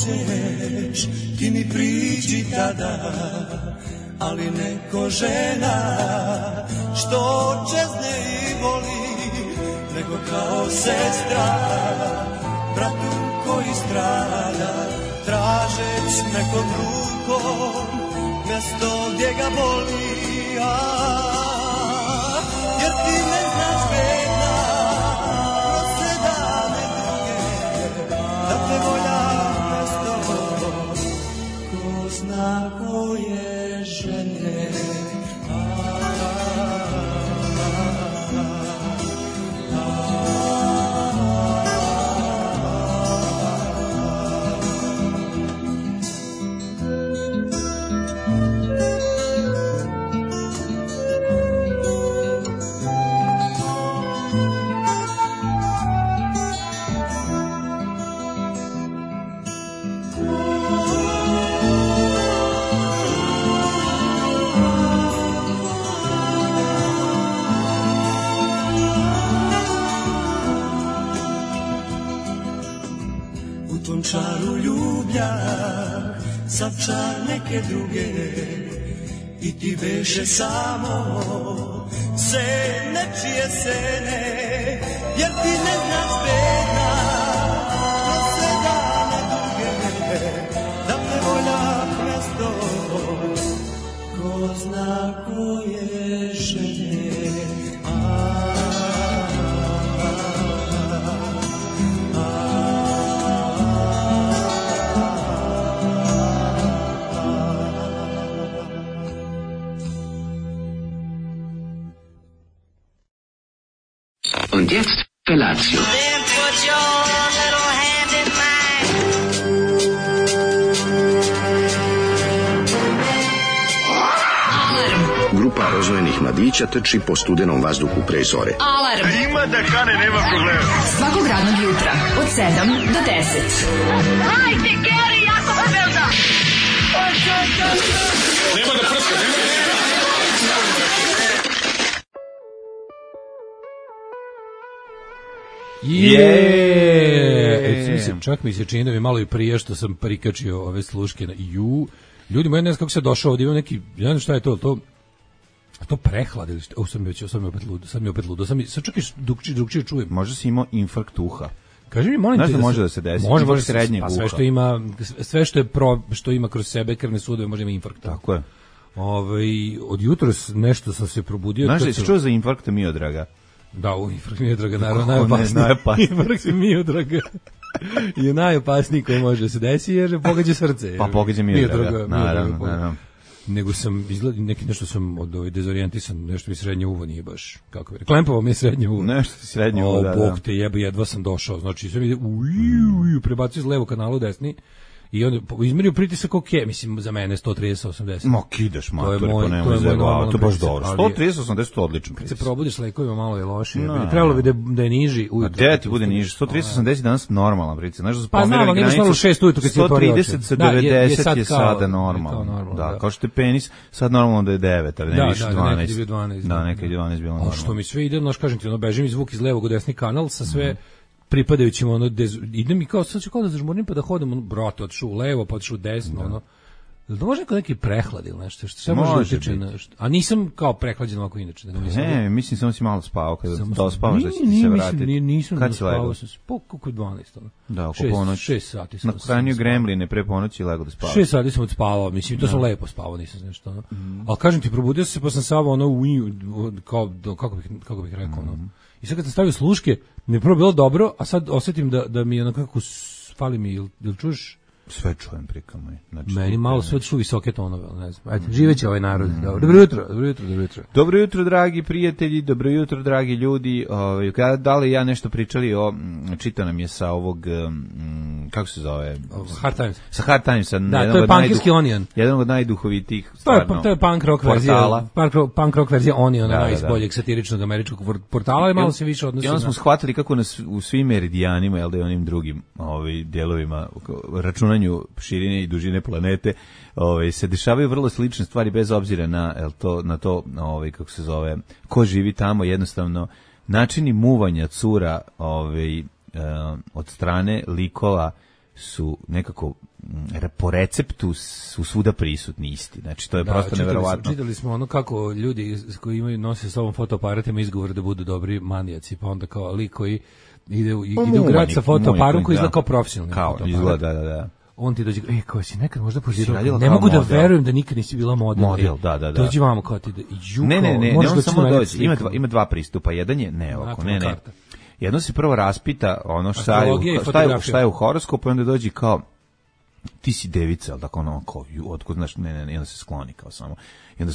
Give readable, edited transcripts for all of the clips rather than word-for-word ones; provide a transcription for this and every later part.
hoćeš, ti mi priđi tada, ali neko žena što čezne i voli, nego kao sestra bratu koji strada, tražeć nekom rukom mjesto gdje ga boli. Jer ti ne znaš bedna kroz sve dane druge, da te volja mjesto ko zna koje žene. Čaru ljublja, sad čar neke druge, i ti veše samo se nečije sene, jer ti ne znaš bedna kroz sve dane duge, da te volja mjesto ko zna koje žene. Und jetzt Felatio. Then put your little hand in mine. Grupa rozvojenih mladića trči po studenom vazduhu pre zore. Alarm. Ima da kane, nema problema. Svakog radnog jutra od 7 do 10. Hajde, Geri, jako se velda. Nema da prska, nema da prska. Mislim, čak mi se čini da mi malo i prije što sam prikačio ove sluške na ljudi moji, ne znam kako se došao ovdje, ima neki, ja ne znam šta je to prehlad ili šta, sad mi opet ludo, sad čak i drugčije čujem. Možda si imao infarkt uha. Kaži mi, molim te, znaš da može da se desi, može srednjeg uha. Sve što ima kroz sebe krvne sudove može ima infarkt. Tako je. Od jutros nešto sam se probudio. Znaš da si čuo za infarkt Miodraga? Da, infarkt Miodraga, naravno, najopasniji. Infarkt Miodraga je najopasniji koji može da se desi jer pogađa srce. Pa pogađa Miodraga, naravno. Nego sam nešto sam od dezorijentisan, nešto mi srednje uvo nije baš, kako bi rekao, klempovo mi je srednje uvo. Nešto ti srednje uvo, da. Bog te jebe, jedva sam došao, znači sve mi ide, prebacio iz levo kanalu u desni, i onda izmerio pritisak, mislim, za mene 130-80. Ma kidaš mater, pa nemoj zajebavati, to je baš dobro. 130-80 to odlično kad pritisak. se probudiš s lekovima malo je loše, trebalo bi da je niži ujutro. A gde ti bude niži? 130-80 danas normalan pritisak. Znaš da su pomerali granicu. Pa znam, 6 ujutro kad si otvorio oči. 130-90 je sada normalno. Da, kao što je penis, sad normalno da je 9, ali ne više 12. Da, nekad je 12 bilo normalno. A što mi sve ide, kažem ti, beži mi zvuk iz levog u desni kanal sa sve pripadajućim, idem i sad ću kao da zažmurnim pa da hodam, brate, otišu u levo, pa otišu u desno, Da može neki prehlad ili nešto, što može utiče na... A nisam kao prehlađen ovako inače. Ne, mislim samo si malo spavao, kada dospavaš da će ti se vratiti. Nisam kad si legao? Oko 12. Da, oko ponoći. 6 sati sam. Na Hranio Gremline pre ponoći i legao da spavaš. 6 sati sam odspavao, mislim, to sam lepo spavao, nisam nešto. Ali kažem ti, probudio sam se pa sam savao kako bih rekao, I sad kad sam stavio sluške, mi je prvo bilo dobro, a sad osjetim da mi je onako fali mi, jel čuješ? Sve čujem prikamo. Znači, meni malo sve ču visoke tonove, ne znam. Ajde, živeće ovaj narod. Dobro jutro. Dobro jutro, dragi prijatelji, dobro jutro, dragi ljudi. Da li ja nešto pričali čitao nam je sa ovog, kako se zove? Hard Times. Sa Hard Timesa. Da, to je Punkirski Onion. Jedan od najduhovitijih, stvarno. To je punk rock verzija. Punk rock verzija Oniona, iz boljeg satiričnog američkog portala, i malo se više odnosi. I onda smo shvatili kako nas u svim meridijanima, jel da i onim drugim dijelovima računanja širine i dužine planete, se dešavaju vrlo slične stvari bez obzira na to kako se zove, ko živi tamo, jednostavno načini muvanja cura od strane likova su nekako po receptu su svuda prisutni isti. Znači, to je prosto neverovatno. Čitali smo ono kako ljudi koji imaju nose sa sobom fotoaparatima izgovor da budu dobri manijaci, pa onda kao lik koji ide u grad sa fotoaparatom koji izgleda kao profesionalni fotoaparat. Izgleda, da. On ti dođe, kao si nekad možda pozirao, ne mogu da verujem da nikad nisi bila model. Da. Dođi vamo kao ti da Ne, on samo dođe. Ima dva pristupa. Jedan je, ne. Jedno se prvo raspita ono šta je u horoskopu i onda dođi kao ti si devica, ali tako ono kao, otkud znaš, ne, onda se skloni kao samo. I onda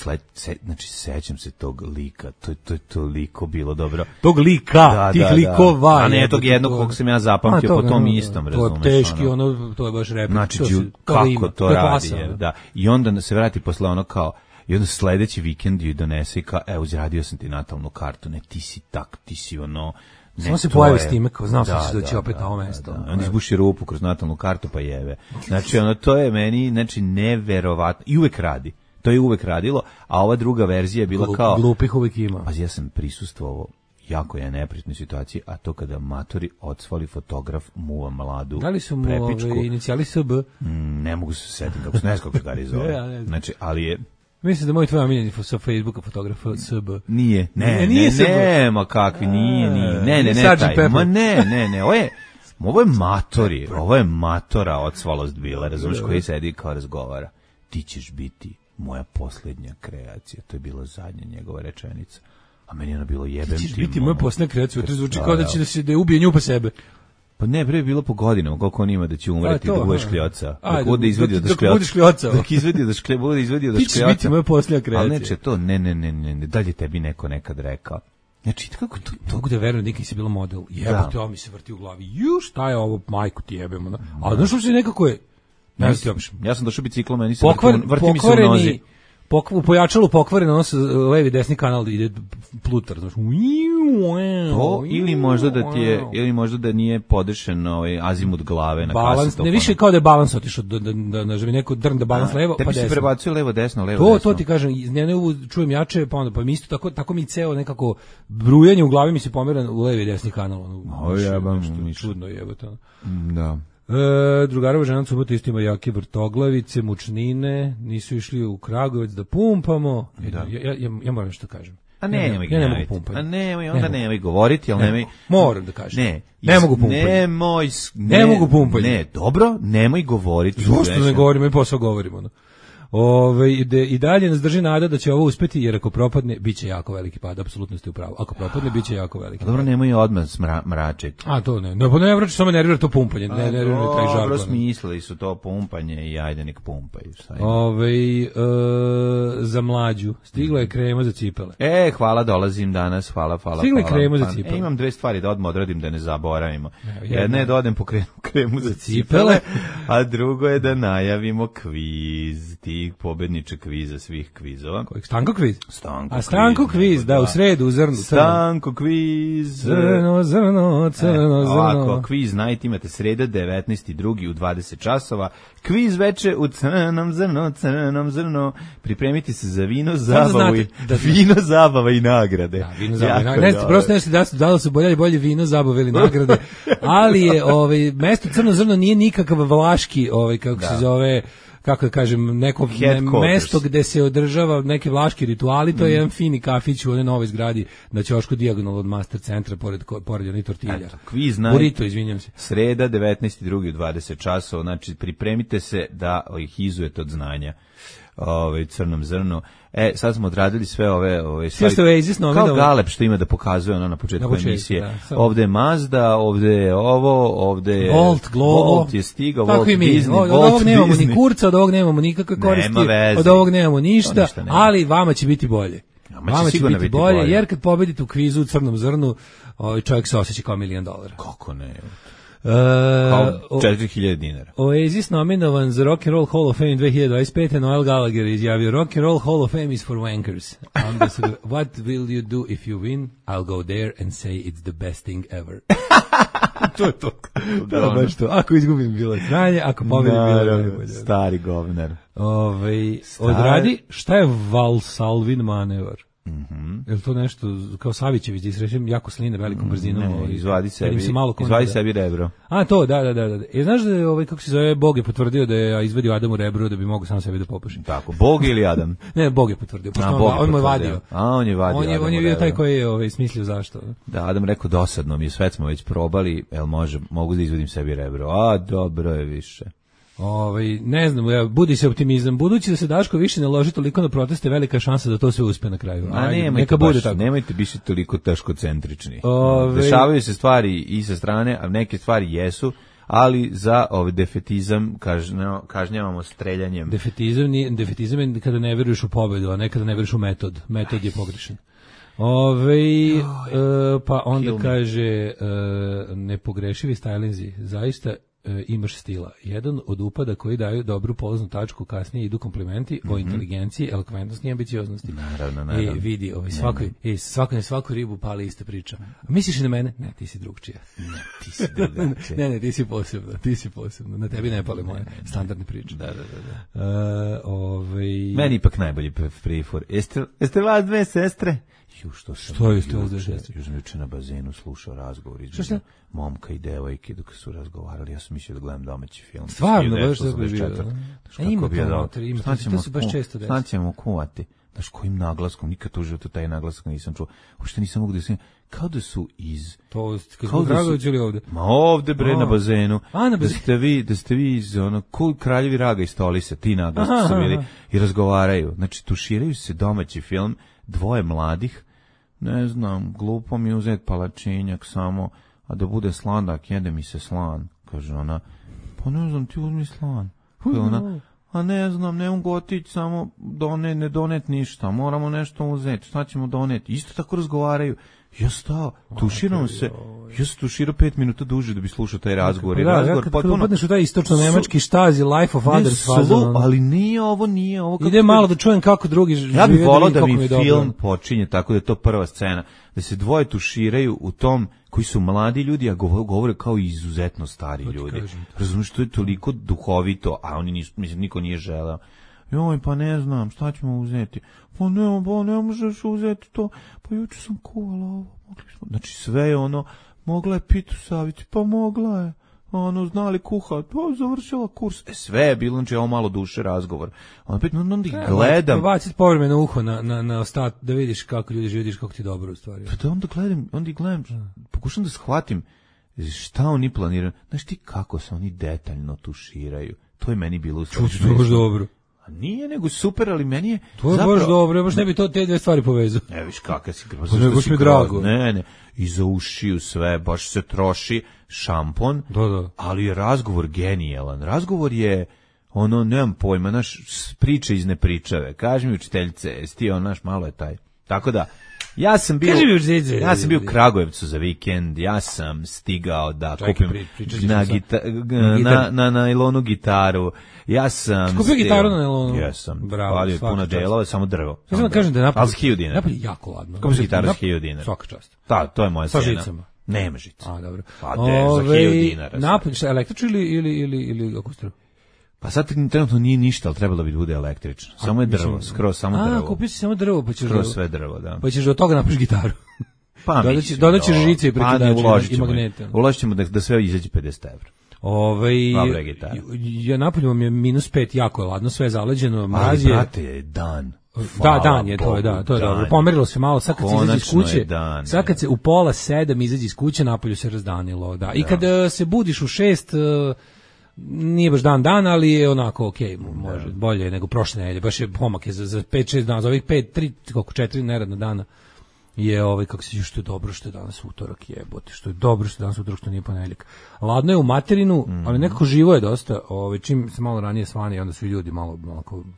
znači, sećam se tog lika, to je toliko bilo dobro. Tog lika, tih likova. A ne, tog jednog kog sam ja zapamtio po tom istom, razumeš. To je teški, to je baš replik. Znači, kako to radi, da. I onda se vrati posle ono kao, i onda sledeći vikend ju donese i kao, uzradio sam ti natalnu kartu, ne, ti si ono, samo se pojavi s time, kao znao sam se doći opet na ovo mesto. On izbuši rupu kroz natalnu kartu pa jeve. Znači, to je meni, znači, neverovatno. I uvek radi. To je uvek radilo, a ova druga verzija je bila kao... Glupih uvek ima. Pa ja sam prisustvovao jako je neprijatnoj situaciji, a to kada matori odsvali fotograf muva mladu prepičku. Da li su mu inicijali SB? Ne mogu se setiti, kako se ne znam kako se gari zove. Znači, ali je... Mislim da moj tvoj omiljeni sa Facebooka fotograf SB. Nije. Ma kakvi, nije. Ne, ovo je matori, ovo je matora odsvalost bila, razumiješ, koji sedi kao razgovara. Ti ćeš biti moja posljednja kreacija, to je bila zadnja njegova rečenica. A meni je ono bilo jebem ti. Ti ćeš biti moja posljednja kreacija, to zvuči kao da će da je ubije nju pa sebe. Pa ne, bre, je bilo po godinama, koliko on ima da će umreti, da bude škljoca. Dok bude izvedio da škljoca. Dok bude izvedio da škljoca. Ti ćeš biti moja posljednja kreacija. Ali neće to, ne, dalje tebi neko nekad rekao. Znači, kako to... Mogu da verujem, nikad si bila model. Jebote, ovo mi se vrti u glavi. Šta je ovo, majku ti jebemo. Ali znaš što se nekako je... Ja sam došao biciklom, meni se vrti mi se u nozi. U pojačalu pokvaren, ono se levi desni kanal ide plutar, znaš. To, ili možda da nije podešen azimut glave na kasetofonu. Ne, više kao da je balans otišao, da neko drn da balans levo, pa desno. Tebi se prebacio levo, desno. To ti kažem, ne čujem jače, pa mi isto tako mi ceo nekako brujanje u glavi mi se pomera u levi desni kanal. Čudno jebote. Da. Drugarova žena subota isto ima jake vrtoglavice, mučnine, nisu išli u Kragujevac da pumpamo. Ja moram što kažem. A nemoj govoriti, ali nemoj... Moram da kažem. Ne mogu pumpati. Ne mogu pumpati. Ne, dobro, nemoj govoriti. Zašto ne govorimo i posao govorimo, i dalje nas drži nada da će ovo uspeti, jer ako propadne, bit će jako veliki pad, apsolutno ste u pravu. Ako propadne, bit će jako veliki pad. Dobro, nemoj odmah mračiti. A to ne. Ne vraći, samo nervira to pumpanje. Ne nervira taj žargon. Dobro, smislili su to pumpanje i ajde nek pumpaju. Za mlađu. Stigla je krema za cipele. Hvala, dolazim danas. Hvala. Stigla je krema za cipele. Imam dve stvari da odmah odradim da ne zaboravimo. Jedna je da odem po kremu za cipele, a drugo je da najavimo kviz. Pobedničak kviza svih kvizova. Stanko kviz? Stanko kviz, da, u sredu, u zrnu. Stanko kviz. Zrno. Ovako, kviz night imate sreda, 19.2. u 20 časova. Kviz veče u crnom zrno. Pripremite se za vino, zabava i nagrade. Da, vino, zabava i nagrade. Prosto ne ste da li su bolje vino, zabave ili nagrade, ali je mesto crno zrno nije nikakav vlaški, kako se zove, kako da kažem, neko mesto gde se održava neke vlaški rituali, to je jedan fini kafić u onoj novoj zgradi na Ćošku dijagonal od Master centra pored onih tortilja. Kviz Burrito, izvinjam se. Sreda, 19.2. u 20 časova, znači pripremite se da ih izujete od znanja. Crnom zrnu. Sad smo odradili sve ove stvari. Kao Galeb što ima da pokazuje ono na početku emisije. Ovde je Mazda, ovde je ovo, ovde je Volt je stigao, Volt Disney. Od ovog nemamo ni kurca, od ovog nemamo nikakve koristi, od ovog nemamo ništa, ali vama će biti bolje. Vama će biti bolje, jer kad pobedite u kvizu u crnom zrnu, čovjek se osjeća kao $1 milion. Kako ne? Kao 4.000 dinara. Oasis nominovan za Rock and Roll Hall of Fame 2025. Noel Gallagher izjavio Rock and Roll Hall of Fame is for wankers. What will you do if you win? I'll go there and say it's the best thing ever. To je to. Da, baš to. Ako izgubim bilo znanje, ako pobedim bilo najbolje. Stari govnar. Odradi, šta je Valsalvin manevar? Je li to nešto, kao Savićević, da isrećem jako sline velikom brzinom? Ne, izvadi sebi sebi rebro. A, to, da. Znaš da je, kako se zove, Bog je potvrdio da je izvadio Adamu rebro da bi mogo sam sebi da popuši. Tako, Bog ili Adam? Ne, Bog je potvrdio. On mu je vadio. On je vadio. On je bio taj koji je smislio zašto. Da, Adam rekao, dosadno mi je, sve smo već probali, mogu da izvadim sebi rebro. A, dobro je više. Ne znam, budi se optimizam. Budući da se Daško više ne loži toliko na proteste, velika šansa da to sve uspe na kraju. Neka bude tako. Nemojte biti toliko teškocentrični. Dešavaju se stvari i sa strane, a neke stvari jesu, ali za defetizam kažnjavamo streljanjem. Defetizam je kada ne veruješ u pobedu, a ne kada ne veruješ u metod. Metod je pogrešan. Pa onda kaže nepogrešivi stajlinzi, zaista imaš stila. Jedan od upada koji daju dobru polaznu tačku, kasnije idu komplimenti o inteligenciji, elokventnosti i ambicioznosti. Naravno. Vidi, svaku ribu pali ista priča. A misliš na mene? Ne, ti si drugčija. Ne, ti si drugačija. Ne, ti si posebno. Na tebi ne pale moje standardne priče. Da. Meni ipak najbolji prifor. Jeste vas dve sestre? Što je juče na bazenu slušao razgovor između momka i devojke dok su razgovarali. Ja sam mislio da gledam domaći film. Stvarno, baš da bi bio. Ima to, to se baš često desi. Sad ćemo kuvati. Znaš, kojim naglaskom, nikad u životu taj naglasak nisam čuo. Uopšte nisam mogu da se... Kao da su iz... To, kad smo Dragović ili ovde? Ma ovde, bre, na bazenu. Da ste vi iz Kraljevi Raga i Stolisa, ti naglaski su bili i razgovaraju. Znači, tuširaju se domaći film, dvoje mladih, ne znam, glupo mi uzeti palačinjak samo, a da bude sladak, jede mi se slan, kaže ona. Pa ne znam, ti uzmi slan. Ona, a ne znam, ne mogu otići samo ne donet ništa, moramo nešto uzeti, šta ćemo doneti? Isto tako razgovaraju. Ja stao, tuširam se, ja sam tuširao 5 minuta duže da bi slušao taj razgovor. Kad upadneš u taj istočno-nemački štazi, Life of Others fazon. Ali nije ovo. Ide malo da čujem kako drugi žive. Ja bih volao da mi film počinje tako da je to prva scena, da se dvoje tuširaju u tom koji su mladi ljudi, a govore kao izuzetno stari ljudi. Razumiješ, to je toliko duhovito, a oni nisu, mislim, niko nije želeo. Joj, pa ne znam, šta ćemo uzeti? Pa ne možeš uzeti to. Pa juče sam kuvala ovo. Znači sve je mogla je pitu saviti, pa mogla je. Znali kuhat, pa završila kurs. Sve je bilo, znači ovo malo duše razgovor. Onda ih gledam. Baciti povremeno uho na ostat, da vidiš kako ljudi živiš, kako ti dobro u stvari. Pa da onda gledam, pokušam da shvatim šta oni planiraju. Znaš ti kako se oni detaljno tuširaju? To je meni bilo dobro. A nije nego super, ali meni je... To je baš dobro, baš ne bi to te dve stvari povezao. Ne, viš kakav si grozno. Pa nego mi drago. Ne, i za ušiju sve, baš se troši šampon, ali je razgovor genijalan. Razgovor je, nemam pojma, naš priče iz nepričave. Kaži mi učiteljice, jesi ti malo je taj. Tako da, ja sam bio u Kragujevcu za vikend, ja sam stigao da kupim na nailonu gitaru. Ja sam kupio gitaru na nailonu. Jesam. Bravo, puno delova, samo drvo. Ja sam kažem da je Napolje jako ladno. Kupio gitaru sa 1000 dinara. Svaka čast. Da, to je moja cena. Sa žicama. Nema žica. A, dobro. Pa za 1000 dinara. Napolje, šta, električno ili akustru? Pa sad trenutno nije ništa, ali trebalo bi da bude električno. Samo je drvo, skroz samo drvo. A, kupio si samo drvo, pa ćeš... Skroz sve drvo, da. Pa ćeš od toga napraviš gitaru. Pa dodat ćeš žice i prekidače i magnete. Uložit ćemo da sve izađe 50 €. Ja napolju vam je -5, jako je ladno, sve je zaleđeno, mraz je... Ali, brate, je dan. Da, dan je, to je dobro. Pomerilo se malo, sad kad se izađe iz kuće, sad kad se u 6:30 izađe iz kuće, napolju se razdanilo, da. I kad se budiš u 6, nije baš dan, ali je onako okej, može, bolje nego prošle nedelje, baš je pomak je za 5-6 dana, za ovih 4 neradna dana je kako se što je dobro što je danas utorak, jebote, što je dobro što je danas utorak, što nije ponedjeljak. Ladno je u materinu, ali nekako živo je dosta, čim se malo ranije svani, onda su ljudi malo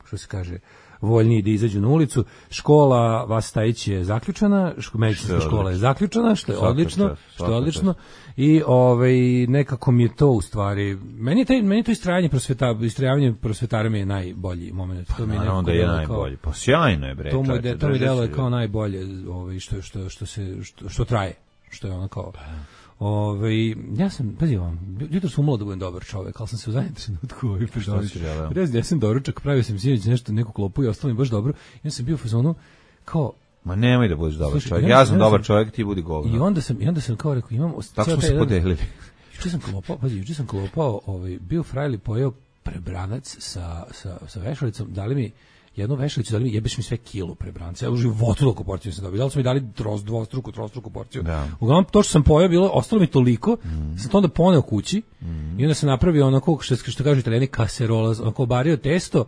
što se kaže, voljniji da izađu na ulicu. Škola Vastajić je zaključana, medicinska škola je zaključana, što je odlično. I nekako mi je to u stvari, meni je to istrajavanje prosvetara mi je najbolji moment. To mi je onda je najbolji. Pa sjajno je, bre. To mi deluje kao najbolje, što traje, što je ono kao. Ja sam, pazi vam, jutro sam umalo da budem dobar čovek, ali sam se u zadnjem trenutku ja sam doručak, pravio sam sinoć neku klopu i ostalo mi baš dobro. Ja sam bio u fazonu kao, Ma nemoj da budeš dobar Slušaj, čovjek. i Ja onda sam dobar čovjek, ti budi govno. I onda sam kao rekao, imam... Tako smo se podelili. Juče sam klopao, bio frajli, pojeo prebranac sa vešalicom, dali mi jednu vešalicu, dali mi, jebeš mi sve kilu prebranca. Ja u životu toliko porciju sam dobio. Da li su mi dali trostruku porciju. Da. Uglavnom, to što sam pojeo, ostalo mi toliko, sam to onda poneo kući i onda sam napravio onako, što kažu Italijani, kaserola, onako obario testo,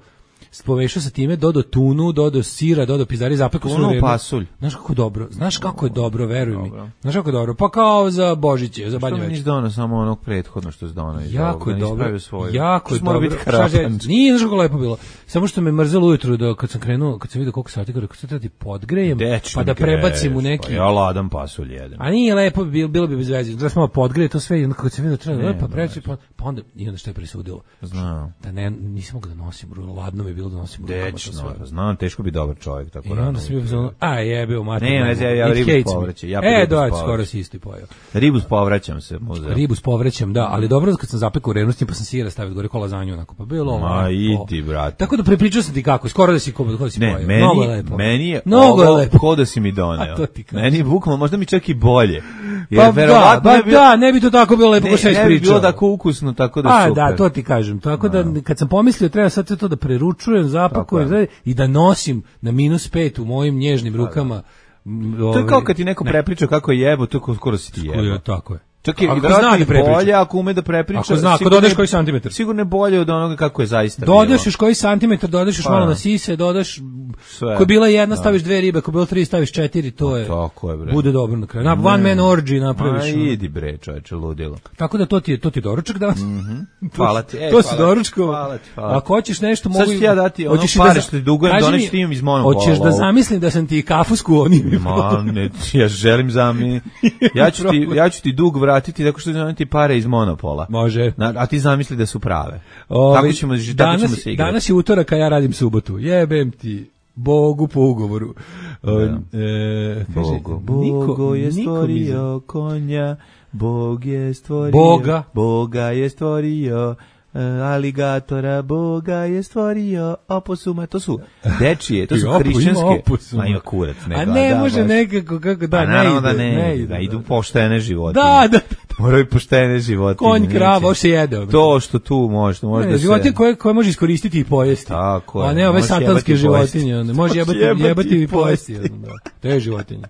povešao sa time, dodao tunu, dodao sira, dodao pizdari, zapekao sve vreme. Pasulj. Znaš kako je dobro, veruj mi. Znaš kako je dobro, pa kao za Božiće, za Badnje Što mi nisi donao samo onog prethodno što si donao? Jako je dobro, jako je dobro. Nije znaš kako lepo bilo. Samo što me mrzelo ujutru kad sam vidio koliko sati, rekao sad da ti podgrejem, pa da prebacim u neki. Ja ladan pasulj jedem. A nije lepo, bilo bi bez veze. Da smo podgreje to sve i onda kad sam vidio treba pa preći, pa onda i onda što je presudilo. Znam. Da nisam mogao da nosim, ladno mi je bilo da nosim rukama to sve. Znam, teško bi dobar čovjek tako rano. I onda sam bio zonu, jebeo mater. Ne, ja ribu povraćam. Skoro si isto pojeo. Ribu povraćam se, možda. Ribu povraćam, da, ali dobro kad sam zapekao revnosti pa sam sira stavio gore ko lazanju onako, pa bilo ovo. Ma idi, brate. Tako da prepričao sam ti kako, skoro da si pojeo. Ne, meni je ovo ko da si mi doneo. Meni je bukvalno, možda mi čak i bolje. Pa da, ne bi to tako bilo lepo ko sve ispričao. Ne bi bilo tako ukusno, tako da super. Da, to ti kažem. Tako da kad sam pomislio treba sad sve to da preručujem, zapakujem i da nosim na -5 u mojim nježnim rukama. To je kao kad ti neko prepriča kako je jebo, to skoro si ti jebo. Tako je. Čak je bolje ako ume da prepriča. Ako zna, ako dodaš koji santimetar. Sigurno je bolje od onoga kako je zaista. Dodaš još koji santimetar, dodaš još malo na sise, dodaš ko je bila jedna staviš 2 ribe, ko je bilo 3 staviš 4, to je. Tako je, bre. Bude dobro na kraju. One man orgy napraviš. Idi bre, čoveče, ludilo. Tako da to ti je doručak danas. Hvala ti. To si doručkovo. Ako hoćeš nešto mogu. Sad ću ja dati ono pare što ti dugujem, doneš ti im iz monopola. Hoćeš da zamislim da sam ti kafu sklonio. Ma ne, ja želim ja ću ti dug vratiti tako što ti pare iz monopola. Može. A ti zamisli da su prave. Tako ćemo se igrati. Danas je utorak, a ja radim subotu. Jebem ti Bogu po ugovoru. Bogo je stvorio konja, Bog je stvorio Boga je stvorio aligatora, Boga je stvorio oposuma. To su dečije, to su hrišćanske. Ma ima kurac. A ne može nekako, kako da, ne ide. Da idu poštene životinje. Da. Moraju poštene životinje. Konj, krava, ovo se jede. To što tu može da se... Životinje koje može iskoristiti i pojesti. Tako je. A ne ove satanske životinje. Može jebati i pojesti. Te životinje.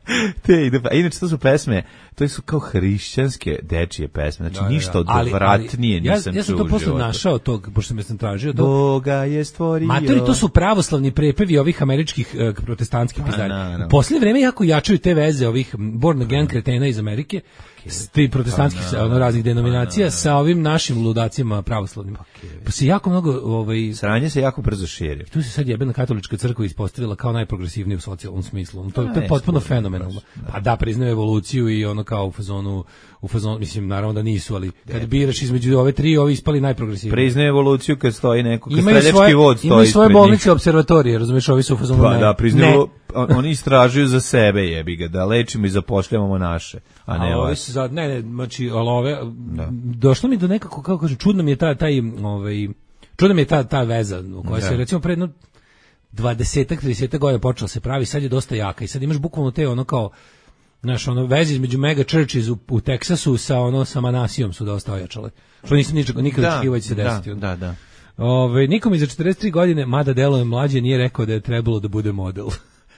Inače, to su pesme, to su kao hrišćanske dečije pesme. Znači, ništa odvratnije nisam čuo u životu. Ja sam to posle našao tog, pošto me sam tražio to. Boga je stvorio. Matori, to su pravoslavni prepevi ovih američkih protestantskih pizdari. U posljednje vreme jako jačaju te veze ovih born again kretena iz Amerike, ti protestantskih raznih denominacija sa ovim našim ludacima pravoslavnim. Pa se jako mnogo sranje se jako brzo širi. Tu se sad jebena katolička crkva ispostavila kao najprogresivnija u socijalnom smislu. To je potpuno fenomenalno. Pa da, priznaju evoluciju i ono kao u fazonu, mislim, naravno da nisu, ali kad biraš između ove tri, ovi ispali najprogresivniji. Priznaju evoluciju kad stoji neko, kad streljački vod stoji. Imaju svoje bolnice, observatorije, razumiješ, ovi su u fazonu ne. Da, priznaju, oni istražuju za sebe, jebi ga, da lečimo i zapošljavamo naše, a ne ove. Znači, ali ove, došlo mi do nekako, kako kažem, čudna mi je ta veza, u kojoj se, recimo, pre 20-30 godina počela se pravi, sad je dosta jaka i sad imaš bukvalno te ono kao, znaš, veze između mega churches u Teksasu sa Manasijom su dosta ojačale. Što nisam nikad očekivao će se desiti. Da. Nikom iza 43 godine, mada deluje mlađe, nije rekao da je trebalo da bude model.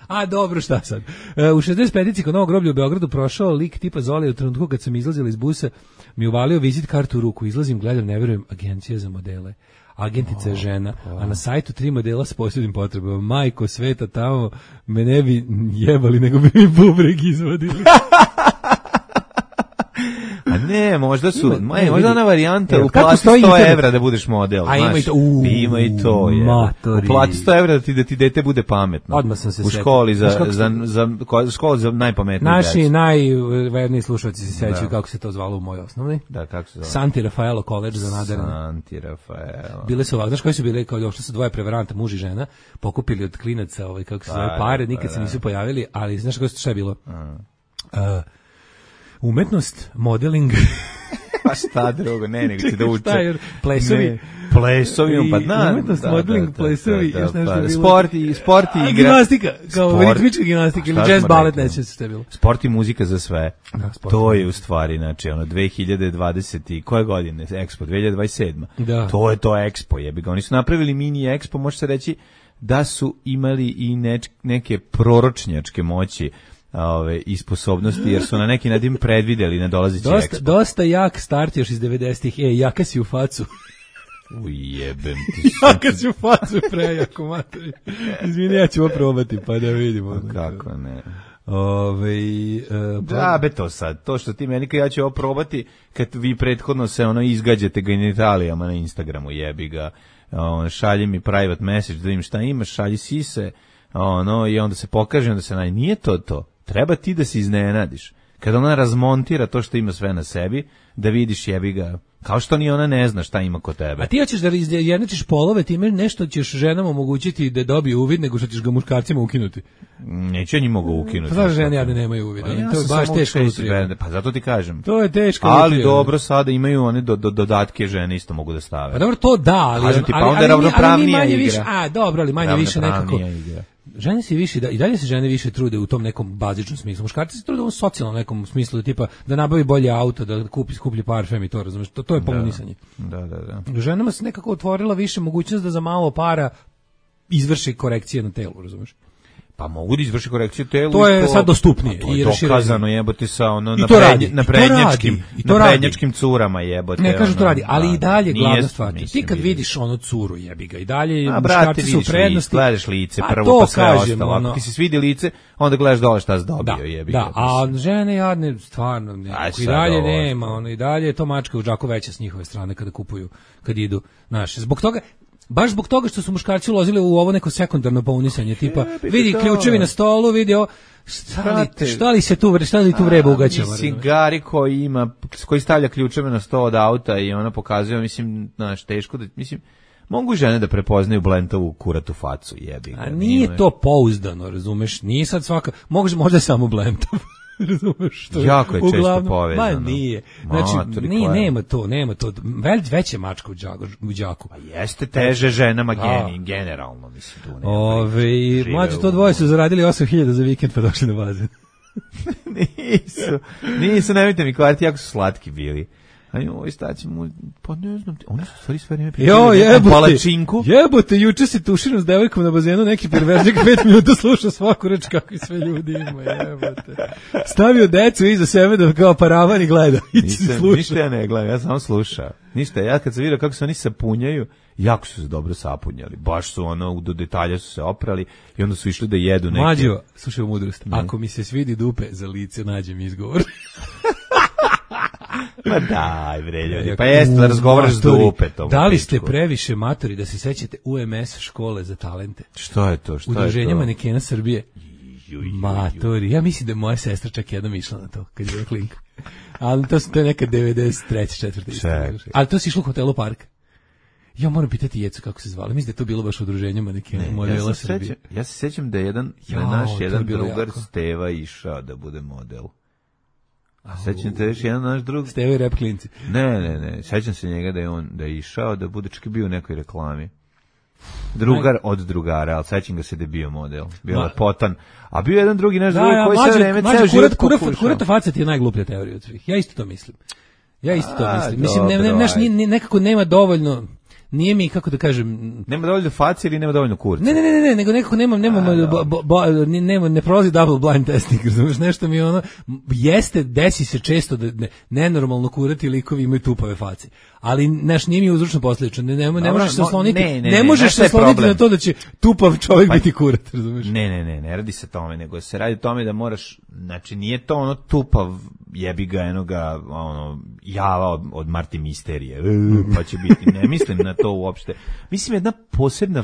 A dobro, šta sad? U 65-ici kod Novog groblja u Beogradu prošao lik tipa Zoli u trenutku kad sam izlazila iz busa, mi uvalio vizit kartu u ruku. Izlazim, gledam, ne verujem, agencija za modele. Agentica je žena, a na sajtu 3 modela s posebnim potrebama. Majko sveta, tamo me ne bi jebali, nego bi mi bubreg izvadili. A ne, možda su, možda ona varijanta, uplati 100 evra da budeš model. A ima i to, ima i to, je. Uplati 100 evra da ti dete bude pametno. Odmah sam se u školi za najpametniji. Naši najverniji slušalci se sećaju kako se to zvalo u mojoj osnovni. Da, kako se zvalo? Santi Rafaelo College za nadarene. Santi Rafaelo. Bile su ovako, znaš koji su bile, kao došli su dvoje prevaranta, muž i žena, pokupili od klinaca, kako se zove, pare, nikad se nisu pojavili, ali znaš šta je bilo? Umetnost, modeling Pa šta drugo, nego će da uče. Šta je, plesovi? Ne, plesovi, pa na. Umetnost, modeling, plesovi, još nešto je bilo. Sport i igra. Gimnastika, kao ritmička gimnastika ili jazz balet, neće se bilo. Sport i muzika za sve. Da, to je u stvari, znači, 2020 koje godine, Expo, 2027. Da. To je to Expo, jebi ga. Oni su napravili mini Expo, može se reći da su imali i neke proročnjačke moći i sposobnosti, jer su na neki način predvideli na dolazeći Expo. Dosta jak start još iz 90-ih. Jaka si u facu. Ujebem ti. Jaka si u facu, prejako, materi. Izvini, ja ću ovo probati, pa da vidimo. Kako ne. Da, to sad, to što ti meni ja ću ovo probati, kad vi prethodno se izgađate genitalijama na Instagramu, jebi ga, šalji mi private message da vidim šta imaš, šalji sise, i onda se pokaže, onda se nije to, treba ti da se iznenadiš, kada ona razmontira to što ima sve na sebi, da vidiš, jebi ga, kao što ni ona ne zna šta ima kod tebe. A ti hoćeš da izjednačiš polove, time nešto ćeš ženama omogućiti da dobiju uvid, nego što ćeš ga muškarcima ukinuti. Neće njih mogu ukinuti. Pa žene jadne nemaju uvid. To je baš teško. Pa zato ti kažem. To je teško. Ali dobro, sada imaju one dodatke, žene isto mogu da stave. Pa dobro, to da, ali pa onda je ravnopravnija igra. Dobro, ali manje više nekako. Žene se više i dalje se žene više trude u tom nekom bazičnom smislu. Muškarci se trude u socijalnom nekom smislu, tipa da nabavi bolje auto, da kupi skuplji parfem i to, razumeš? To je pomonisanje. Da. Ženama se nekako otvorila više mogućnost da za malo para izvrši korekcije na telu, razumeš? Pa mogu da izvrši korekciju telu. To je sad dostupnije. To je dokazano, jebote, sa na prednjačkim curama, jebote. Ne kažu to radi, ali i dalje glavna stvar. Ti kad vidiš curu, jebi ga, i dalje muškarci su u prednosti. Gledaš lice prvo, pa sve ostalo. Ako ti se svidi lice, onda gledaš dole šta si dobio, jebi ga. Da, a žene jadne, stvarno, i dalje nema, i dalje je to mačka u džaku veća s njihove strane kada kupuju, kad idu, znaš, baš zbog toga što su muškarci ulazili u ovo neko sekundarno pounisanje, tipa, vidi ključevi na stolu, vidi ovo, šta li tu vreba ugaćamo? Cigari koji stavlja ključeve na sto od auta i ona pokazuje, znaš, teško da, mogu žene da prepoznaju Blentovu kuratu facu, jebi ga. A nije to pouzdano, razumeš, nije sad svaka, možda je samo Blentov. Razumeš što? Jako je često povezano. Nije. Znači, nema to. Veće mačka u džaku. Pa jeste teže ženama generalno, mislim, tu nema. Mlađe, to dvoje su zaradili 8.000 za vikend pa došli na bazen. Nisu, nemojte mi kvariti, jako su slatki bili. Staći mu, pa ne znam, oni su stvari sve vreme pričali palačinku. Jebote, juče si tuširao s devojkom na bazenu, neki perverznik 5 minuta slušao svaku reč kakvi sve ljudi ima, jebote. Stavio decu iza sebe da kao paravan i gleda. Ništa ja ne gledam, ja samo slušao. Ništa, ja kad sam vidio kako se oni sapunjaju, jako su se dobro sapunjali. Baš su do detalja su se oprali i onda su išli da jedu neke. Mađo, slušaj mudrost, ako mi se svidi dupe za lice, nađem izgovor. Pa daj, bre, ljudi, pa jeste da razgovaraš s dupetom. Da li ste previše matori da se sećate UMS škole za talente? Što je to? Udruženja manekena Srbije. Matori, ja mislim da je moja sestra čak jednom išla na to, kad je klinka. Ali to je neka 93. 4. Ali to si išlo u hotelu Park. Ja moram pitati Jecu kako se zvali. Mislim da je to bilo baš udruženje manekena modela Srbije. Ja se sećam da je naš jedan drugar Steva išao da bude model. A sećam te još jedan naš drug Steve rap klinci. Ne, sećam se njega da je išao da bude čak i bio u nekoj reklami. Drugar od drugara, ali sećam ga se da je bio model. Bio lepotan. A bio jedan drugi naš drug koji sve vreme ceo život pokušao. Kurata faca ti je najgluplja teorija od svih. Ja isto to mislim. Mislim, nekako nema dovoljno. Nije mi, kako da kažem... Nema dovoljno faci ili nema dovoljno kurca? Ne, nego nekako ne prolazi double blind testing, razumiješ, nešto mi desi se često da nenormalno kurati likovi imaju tupave face. Ali, nije mi uzročno posljedično, ne možeš se osloniti, ne možeš se osloniti na to da će tupav čovjek biti kurat, razumiješ? Ne radi se tome, nego se radi tome da moraš, znači nije to tupav jebi ga enoga, java od Marti Misterije, pa će biti, ne mislim na to uopšte. Mislim, jedna posebna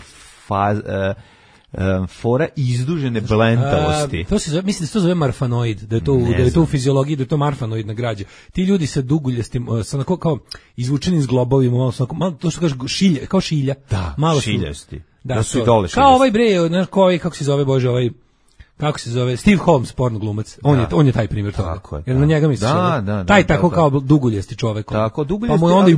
fora izdužene blentavosti. Mislim da se to zove marfanoid, da je to u fiziologiji, da je to marfanoidna građa. Ti ljudi sa duguljastim, sa kao izvučenim zglobovima, malo to što kažeš šilja, kao šilja. Da, malo šiljasti. Da su i dole šiljasti. Kao ovaj bre, kako se zove, Bože, ovaj kako se zove, Steve Holmes, porno glumac. On je taj primjer toga. Tako je, Jer na njega misliš. Taj tako kao duguljasti čovek. Tako, duguljasti. Pa mu je onda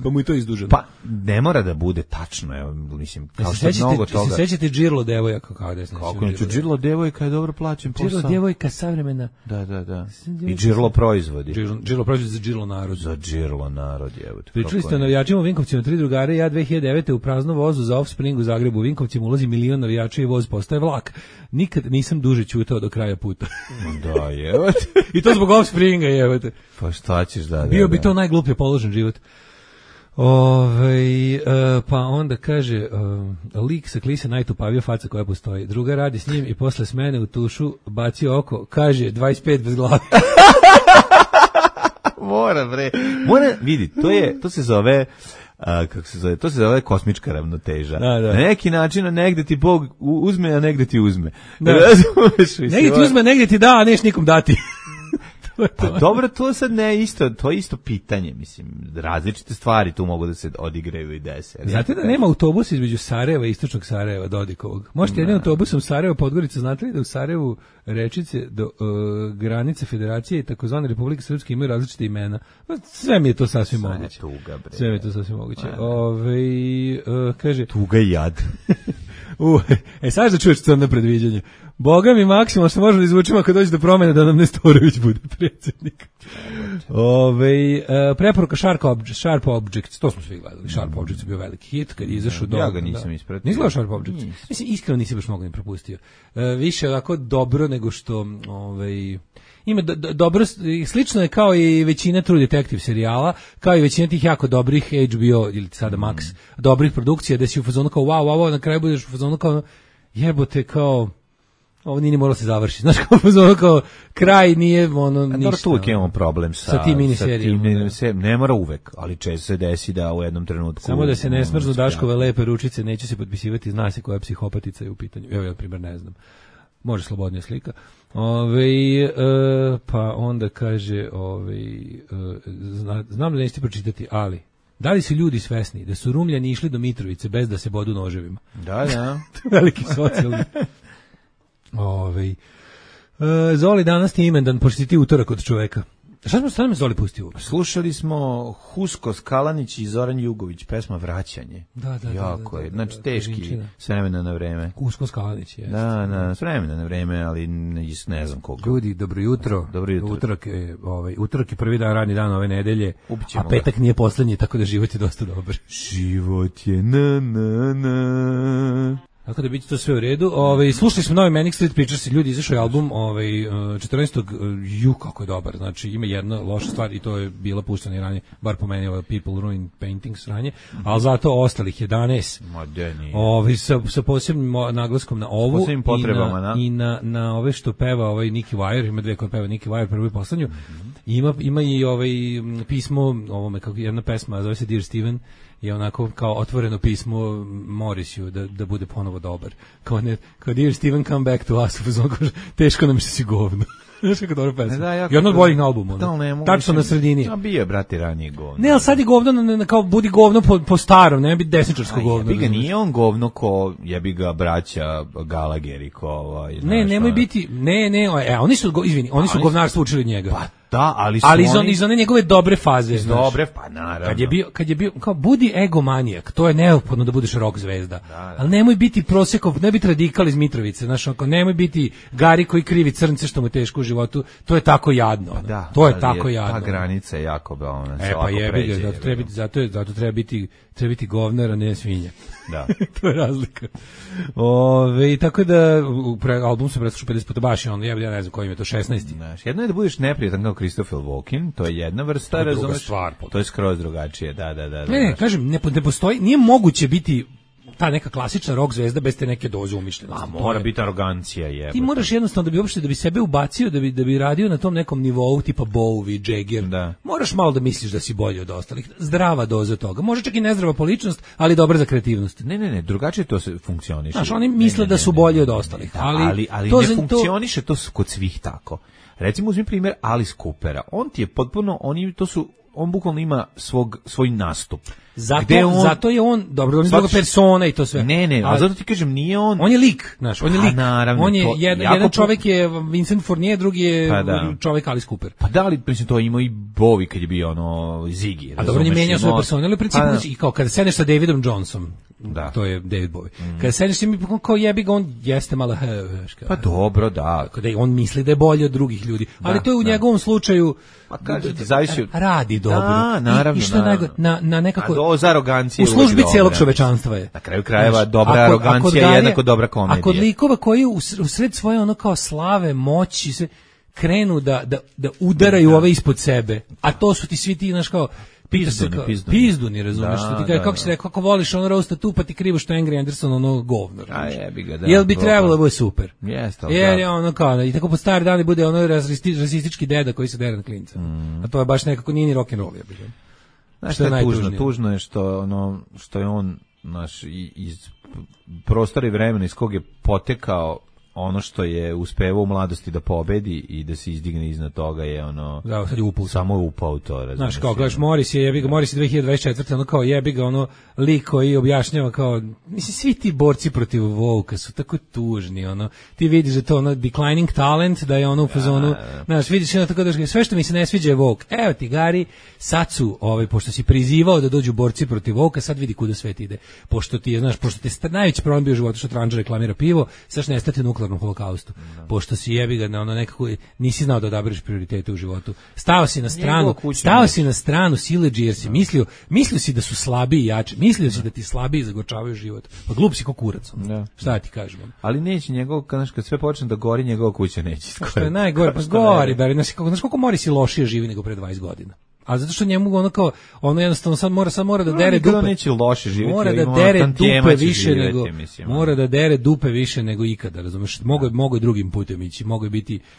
pa mu je to izduženo. Pa ne mora da bude tačno, evo, mislim, kao što mnogo toga. Se sećate Džirlo devojaka kao da se kako neću, Džirlo devojka je dobro plaćen posao. Džirlo devojka savremena. Da. I Džirlo proizvodi. Džirlo proizvodi za Džirlo narod. Za Džirlo narod, evo. Pričali ste o navijačima u Vinkovcima, 3 drugare, ja 2009. u praznom vozu za Offspring u Zagrebu u Vinkovcima ulazi 1 milion navijača i voz postaje vlak. Nikad nisam duže ćutao do kraja puta. Da, evo. I to zbog Offspringa, evo te. Pa šta ćeš da... Bio bi to najgluplje položen život. Pa onda kaže lik sa klise najtupavija faca koja postoji. Druga radi s njim i posle smene u tušu bacio oko, kaže 25 bez glave. Mora vidi, to se zove kako se zove, to se zove kosmička ravnoteža. Da. Na neki način negde ti Bog uzme, a negde ti uzme. Negde ti uzme, negde ti da, a neš nikom dati. Pa dobro, to sad ne isto, to je isto pitanje, mislim, različite stvari tu mogu da se odigraju i dese. Znate da nema autobusa između Sarajeva i istočnog Sarajeva, Dodikovog? Možete jednim autobusom Sarajevo Podgorica, znate li da u Sarajevu Rečice do granice Federacije i takozvane Republike Srpske imaju različite imena? Sve mi je to sasvim moguće. Sve mi je to sasvim moguće. Kaže... Tuga i jad. Sad da čuješ crno predviđanje. Boga mi maksimalno što možemo da izvučimo ako dođe do promene da nam Nestorović bude predsjednik. Preporuka Sharp Objects, to smo svi gledali. Sharp Objects je bio veliki hit kad je izašao do... Ja ga nisam ispratio. Nisi gledao Sharp Objects? Mislim, iskreno nisi baš mogu ni propustio. Više ovako dobro nego što... Ima dobro, slično je kao i većina True Detective serijala, kao i većina tih jako dobrih HBO ili sada Max, dobrih produkcija, da si u fazonu kao wow, na kraju budeš u fazonu kao jebote, kao ovo nije moralo se završiti. Znaš, kao kraj nije ništa. Dobro, tu uvijek imamo problem sa tim miniserijama. Ne mora uvek, ali često se desi da u jednom trenutku... Samo da se ne smrznu Daškove lepe ručice, neće se potpisivati, zna se koja psihopatica je u pitanju. Evo, ja, na primjer, ne znam. Može slobodnija slika. Pa onda kaže, znam da nećete pročitati, ali da li su ljudi svesni da su Rumljani išli do Mitrovice bez da se bodu noževima? Da. Veliki socijalni. Zoli, danas ti imendan, pošto si ti utorak od čoveka. Šta smo me Zoli pustio? Slušali smo Husko Skalanić i Zoran Jugović, pesma Vraćanje. Da. Jako je, znači teški, s vremena na vreme. Husko Skalanić, jeste. Da, s vremena na vreme, ali ne znam koliko. Ljudi, dobro jutro. Utorak je prvi dan, radni dan ove nedelje, a petak nije poslednji, tako da život je dosta dobar. Život je na. Tako da biti to sve u redu. Slušali smo novi Manic Street Preachers, ljudi, izašao je album 14. Kako je dobar. Znači ima jedna loša stvar i to je bila puštena i ranije, bar po meni People Ruin Paintings ranije, ali zato ostalih 11. Sa posebnim naglaskom na ovu i na ove što peva Nicky Wire, ima dve koje peva Nicky Wire, prvu i poslednju. Ima i pismo, kako jedna pesma zove se Dear Steven, je onako kao otvoreno pismo Morrisiju da bude ponovo dobar. Kao Dear Steven, come back to us, teško nam što si govno. Znaš kako dobro pesma. Jedno od boljih na albumu. Tačno na sredini. A bio je, brati, ranije govno. Ne, ali sad je govno, kao budi govno po starom, ne bi desničarsko govno. Jebi ga, nije on govno ko jebi ga braća Galageri, ko... nemoj biti, oni su govnarstvo učili od njega. Pa da, ali iz one njegove dobre faze. Dobre, pa naravno. Kad je bio, kao budi egomanijak, to je neophodno da budeš rock zvezda. Da. Ali nemoj biti Prosekov, ne biti radikal iz Mitrovice, znaš, nemoj biti Gari koji krivi crnce što mu je teško u životu, to je tako jadno. Da, to je tako jadno. Ta granica je jako ona se pa jebi ga, zato treba biti govnar, a ne svinja. Da. To je razlika. Tako da album se preslušao 50 puta baš, ja ne znam kojim je to 16. Jedno je da budeš neprijatan kao Christopher Walken, to je jedna vrsta, razumeš? To je skroz drugačije, da. Ne, kažem, ne postoji, nije moguće biti ta neka klasična rock zvezda bez te neke doze umišljenosti. Mora biti arogancija, jebote. Ti moraš jednostavno da bi sebe ubacio, da bi radio na tom nekom nivou tipa Bowie, Jagger. Da. Moraš malo da misliš da si bolji od ostalih. Zdrava doza toga. Može čak i nezdrava po ličnost, ali dobra za kreativnost. Ne, drugačije to se funkcioniše. Znaš, oni misle da su bolji od ostalih. Ali ne funkcioniše to kod svih tako. Recimo uzmi primjer Alice Coopera. On ti je potpuno, to su on bukvalno ima svoj nastup. Zato je on, dobro, on je druga persona i to sve. Ne, ali zato ti kažem, nije on... On je lik, znaš, on je lik. Naravno, on je, jedan čovjek je Vincent Fournier, drugi je čovjek Alice Cooper. Pa da li, mislim, to imao i Bowie kad je bio Ziggy. A dobro, on je menjao svoje persone, ali u principu, i kao kada sedneš sa Davidom Johnsonom, to je David Bowie, kada sedneš s njim, kao jebi ga, on jeste malo... Pa dobro, da. Kada on misli da je bolji od drugih ljudi, ali to je u njegovom slučaju... Pa kažete, zavisi... Radi dobro. Da, naravno. I što je najgore, na nekako... Doza arogancije u službi cijelog čovečanstva je. Na kraju krajeva dobra arogancija je jednako dobra komedija. A kod likova koji u sred svoje ono kao slave, moći se krenu da udaraju ove ispod sebe, a to su ti svi ti, znaš kao, pizduni, razumeš, što ti kaže, kako si rekao, kako voliš ono roasta tu, pa ti krivo što Angry Anderson ono govno, jel bi trebalo da bude super, jer je ono kao, i tako po stari dani bude ono rasistički deda koji se dere na klinca, a to je baš nekako nije ni rock'n'roll, ja bih. Znaš što je tužno je što je on iz prostora i vremena iz kog je potekao ono što je uspevao u mladosti da pobedi i da se izdigne iznad toga je ono... Da, sad je upao. Samo je upao to, razumiješ. Znaš, kao, gledaš, Morris je 2024. ono kao jebi ga, ono lik koji objašnjava kao, mislim, svi ti borci protiv Woke-a su tako tužni, ono, ti vidiš da to ono declining talent, da je ono u fazonu, znaš, vidiš ono tako da sve što mi se ne sviđa je Woke. Evo ti, Gari, sad su, pošto si prizivao da dođu borci protiv Woke-a, sad vidi kuda svet ide. Pošto ti je, znaš, pošto ti je najveći problem bio u životu što Tranđa reklamira pivo, sad ne stati nuklearnom holokaustu. Pošto si jebi ga na ono nekako nisi znao da odabereš prioritete u životu. Stao si na stranu siledžije jer si mislio si da su slabiji i jači. Mislio si da ti slabiji zagorčavaju život. Pa glup si ko kurac. Šta ti kažem? Ali neće kad sve počne da gori, njegova kuća neće iskoriti. Što je najgore, pa gori, znaš koliko Morris i lošije živi nego pre 20 godina. A zato što njemu ono jednostavno sad mora da dere dupe. Neće loše živjeti. Mora da dere dupe više nego mora da dere dupe više nego ikada, razumeš? Mogu drugim putem ići,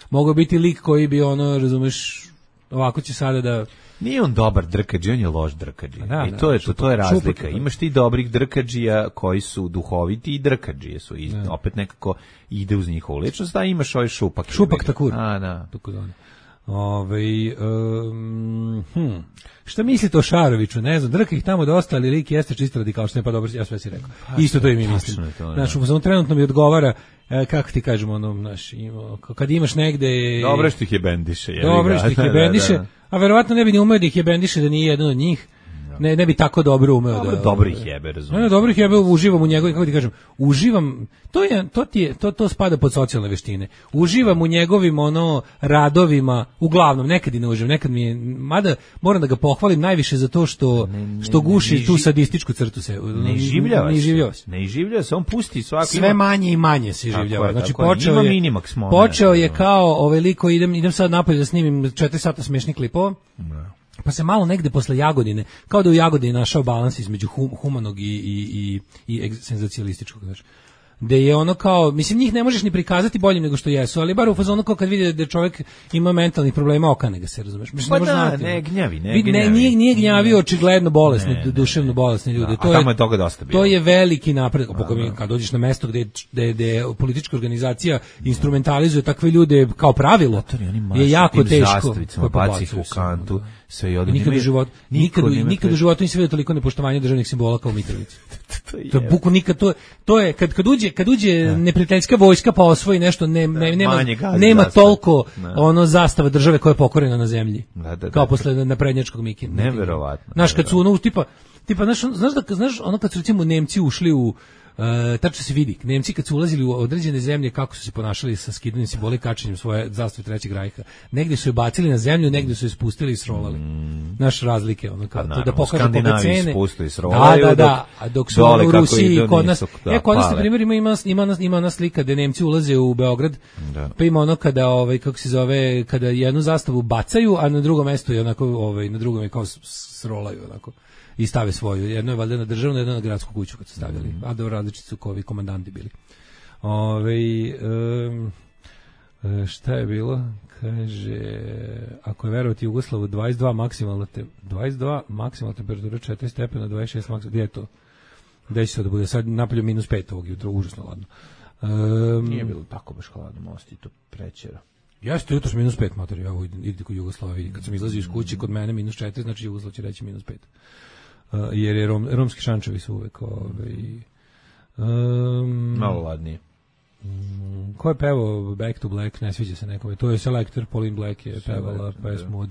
mogu biti lik koji bi ono, razumeš, ovako će sada da nije on dobar drkađi, on je loš drkađi. I to je razlika. Imaš ti dobrih drkađija koji su duhoviti i drkađije su. I opet nekako ide uz njihovu ličnost, a imaš ovaj šupak. Šupak takur. Šta mislite o Šaroviću? Ne znam, drka ih tamo dosta, ali lik jeste čisto radikal, što ne pa dobro, ja sve si rekao. Isto to i mi mislim. Znaš, trenutno mi odgovara, kako ti kažemo, ono, kad imaš negde... Dobro što ih je bendiše. A verovatno ne bi ni umeo da ih je bendiše da nije jedan od njih. Ne bi tako dobro umeo da... Dobro ih jebe, razumiješ. Dobro ih jebe, uživam u njegovim, kako ti kažem, to spada pod socijalne veštine. Uživam u njegovim radovima, uglavnom, nekad i ne uživam, nekad mi je, mada moram da ga pohvalim najviše za to što guši tu sadističku crtu se. Ne iživljava se, on pusti svaki... Sve manje i manje se iživljava. Znači, počeo je kao veliko, idem sad napolje da snimim 4 sata smešnih klipova. Pa se malo negde posle Jagodine, kao da u Jagodini našao balans između humanog i senzacijalističkog, znaš. Da je ono kao, mislim, njih ne možeš ni prikazati boljim nego što jesu, ali bar u fazonu kao kad vidi da čovjek ima mentalnih problema, okane ga se, razumeš? Pa ne gnjavi. Nije gnjavio očigledno bolesni, duševno bolesni ljudi. Tamo je toga dosta bilo. To je veliki napredak. Kad dođeš na mesto gde politička organizacija instrumentalizuje takve ljude kao pravilo, je jako teško. Baci u kantu. Nikad u životu nisi vidio toliko nepoštovanja državnih simbola kao u Mitrovici. To je buku nikad, to je kad uđe neprijateljska vojska pa osvoji nešto, nema toliko ono zastava države koja je pokorena na zemlji. Kao posle naprednjačkog Mikina. Neverovatno. Znaš, kad su ono tipa znaš ono kad su recimo Nemci ušli u tačno se vidi, Nemci kad su ulazili u određene zemlje kako su se ponašali sa skidanjem simbola i kačenjem svoje zastave Trećeg rajha. Negdje su je bacili na zemlju, negdje su je spustili i srolali. Naš razlike, ono kao to da pokaže po cene. Da, a dok su u Rusiji i kod nas, kod nas na primjer ima ona slika da Nemci ulaze u Beograd, pa ima ono kada kako se zove, kada jednu zastavu bacaju, a na drugom mjestu je onako na drugom je kao srolaju onako. I stave svoju. Jedno je valjda na državnu, jedno na gradsku kuću kad su stavljali. A da različiti su kovi komandanti bili. Šta je bilo? Kaže, ako je verovati Jugoslavu 22 maksimalna temperatura, 4 stepena, 26 maksimalna. Gdje je to? Gdje će se da bude? Sad napolju -5 ovog jutra, užasno ladno. Nije bilo tako baš hladno, mosti to prećera. Jeste jutros -5 mater, ja idite kod Jugoslavije. Kad sam izlazio iz kuće, kod mene -4, znači Jugoslav će reći -5. Jer je romski šančevi su uvek malo ladnije. Ko je pevao Back to Black, ne sviđa se nekome. To je Selector, Pauline Black je pevala pesmu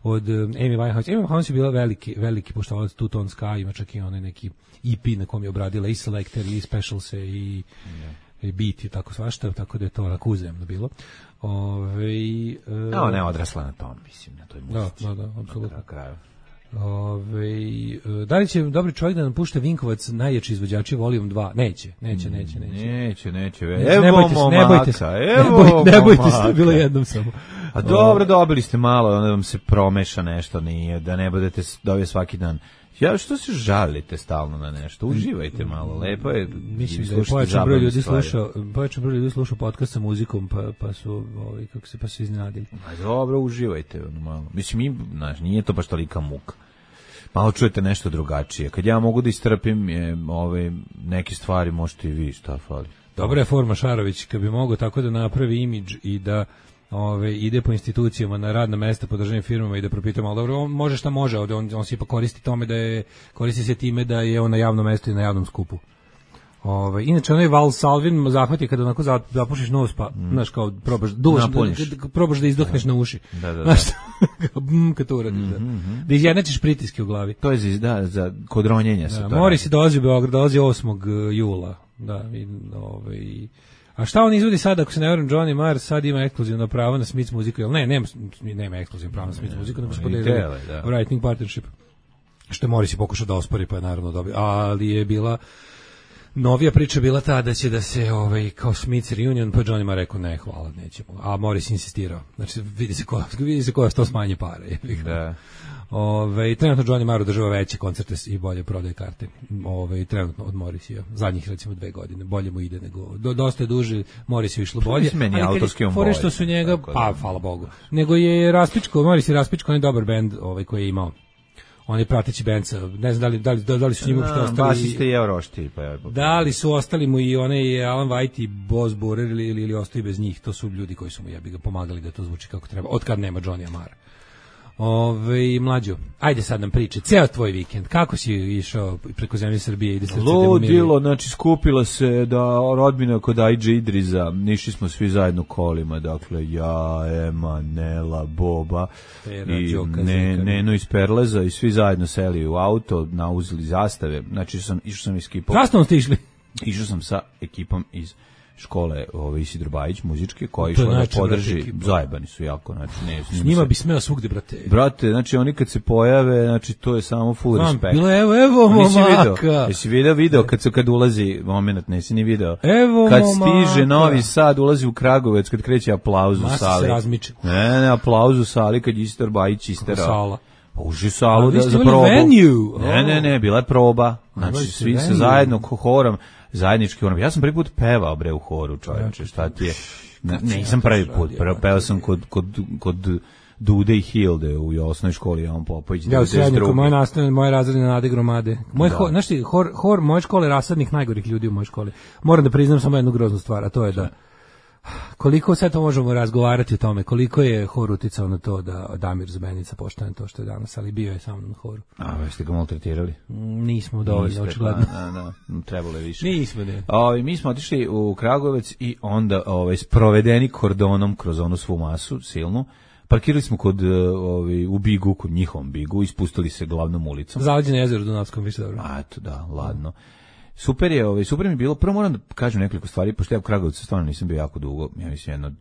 od Amy Winehouse. Amy Winehouse je bila veliki poštovalac Two Tone Sky, ima čak i onaj neki EP na kom je obradila i Selector i Specialse i Beat i tako svašta, tako da je to onako uzemno bilo. Ne, odrasla na tom, mislim, na toj muzici. Da, apsolutno. Na kraju. Da li će dobri čovjek da nam pušte Vinkovac najjači izvođači Volume 2? Neće. Ne bojte se, bilo jednom samo. A dobro, dobili ste malo, onda vam se promeša nešto, nije, da ne budete dobije svaki dan. Ja, što se žalite stalno na nešto? Uživajte malo, lepo je. Mislim da je pojačan broj ljudi slušao podcast sa muzikom, pa su pa se iznenadili. Dobro, uživajte malo. Mislim, nije to baš tolika muka. Malo čujete nešto drugačije. Kad ja mogu da istrpim neke stvari, možete i vi, šta fali. Dobra je forma Šarović, kad bi mogao tako da napravi imidž i da ide po institucijama na radna mesta po državnim firmama i da propita malo, dobro, on može šta može, on se ipak koristi se time da je on na javnom mestu i na javnom skupu. Inače, onaj Val Salvin zahvati kada onako zapušiš nos, pa, znaš, kao probaš da izdohneš na uši. Da. Kad to uradiš, da izjednačiš pritiske u glavi. To je za kod ronjenja se to. Morris dolazi u Beograd, dolazi 8. jula. Da, a šta on izvodi sad, ako se ne verujem, Johnny Marr sad ima ekskluzivno pravo na Smith muziku, jel nema ekskluzivno pravo na Smith muziku, nego se podelili Writing Partnership, što je Morris pokušao da ospori, pa je naravno dobio, ali je bila novija priča bila ta da će da se kao Smith reunion, pa Johnny Marr rekao ne, hvala, nećemo, a Morris insistirao, znači vidi se ko je to smanje pare. Da. Trenutno Johnny Marr održava veće koncerte i bolje prodaje karte. Trenutno od Morrisija. Zadnjih recimo 2 godine. Bolje mu ide nego dosta je duže, Morrisiju išlo bolje. Meni autorski on bolje. Što su njega, pa hvala Bogu. Nego je Morris je raspičko, on je dobar bend koji je imao. On je prateći bend, ne znam da li su njima što ostali. Basiste i Eurošti. Da li su ostali mu i onaj Alan White i Boz Burer ili ostaju bez njih. To su ljudi koji su mu ga pomagali da to zvuči kako treba. Od kad nema Johnny Marra. Mlađo, ajde sad nam priče, ceo tvoj vikend, kako si išao preko zemlje Srbije i da se ludilo, znači skupila se rodbina kod Ajđe Idriza, išli smo svi zajedno kolima, dakle ja, Ema, Nela, Boba i Neno iz Perleza i svi zajedno seli u auto, nauzeli zastave, znači išao sam iz ekipom. Zastavom ste išli? Išao sam sa ekipom iz škole Isidro Bajić muzičke koja išla da podrži, zajebani su jako, znači s njima bi smeo svugde, brate, znači oni kad se pojave, znači to je samo full respect. Bilo evo momaka. Jesi video kad ulazi moment, nisi ni video. Evo kad stiže Novi Sad, ulazi u Kragovec, kad kreće aplauz u sali. Ne, aplauz u sali kad Isidro Bajić isterao. Uži salu za probu. Ne, bila je proba. Znači svi se zajedno horom zajednički ono. Ja sam prvi put pevao u horu, čovječe, šta ti je? Nisam prvi put, pevao sam kod Dude i Hilde u osnovnoj školi, Jovan Popović. Ja u srednjiku, moje razredne Nade Gromade. Znaš ti, hor moje škole je rasadnih najgorih ljudi u mojoj školi. Moram da priznam samo jednu groznu stvar, a to je da koliko sad to možemo razgovarati o tome, koliko je hor uticao na to da Damir Zbenica postane to što je danas, ali bio je samo na horu. A, jeste ga maltretirali? Nismo dovoljno, očigledno. Trebalo je više. Nismo, ne. Mi smo otišli u Kragovec i onda sprovedeni kordonom kroz onu svu masu silnu. Parkirali smo u Bigu, kod njihovom Bigu, ispustili se glavnom ulicom. Zaleđeno jezero u Dunavskom, više dobro. A, eto, da, ladno. Super mi je bilo, prvo moram da kažem nekoliko stvari, pošto ja u Kragovcu stvarno nisam bio jako dugo, ja mislim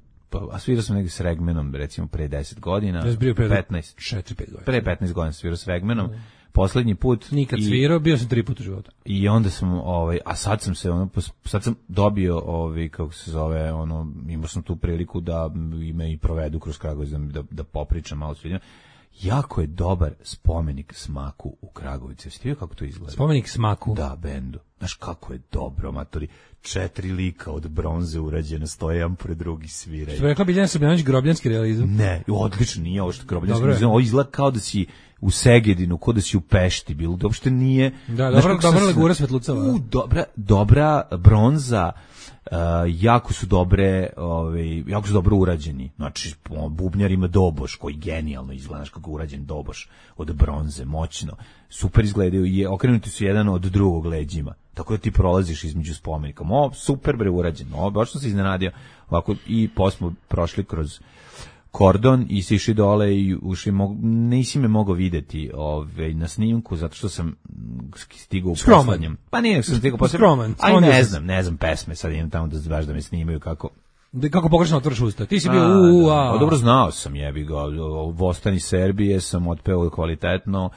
a svirao sam negdje s Regmenom, recimo pre 10 godina, 4-5 godina. Pre 15 godina svirao s Regmenom, poslednji put. Nikad svirao, bio sam 3 puta u životu. I onda sam, a sad sam se, sad sam dobio, kako se zove, imao sam tu priliku da me i provedu kroz Kragovic, da popričam malo s ljudima. Jako je dobar spomenik Smaku u Kragovicu. Jeste vidio kako to izgleda? Spomenik Smaku? Da, bendu. Znaš kako je dobro, matori. 4 lika od bronze urađene, stoje jedan pored drugi sviraju. Što bi rekla Biljana Srbljanović, grobljanski realizam? Ne, odlično, nije ovo što grobljanski realizam. Ovo izgleda kao da si u Segedinu, kod da si u Pešti bilo, da uopšte nije... Da, znaš dobra kako sam- legura Svetlucova. dobra bronza, jako su dobro urađeni. Znači, bubnjar ima doboš, koji genijalno izgleda, znaš kako je urađen doboš od bronze, moćno. Super izgledaju i okrenuti su jedan od drugog leđima. Tako da ti prolaziš između spomenika. Super bre urađen. Baš sam se iznenadio. Ovako, i posle prošli kroz kordon i sišli dole i ušli, nisi me mogao videti na snimku, zato što sam stigao u poslednjem. Pa nije, sam stigao poslednjem. Aj, ne znam pesme, sad idem tamo da me snimaju kako... Kako pogrešno otvoriš usta? Ti si bio Dobro, znao sam, jebi ga, Vostani Serbije sam otpeo kvalitetno,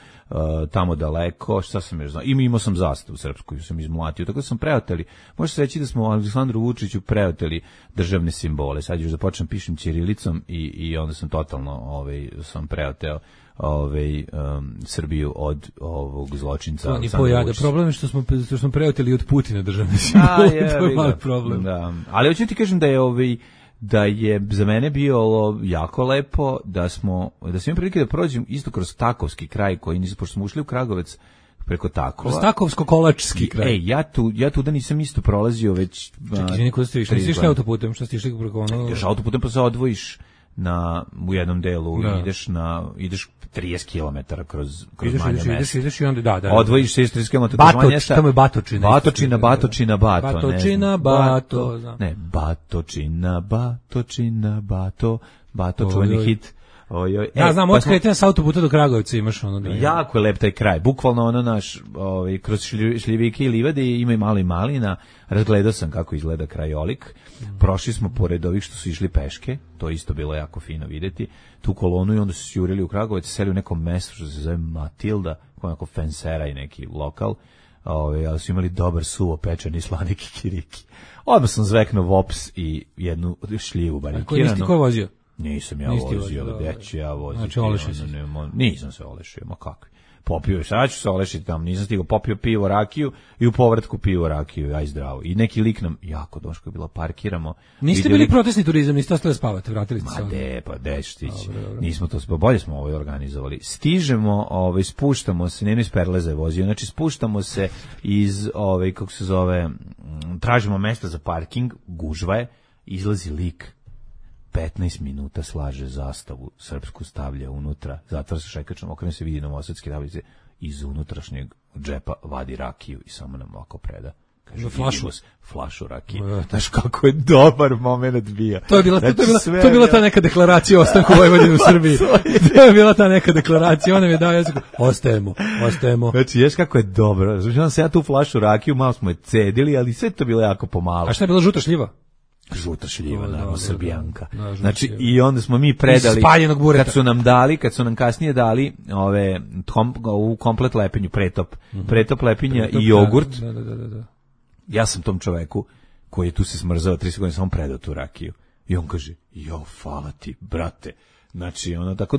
tamo daleko, šta sam još znao, imao sam zastavu srpsku, sam izmlatio, tako da sam preoteli, može se reći da smo Aleksandru Vučiću preoteli državne simbole, sad još da počnem pišem ćirilicom i onda sam totalno sam preoteo Srbiju od ovog zločinca. To ni pojada. Problem je što smo preoteli od Putina državne simbole. To je mali problem. Da. Ali hoću ti kažem da je za mene bilo jako lepo da sam imao prilike da prođem isto kroz Takovski kraj koji nisam, pošto smo ušli u Kragovec preko Takova. Kroz Takovsko-Kolačski kraj. Ja tu da nisam isto prolazio već... Čekaj, izvini, kuda ste išli? Nisi išli autoputem? Šta ste išli preko ono... Ideš autoputem pa se odvojiš u jednom delu, ideš 30 km kroz manje mesta. Ideš i onda, da. Odvojiš se 30 km kroz manje mesta. Tamo je Batočina. Batočina, Bato. Ne, Bato, čuveni hit. Ja znam, od kretanja s autoputa do Kragovica imaš ono. Jako je lep taj kraj, bukvalno ono naš, kroz šljivike i livade ima i malo i malina, razgledao sam kako izgleda krajolik, prošli smo pored ovih što su išli peške, to isto bilo jako fino videti, tu kolonu i onda su se jurili u Kragovic, seli u nekom mestu što se zove Matilda, kao onako fensera i neki lokal, ali su imali dobar suvo pečeni slani kikiriki. Odmah sam zveknuo vops i jednu šljivu barikiranu. Nisi ti ko vozio? Nisam ja vozio, gde ću ja voziti? Znači, olešio si. Nisam se olešio, ma kakvi. Popio, sad ću se olešiti tamo, nisam stigao, popio pivo, rakiju i u povratku pivo, rakiju, aj zdravo. I neki lik nam, jako doško je bilo, parkiramo. Niste bili protestni turizam, niste ostali spavati, vratili ste se. Ma de štići. Nismo to, bolje smo ovo organizovali. Stižemo, spuštamo se, ne iz Perleza je vozio, znači spuštamo se iz, kako se zove, tražimo mesta za parking, gužva je, izlazi lik. 15 minuta slaže zastavu srpsku, stavlja unutra, zatvara se šajkačom, okrene se, vidi novosadske tablice, iz unutrašnjeg džepa vadi rakiju i samo nam ovako preda. Kaže, flašu rakije. Znaš kako je dobar moment bio. To je bila ta neka deklaracija o ostanku Vojvodine u Srbiji. To je bila ta neka deklaracija, ona mi je dao jeziku, ostajemo. Znači, ješ kako je dobro. Znači, on se ja tu flašu rakiju, malo smo je cedili, ali sve to bilo jako pomalo. A šta je bila žuta šljiva? Žuta šljiva, naravno, Srbijanka. Znači, i onda smo mi predali, kad su nam kasnije dali u komplet lepenju, pretop lepinja i jogurt. Da. Ja sam tom čoveku, koji je tu se smrzao 30 godina, sam predao tu rakiju. I on kaže, hvala ti, brate. Znači, tako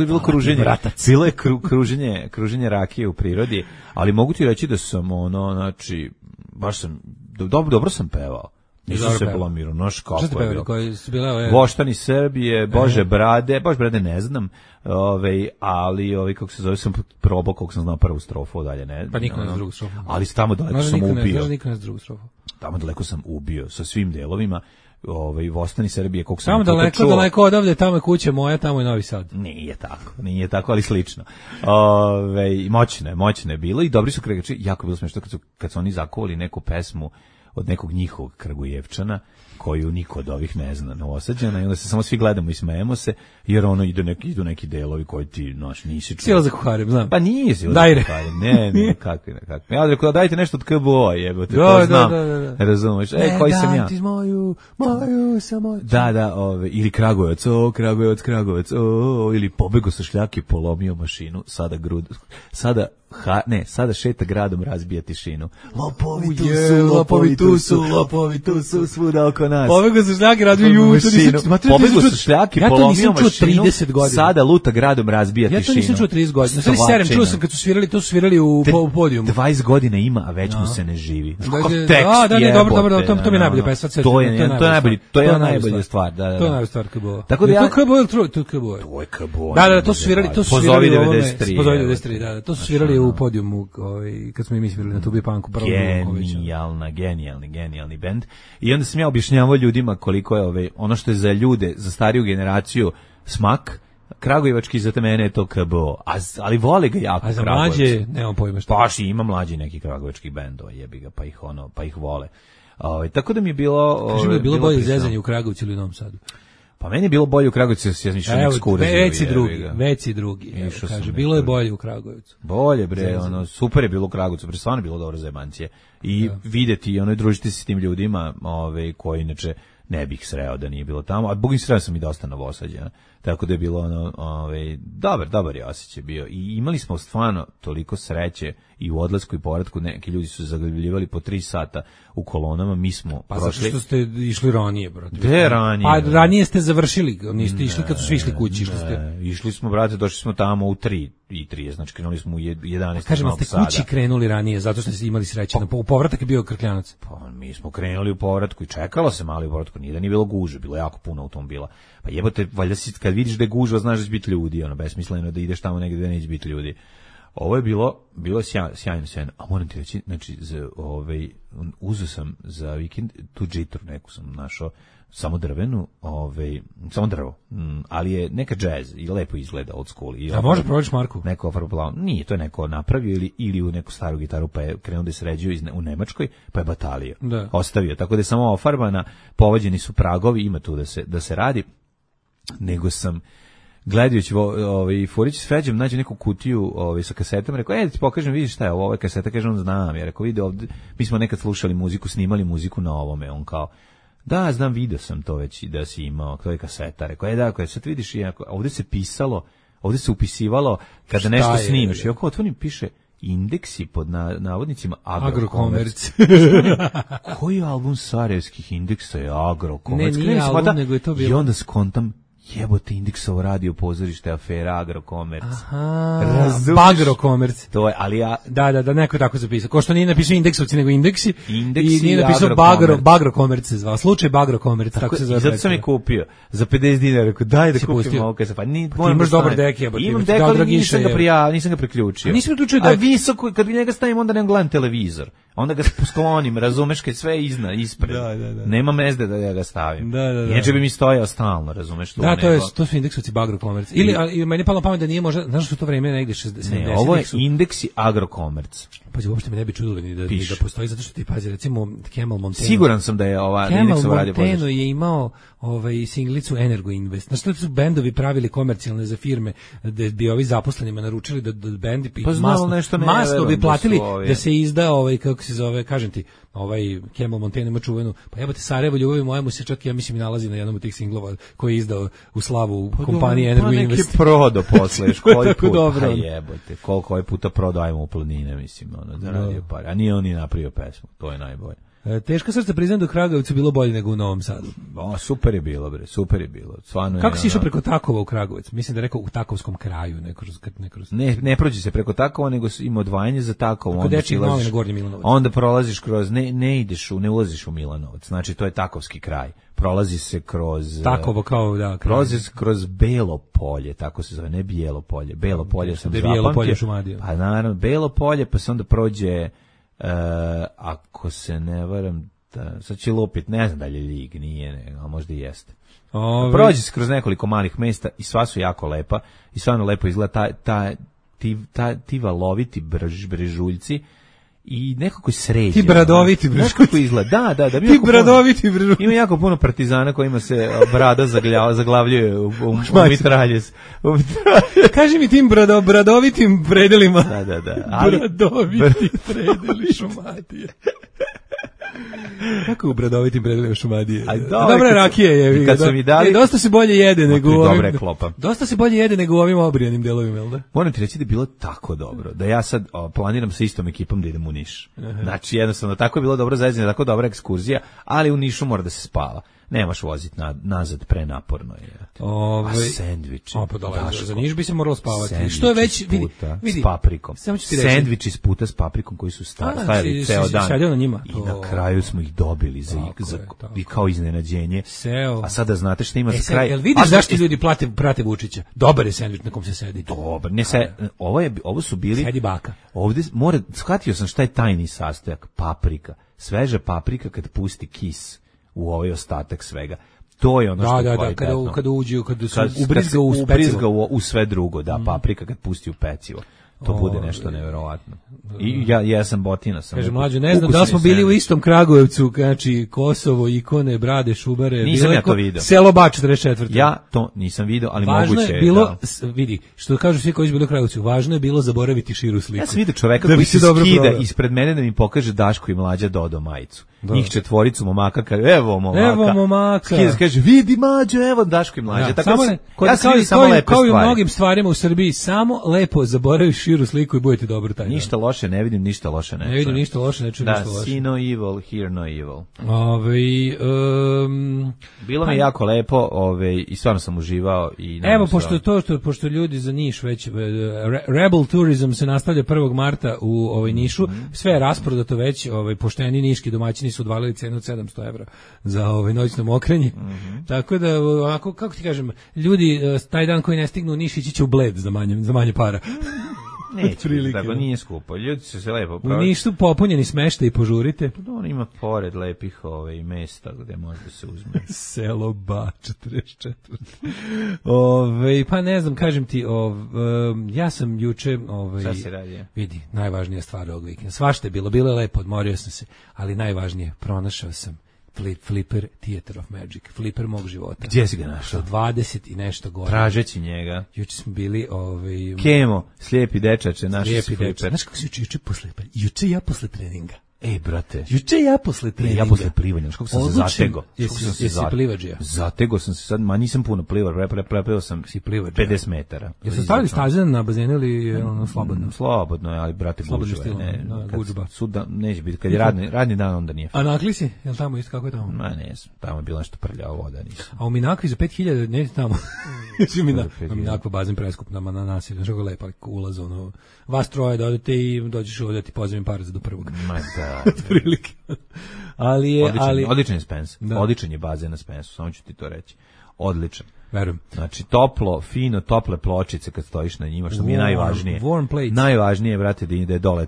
je bilo kruženje. Bilo je kruženje rakije u prirodi, ali mogu ti reći da sam, znači, baš sam, dobro sam pevao. Nisam se blamirao, noš kako je bilo. Voštani Srbije, Bože brade ne znam, ali kako se zove, sam probao koliko sam znao prvu strofu, dalje ne. Pa niko ne zna drugu strofu. Ali tamo daleko sam ubio. Niko ne zna drugu strofu. Tamo daleko sam ubio sa svim delovima. Voštani Srbije, koliko sam tamo daleko odavde, tamo je kuća moja, tamo je Novi Sad. Nije tako, ali slično. Moćno je bilo i dobri su kregači, jako bilo smešno kad su oni zakovali neku pesmu od nekog njihovog Kragujevčana, koju niko od ovih ne zna, Novosađana, i onda se samo svi gledamo i smejemo se, jer idu neki delovi koji ti, nisi čuo. Sila za kuharem, znam. Pa nije sila za kuharem, ne, kakvi. Ja rekao, dajte nešto od KBO, jebote, to znam, razumeš, koji sam ja. Ne, ti moju samoću. Da, ili Kragujevac, ili pobego sa šljake, polomio mašinu, sada sada šeta gradom, razbija tišinu. Lopovi tu su, svuda oko nas. Pobegao su šljake, razbio juče. Pobegao su šljake, polomio mašinu, 30 godina. sada luta gradom, razbija tišinu. Ja to nisam čuo 30 godina. Sve serem, čuo sam kad su svirali, to su svirali u podijumu. 20 godina ima, a već mu se ne živi. Dobro, to mi je najbolje pesma. To je najbolja stvar. To je najbolja stvar KBO. Tako da ja... To je KBO. Da, to su svirali Pozovi u ovome. 93. Pozovi 93, da. To su svirali u podijumu, kad smo i mi svirali na Tubi Punku. Genijalni bend. I onda sam ja objašnjavao ljudima koliko je ono što je za ljude, za stariju generaciju smak, kragujevački za mene je to KBO, ali vole ga jako. A za mlađe, nemam pojma što. Baš ima mlađi neki kragujevačkih bendova, jebi ga, pa ih vole. Tako da mi je bilo... Kaži mi je bilo bolje zezanje u Kragovcu ili u Novom Sadu? Pa meni je bilo bolje u Kragujevcu, ja sam išao nek skura. Već i drugi. Kaže, bilo je bolje u Kragujevcu. Bolje bre, super je bilo u Kragujevcu, pre stvarno je bilo dobro za jebancije. I videti i družiti se s tim ljudima, koji inače ne bih sreo da nije bilo tamo, a bogim sreo sam i dosta Novosađa. Tako da je bilo dobar je osjećaj bio. I imali smo stvarno toliko sreće i u odlasku i povratku, neki ljudi su zaglavljivali po 3 sata u kolonama, mi smo prošli. Zato što ste išli ranije, brate. Gde ranije? Pa ranije ste završili, niste išli kad su svi išli kući. Išli smo, brate, došli smo tamo u 3:30, znači krenuli smo u 11. Kažem, ste kući krenuli ranije, zato što ste imali sreće. U povratak je bio Krkljanac. Pa mi smo krenuli u povratku i čekalo se mali u povratku, nije da nije bilo gužve, bilo jako puno automobila. Pa jebote, valjda si kad vidiš da je gužva, znaš da će biti ljudi, besmisleno da ideš tamo negdje da neće biti ljudi. Ovo je bilo sjajno. A moram ti reći, znači, uzeo sam za vikend tu džitru neku sam našao, samo drvenu, samo drvo, ali je neka jazz i lepo izgleda old school. A može prođeš Marku? Neko ofarblau. Nije, to je neko napravio ili u neku staru gitaru, pa je krenuo da se sređuje u Nemačkoj, pa je batalio. Da. Ostavio, tako da je samo ofarbana, povađeni su pragovi, ima tu da se radi, nego sam gledajući Furić s Feđem nađe neku kutiju sa kasetama, rekao, ti pokažem, vidiš šta je ovo, kaseta, kaže on, znam, ja rekao, vidi ovdje, mi smo nekad slušali muziku, snimali muziku na ovome, on kao, da, znam, vidio sam to već i da si imao, to je kaseta, rekao, da, sad vidiš, ovdje se pisalo, ovdje se upisivalo kada nešto snimaš, i oko otvorim piše indeksi pod navodnicima Agrokomerc. Koji album sarajevskih indeksa je Agrokomerc? Ne, nije album, nego je to bilo. I onda skontam, jebote, Indeksovo radio pozorište, afera Agrokomerc. Bagrokomerc. To je, ali ja... Da, neko je tako zapisao. Ko što nije napisao Indeksovci, nego Indeksi. I nije napisao Bagrokomerc se zvao. Slučaj Bagrokomerc, tako se zove. I zato sam je kupio. Za 50 dinara, rekao, daj da kupim ovo kaj se pa. Ti imaš dobar dek, jebote. Imam dek, ali nisam ga priključio. A nisi priključio dek? A visoko, kad bi njega stavim, onda ne gledam televizor. Onda ga sklonim, razumeš, kad sve ispred. Da. Nema mezde da ja ga stavim. Da. Inače bi mi stojao stalno, razumeš? Da, to su Indeksovci Bagrokomerc. Ili meni je palo pamet da nije možda, znaš što to vreme negdje 60. Ne, ovo je Indeksi Agrokomerc. Pazi, uopšte me ne bi čudilo ni da postoji, zato što ti pazi, recimo Kemal Monteno. Siguran sam da je ova Indeksova radio pozorište. Kemal Monteno je imao singlicu Energo Invest. Znaš što su bendovi pravili komercijalne za firme, da bi ovi zaposlenima naručili da bendi masno bi platili da se izda kako se zove, kažem ti, Kemal Monteno ima čuvenu, pa jebote, Sarajevo ljubavi moja mu se čak, ja mislim, i nalazi na jednom od tih singlova koji je izdao u slavu kompanije Energo Invest. Neki prodo posle, koji put, dobro. Jebote, koliko ovaj puta prodo, ajmo u planine, mislim, zaradio pare, a nije on ni napravio pesmu, to je najbolje. Teška srca, priznam da u Kragujevcu bilo bolje nego u Novom Sadu. Super je bilo, bre, super je bilo. Stvarno. Kako si išao preko Takova u Kragujevac? Mislim da je rekao u Takovskom kraju. Ne prođi se preko Takova, nego ima odvajanje za Takovo. Kod Dečijeg Mali na Gornji Milanovac. Onda prolaziš kroz, ne ulaziš u Milanovac, znači to je Takovski kraj. Prolazi se kroz... Takovo kao, da. Prolazi se kroz Belo polje, tako se zove, ne Bijelo polje. Belo polje sam zapamtio. Bijelo polje Šumadija. Pa naravno, Belo polje, pa se onda prođe... ako se ne varam, sad će lupit, ne znam da li je Ljig, nije, ali možda i jeste. Prođe se kroz nekoliko malih mesta i sva su jako lepa i stvarno lepo izgleda ti valoviti brežuljci i nekako sređe. Ti bradoviti brežuljci. Nekako izgleda, da. Ti bradoviti brežuljci. Ima jako puno partizana kojima se brada zaglavljuje u mitraljez. Kaži mi tim bradovitim predelima. Da. Bradoviti predeli Šumadije. Kako u bradovitim predjelima Šumadije. Dobra je rakija je. Kad su mi dali... dosta se bolje jede nego u ovim... klopa. Dosta se bolje jede nego u ovim obrijanim delovima, jel da? Moram ti reći da je bilo tako dobro, da ja sad planiram sa istom ekipom da idem u Niš. Znači, jednostavno, tako je bilo dobro zajedno, tako dobra ekskurzija, ali u Nišu mora da se spava. Nemaš voziti nazad, prenaporno je. A sendviči. Za Niš bi se moralo spavati. Što je već, vidi, s paprikom. Sendviči s puta s paprikom koji su stajali ceo dan. Na njima. I na kraju smo ih dobili i kao iznenađenje. A sada znate šta ima za kraj. Jel vidiš zašto ljudi prate Vučića? Dobar je sendvič na kom se sedi. Dobar. Ovo su bili... Sedi baka. Ovde, shvatio sam šta je tajni sastojak. Paprika. Sveža paprika kad pusti kis u ovaj ostatak svega. To je ono što je kvalitetno. Kada uđu, kada se ubrizga u sve drugo, paprika kad pusti u pecivo. To bude nešto neverovatno. I ja sam botina. Kaže mlađo, ne znam da smo bili u istom Kragujevcu, znači Kosovo, Ikone, Brade, Šubare. Nisam ja to video. Selo Bač 44. Ja to nisam video, ali važno moguće je bilo, vidi, što kažu svi koji su bili u Kragujevcu, važno je bilo zaboraviti širu sliku. Ja sam vidio čoveka koji se skida ispred mene da mi pokaže Daško i Mlađa Dodo majicu. Njih četvoricu momaka, kaže, evo momaka. Kaže, vidi Mađo, evo Daško i Mlađa. Tako ja sam vidio samo lepe stvari. Kao i u mnogim stvarima u Srbiji, samo lepo zaboraviš širu sliku i budete dobro taj dan. Ništa loše ne vidim, ništa loše ne čujem. Ne vidim ništa loše, ne čujem ništa loše. Da, see no evil, hear no evil. Bilo mi jako lepo, i stvarno sam uživao. Evo, pošto ljudi za Niš već, Rebel Tourism se nastavlja 1. marta u Nišu, sve je rasprodato već, pošteni niški domaćini su odvalili cenu od 700 evra za noćno mokrenje. Tako da, ovako, kako ti kažem, ljudi taj dan koji ne stignu u Niš ići će u Bled za manje para. Neće, tako nije skupo. Ljudi su se lepo u Nišu popunjeni smeštaj i požurite. On ima pored lepih mesta gde može da se uzme. Selo Bač 44. Pa ne znam, kažem ti, ja sam juče... Šta se radi? Vidi, najvažnija stvar ovog vikenda. Svašta je bilo je lepo, odmorio sam se, ali najvažnije, pronašao sam Flipper Theater of Magic, Flipper mog života. Gdje si ga našao? 20 i nešto godina. Tražeći njega. Juče smo bili Kemo, slijepi dečače, naši su Flipper. Znaš kako si juče ja posle treninga. Ej, brate. Juče ja posle treninga. Ja posle plivanja, kako sam se zatego. Jesi plivađija? Zatego sam se sad, nisam puno plivao, prepeo sam 50 metara. Jesi stavili staze na bazenu ili slobodno? Slobodno je, ali brate gužba. Suda neće biti, kad je radni dan, onda nije. A Nakli si? Jel tamo isto, kako je tamo? Ne, tamo je bilo nešto prljavo voda, nisam. A u Minakvi za 5000, ne tamo. Minakva bazen preskup na nasilju, znaš kako je lepa ulaz, vas troje da odete i dođeš ovdje ti pozivim par za do prvog. Prilike. Odličan je Spence. Odličan je bazen na Spensu, samo ću ti to reći. Odličan. Verujem. Znači, toplo, fino, tople pločice kad stojiš na njima, što mi je najvažnije. Warm plates. Najvažnije je, brate, da ide dole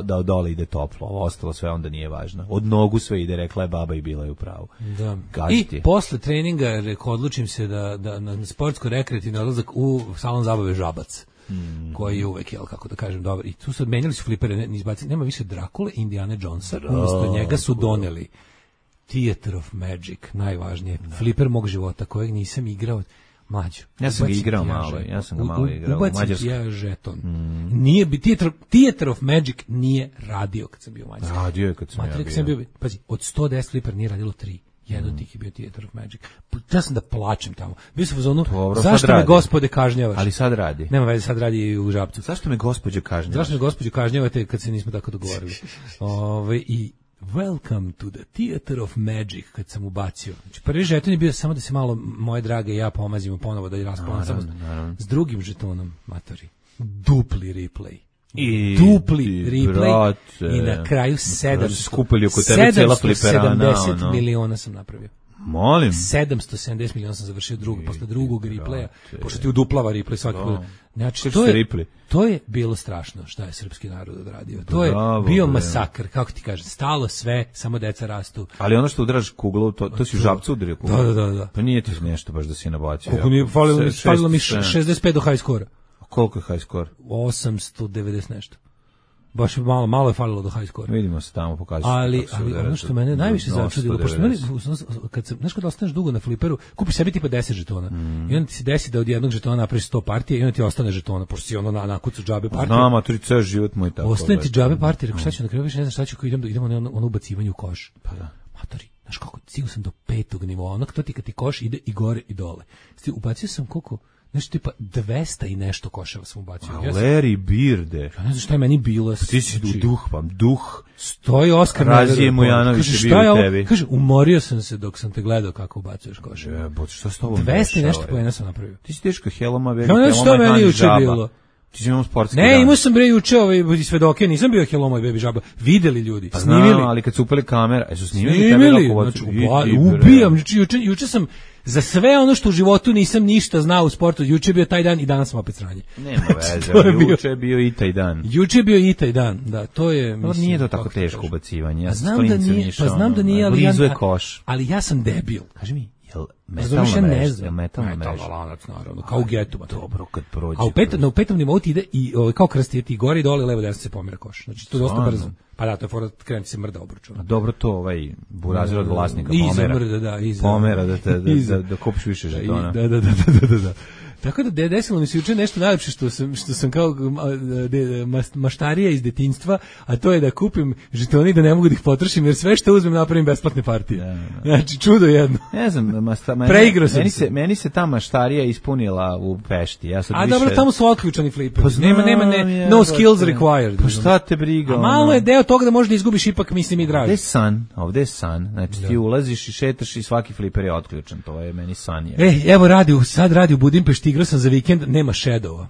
da dole ide toplo. Ovo ostalo sve onda nije važno. Od nogu sve ide, rekla je baba i bila je u pravu. Da. I posle treninga odlučim se da na sportsko-rekreativni odlazak u salon zabave Žabac. Koji je uvek, kako da kažem, dobar. I tu su menjali su flipere, nema više Drakule, Indiana Jonesa, umjesto njega su doneli Theater of Magic, najvažnije, fliper mog života, kojeg nisam igrao mlađo. Ja sam ga igrao malo, igrao. Ubacim ja žeton. Theater of Magic nije radio kad sam bio u Mađarskoj. Radio je kad sam ja bio. Pazi, od 110 fliper nije radilo 3. Jedan od tih je bio Theater of Magic. Ja sam da plačem tamo. Bio sam u zonu, zašto me gospode kažnjavaš? Ali sad radi. Nema veze, sad radi i u Žabcu. Zašto me gospođe kažnjavaš? Zašto me gospođe kažnjavate kad se nismo tako dogovorili? I Welcome to the Theater of Magic kad sam ubacio. Znači, prvi žeton je bio samo da se malo moje drage i ja pomazimo ponovo da je raspolavam s drugim žetonom, matori. Dupli replay. Dupli replay i na kraju 770 miliona sam napravio. Molim. 770 miliona sam završio posle drugog replaya, pošto ti uduplava replay svaki put. Znači, to je bilo strašno šta je srpski narod odradio. To je bio masakr, kako ti kažem, stalo sve, samo deca rastu. Ali ono što udaraš kuglu, to si u Žabcu udario kuglu. Da. Pa nije ti nešto baš da si nabacio. Koliko nije, falilo mi 65 do high score. A koliko je high score? 890 nešto. baš malo je falilo do high score. Vidimo se tamo, pokazati. Ali ono što mene najviše začudilo, pošto kad se, znaš kad ostaneš dugo na fliperu, kupiš sebi tipa 10 žetona i onda ti se desi da od jednog žetona napraviš 100 partija i onda ti ostane žetona, pošto si ono nakucu džabe partije. Znam, a tu ceo život moj tako. Ostane ti džabe partije, rekao šta ću na kraju, više ne znam šta ću, idemo na ono ubacivanje u koš. Pa da. Matori, znaš kako, stigao sam do 5. nivoa, ono to ti kad ti koš ide i gore i dole. Ubacio sam koliko, nešto tipa 200 i nešto koševa sam ubacio. Larry Birde. Ja ne znam šta je meni bilo. Ti si duh. Stoji Oskar Razije Mujanović je bio u tebi. Kaže, umorio sam se dok sam te gledao kako ubacuješ koševa. Jebote, šta s tobom 200 i nešto poena sam napravio. Ti si teško heloma, baby. Ja ne znam šta meni juče bilo. Ti si imao sportski dan. Ne, imao sam bre juče svedoke, nisam bio heloma i baby žaba. Videli ljudi, pa snimili. Znam, ali kad su upali kamera, su snimili tebe kako znači, ubijam, juče sam za sve ono što u životu nisam ništa znao u sportu, juče je bio taj dan i danas sam opet sranje. Nema veze, juče je bio i taj dan. Juče je bio i taj dan, da, to je... Mislim, nije to tako teško ubacivanje, ja znam da nije, ali blizu je koš. Ali ja sam debil. Kaži mi, jel metalna lanac, naravno, kao u getu. Dobro, kad prođe. A u petom nivou ti ide i kao krsti ti gore i dole, levo desno se pomera koš. Znači, to je dosta brzo. Pa da, to je fora, krenuti se mrda obručuna. Dobro to, burazir od vlasnika pomera. Mrda, da, pomera, da kupiš više žetona. Da. Tako da desilo mi se juče nešto najlepše što sam kao maštarija iz detinjstva, a to je da kupim žetone i da ne mogu da ih potrošim, jer sve što uzmem napravim besplatne partije. Znači, čudo jedno. Ne znam, preigrao sam se. Meni se ta maštarija ispunila u Pešti. Dobro, tamo su otključani fliperi. Nema no skills required. Pa šta te briga? A malo je deo toga da možda izgubiš ipak, mislim, i draži. Ovde je san. Znači, ti ulaziš i šetaš i svaki fliper je otključan. To je meni san. Evo sad radi u Budimpešti, igrao sam za vikend, nema Shadowa.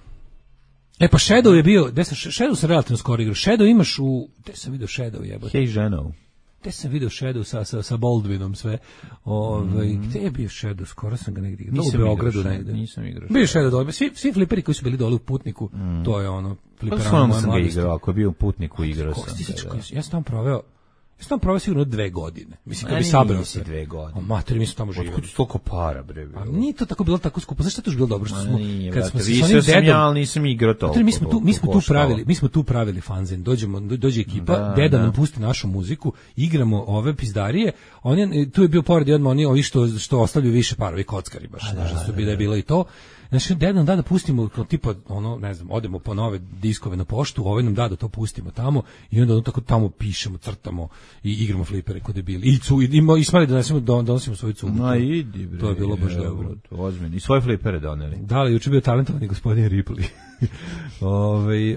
Pa Shadow je bio, Shadow sam relativno skoro igrao. Shadow imaš u, gde sam vidio Shadow jebote? Hey ženo. Gde sam vidio Shadow sa Baldwinom sve. Gde je bio Shadow? Skoro sam ga negdje igrao. U Beogradu negdje. Nisam igrao. Bio Shadow dole. Svi fliperi koji su bili dole u Putniku, to je ono fliperama. Pa sam ga igrao, ako je bio u Putniku igrao sam. Ja sam tamo proveo sigurno 2 godine. Mislim, kad bi sabrao se. 2 godine. Materi, mi smo tamo živjeli. Otkud toliko para, bre? A nije to tako bilo tako skupo. Znaš šta je to bilo dobro? Što smo, kad smo se s onim dedom... Ja nisam igrao toliko. Mi smo tu pravili fanzin. Dođe ekipa, deda nam pusti našu muziku, igramo ove pizdarije. Tu je bio pored odmah ovi što ostavljaju više para, ovi kockari baš. Znaš da su bilo i to. Znači, deda nam da pustimo, tipa, ne znam, odemo po nove diskove na poštu, ovaj nam da to pustimo tamo i onda tako tamo pišemo, crtamo i igramo flipere kod debili. I smali da donosimo svoju cugu. Idi, bre. To je bilo baš dobro. Ozbiljno. I svoje flipere doneli. Da, ali juče bio talentovani gospodin Ripley.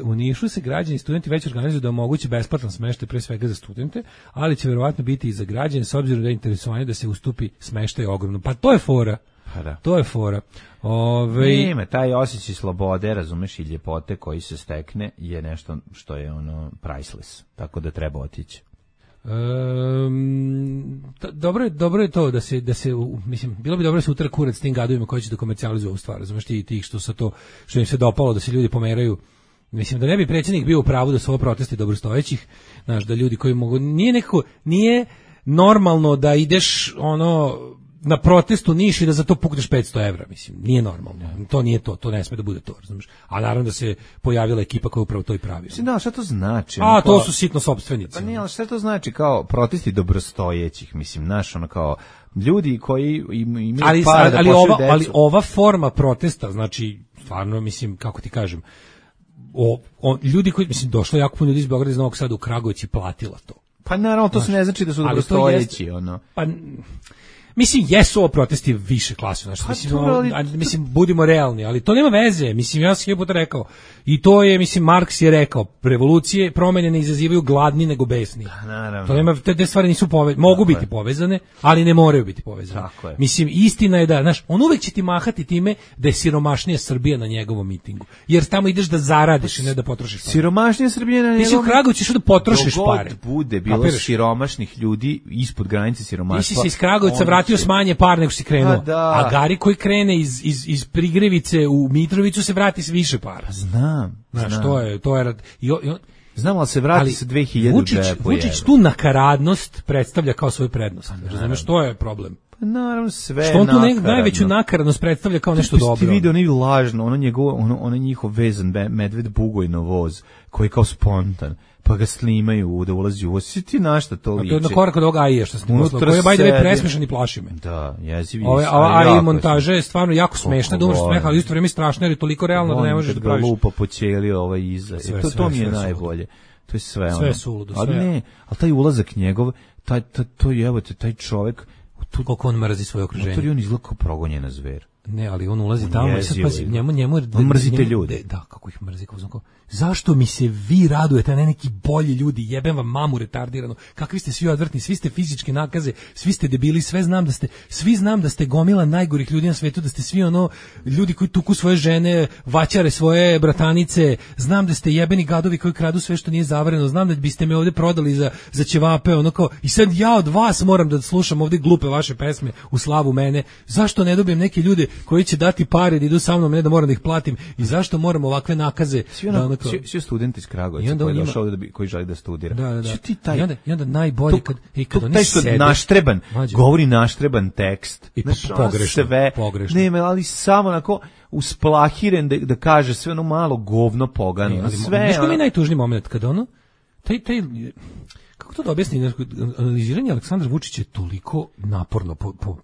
U Nišu se građani i studenti već organizuju da omogući besplatan smeštaj pre svega za studente, ali će verovatno biti i za građane s obzirom da je interesovanje da se ustupi smeštaj ogromno. Pa to je fora. To je fora. Nema, taj osjećaj slobode, razumeš, i ljepote koji se stekne je nešto što je priceless, tako da treba otići. Dobro je to da se mislim, bilo bi dobro da se utara kurac s tim gadovima koji će da komercijalizuju ovu stvar, razumeš, tih što im se dopalo da se ljudi pomeraju. Mislim da ne bi predsjednik bio u pravu da su ovo protesti dobrostojećih, znaš, da ljudi koji mogu, nije normalno da ideš na protestu Niš i da za to pukneš 500 evra, mislim, nije normalno. To nije to ne sme da bude to, razumiješ. A naravno da se pojavila ekipa koja upravo to i pravi. Mislim, da, šta to znači? To su sitno sopstvenici. Pa nije, ali šta to znači kao protesti dobrostojećih, mislim, znaš, kao ljudi koji imaju para da pošalju decu. Ali ova forma protesta, znači, stvarno, mislim, kako ti kažem, ljudi koji, mislim, došlo jako puno ljudi iz Beograda iz Novog Sada u Kragujevac i platila to. Pa naravno, to se ne znači da su dobrostojeći, Pa mislim, jesu ovo protesti više klase, znači, mislim, budimo realni, ali to nema veze, mislim, ja sam je puta rekao, i to je, mislim, Marks je rekao, revolucije, promjene ne izazivaju gladni nego besni. Naravno. To nema, te stvari nisu povezane, mogu biti povezane, ali ne moraju biti povezane. Mislim, istina je da, znaš, on uvek će ti mahati time da je siromašnija Srbija na njegovom mitingu, jer tamo ideš da zaradiš i ne da potrošiš pare. Siromašnija Srbija na njegovom mitingu? Ti si u Kragu, ćeš da potrošiš pare. Dogod bude bilo siromašnih ljudi ispod granice siromaštva. Ti si iz Kragovca vratio s manje par nego si krenuo. A Gari koji krene iz Prigrevice u Mitrovicu se vrati s više para. Znam. Znaš, to je znam, ali se vrati sa 2000 Vučić tu nakaradnost predstavlja kao svoju prednost. Razumeš, to je problem. Naravno, sve što on tu nakaradno. najveću nakaradnost predstavlja kao nešto dobro. Ti vidio onaj lažno, ono njihov vezan medved Bugojno voz, koji je kao spontan, pa ga snimaju da ulazi u voz. Svi ti na šta to liči? A to je na korak od ovoga AI što snimao, koji je by the way presmešan i plaši me. Da, jezivi. AI montaža je stvarno jako smešna, da umreš smeha, ali isto vrijeme strašno jer je toliko realno da ne možeš da praviš. Lupa po ćeliji iza. To mi je najbolje. To je sve ono. Sve suludo, sve. Ali ne, ali taj ulazak njegov, to je, evo te, taj čovjek, koliko on mrzi svoje okruženje. On izgleda kao progonjena zver. Ne, ali on ulazi tamo i sad pazi, njemu on mrzite ljude. Da, kako ih mrzi, kako zašto mi se vi radujete, a ne neki bolji ljudi, jebem vam mamu retardirano, kakvi ste svi odvrtni, svi ste fizičke nakaze, svi ste debili, svi znam da ste gomila najgorih ljudi na svetu, da ste svi ono, ljudi koji tuku svoje žene, vaćare svoje bratanice, znam da ste jebeni gadovi koji kradu sve što nije zavareno, znam da biste me ovde prodali za ćevape, ono kao, i sad ja od vas moram da slušam ovde glupe vaše pesme u slavu mene, zašto ne dobijem neke ljude koji će dati pare da idu sa mnom, ne da moram da ih platim, i zašto moram ovakve nakaze? Svi studenti iz Kragujevca koji je došao ovdje koji želi da studira. Da. I onda najbolje kad oni taj što sede, naštreban, govori naštreban tekst. I pogrešno. Ne, ali samo onako usplahiren da kaže sve ono malo govno pogano. Znaš koji mi je najtužniji moment kad ono, taj kako to da objasni, analiziranje Aleksandra Vučića je toliko naporno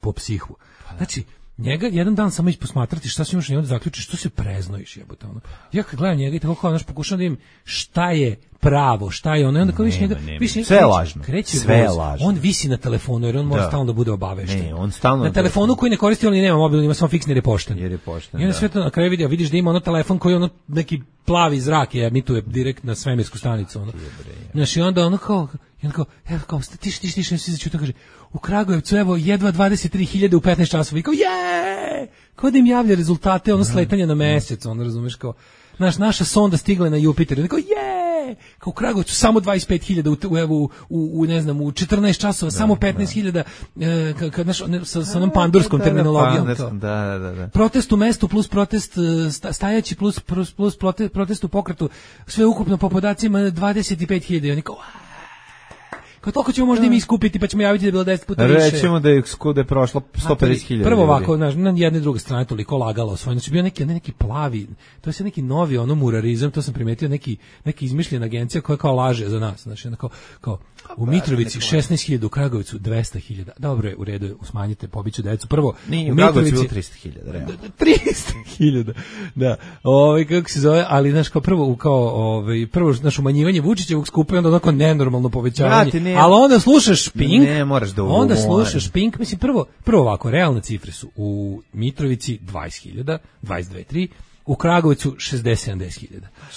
po psihu. Znači, njega jedan dan samo posmatrati šta se imaš i onda zaključiš što se preznojiš, jebote ono. Ja kad gledam njega i tako kao pokušam da im šta je pravo, šta je ono, i onda kao više njega, sve je lažno. Sve je lažno. On visi na telefonu jer on mora stalno da bude obavešten. Ne, on stalno na telefonu koji ne koristi, on nema mobil, ima samo fiksni jer je pošten. I onda sve to na kraju vidiš da ima ono telefon koji ono neki plavi zrak je emituje direkt na svemirsku stanicu ono. Znači onda ono kao tiš, svi začuto kaže, u Kragujevcu, evo, jedva 23.000 u 15 časova, i kao, kao da im javlja rezultate, ono, sletanja na mesec, ono, razumeš, kao, naša sonda stigla na Jupiter, i kao, kao u Kragujevcu, samo 25.000, u ne znam, u 14 časova, samo 15.000, sa onom pandurskom terminologijom. Da. Protest u mestu plus protest stajaći plus protest u pokretu, sve ukupno po podacima 25.000, oni kao, kao toliko ćemo možda i mi iskupiti, pa ćemo javiti da je bilo 10 puta više. Rećemo da je prošlo 150.000. Prvo ovako, na jedne druge strane toliko lagalo svoje. Znači bio neki plavi, to je sve neki novi ono murarizam, to sam primetio, neki izmišljena agencija koja kao laže za nas. Znači kao u Mitrovici 16.000, u Kragujevcu 200.000. Dobro je, u redu, smanjite, pobiću decu. Prvo, u Mitrovici 300.000, realno. 300.000. Da. Kako se zove, ali znaš kao prvo naš umanjivanje Vučićevog skupa i onda onako nenormalno povećavanje. Ali onda slušaš Pink, onda slušaš Pink, mislim prvo ovako, realne cifre su u Mitrovici 20.000, 22.3, u Kragujevcu 60-70.000.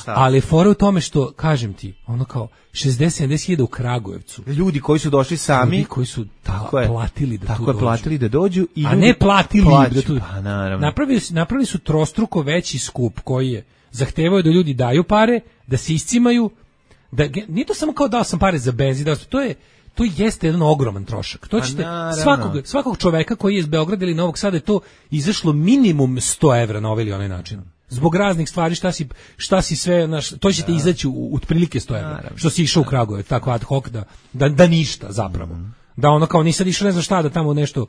Ali fora u tome što, kažem ti, ono kao 60-70.000 u Kragujevcu. Ljudi koji su došli sami, ljudi koji su platili da tu dođu. Platili da dođu i a ne platili da tu. Pa naravno. Napravili su trostruko veći skup koji je zahtevao da ljudi daju pare, da se iscimaju, da nije to samo kao dao sam pare za benzin, to jeste jedan ogroman trošak. To ćete svakog čoveka koji je iz Beograda ili Novog Sada je to izašlo minimum 100 evra na ovaj ili onaj način. Zbog raznih stvari šta si sve, to ćete izaći u otprilike 100 evra. Što si išao u Kragujevac, tako ad hoc da ništa zapravo. Da ono kao nisad išao ne znam šta da tamo nešto,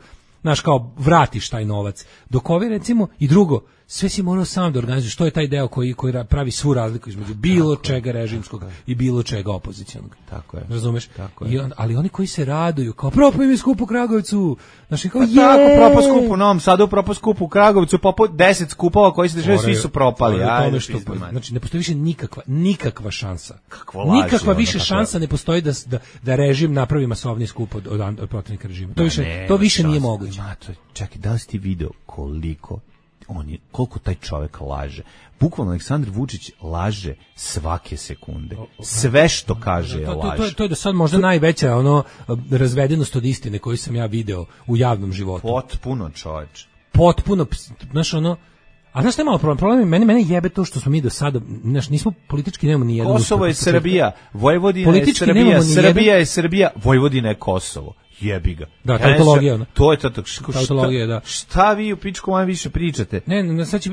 kao vratiš taj novac. Dok ovi recimo i drugo, sve si morao sam da organizuješ, to je taj deo koji pravi svu razliku između bilo čega režimskog i bilo čega opozicionog. Tako je. Razumeš? Tako je. Ali oni koji se raduju, kao propao im je skup u Kragujevcu. Znači kao tako, propao skup u Novom Sadu, propao skup u Kragujevcu, propao 10 skupova koji se dešavaju, svi su propali. Znači ne postoji više nikakva šansa. Nikakva više šansa ne postoji da režim napravi masovni skup od protivnika režima. To više nije moguće. Čekaj, da li si ti video koliko taj čovjek laže? Bukvalno Aleksandar Vučić laže svake sekunde. Sve što kaže je laž. To je do sad možda najveća razvedenost od istine koju sam ja video u javnom životu. Potpuno, čoveč. Potpuno, znaš a znaš šta je malo problem? Mene jebe to što smo mi do sada, nismo politički, nemamo ni jedan. Kosovo je Srbija, Vojvodina je Srbija, Srbija je Srbija, Vojvodina je Kosovo. jebi ga. Da, tautologija, ono. To je Tautologija, da. Šta vi u pičku vam više pričate? Ne, sad će,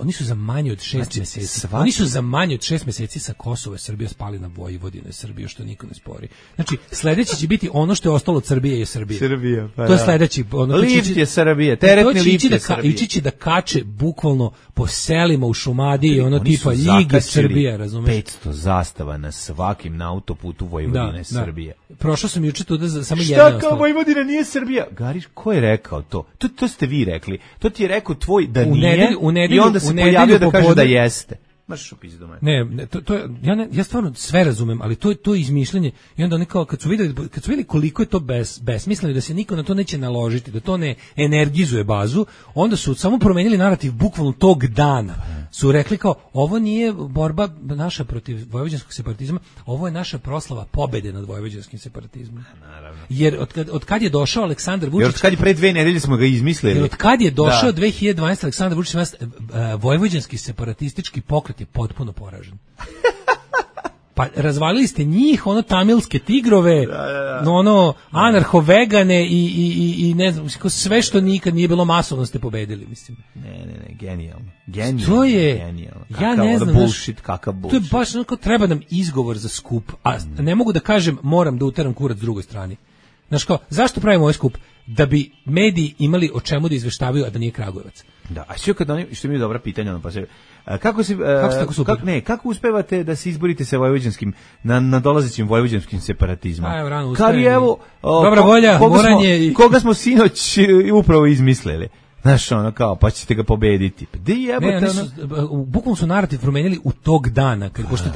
oni su za manje od 6 meseci. Oni su za manje od 6 meseci sa Kosova i Srbije spali na Vojvodinu i Srbiju, što niko ne spori. Znači, sledeći će biti ono što je ostalo od Srbije je Srbija. Srbija, pa to je sledeći. Lift je Srbije, teretni lift je Srbije. Ići će da kače bukvalno po selima u Šumadiji i ono tipa Ljiga Srbija, razumeš? 500 zastava na svakim na autoputu Vojvodine Srbije. Prošao sam juče tu da samo jedna ostala. Šta kao Vojvodina nije Srbija? Gariš, ko je rekao to? To ste vi rekli. To ti je rekao tvoj da nije i onda se pojavio da kaže da jeste. Maš u pizdu mene. Ne, to ja stvarno sve razumem, ali to je izmišljanje i onda oni kao kad su videli koliko je to besmisleno, da se niko na to neće naložiti, da to ne energizuje bazu, onda su samo promenili narativ bukvalno tog dana. Su rekli kao ovo nije borba naša protiv vojvođanskog separatizma, ovo je naša proslava pobede nad vojvođanskim separatizmom. Naravno. Jer od kad je došao Aleksandar Vučić, od kad je pre 2 nedelje smo ga izmislili. Jer od kad je došao 2012 Aleksandar Vučić, vojvođanski separatistički pokret je potpuno poražen. Pa razvalili ste njih, ono tamilske tigrove, ono anarho-vegane i ne znam, sve što nikad nije bilo masovno ste pobedili, mislim. Ne, genijalno. To je, genijalno. Ja ne znam, bullshit, kakav bullshit. To je baš onako, treba nam izgovor za skup, a ne mogu da kažem moram da uteram kurac drugoj strani. Znaš kao, zašto pravimo ovaj skup? Da bi mediji imali o čemu da izveštavaju, a da nije Kragujevac. Da, a sve kad oni, što mi je dobra pitanja, ono pa se kako uspevate da se izborite sa vojvođanskim na dolazećim vojvođanskim separatizmom? Kad je evo dobra volja, moranje koga smo sinoć upravo izmislili. Znaš, ono kao, pa ćete ga pobediti. Bukvalno su narativ promenili u tog dana, pošto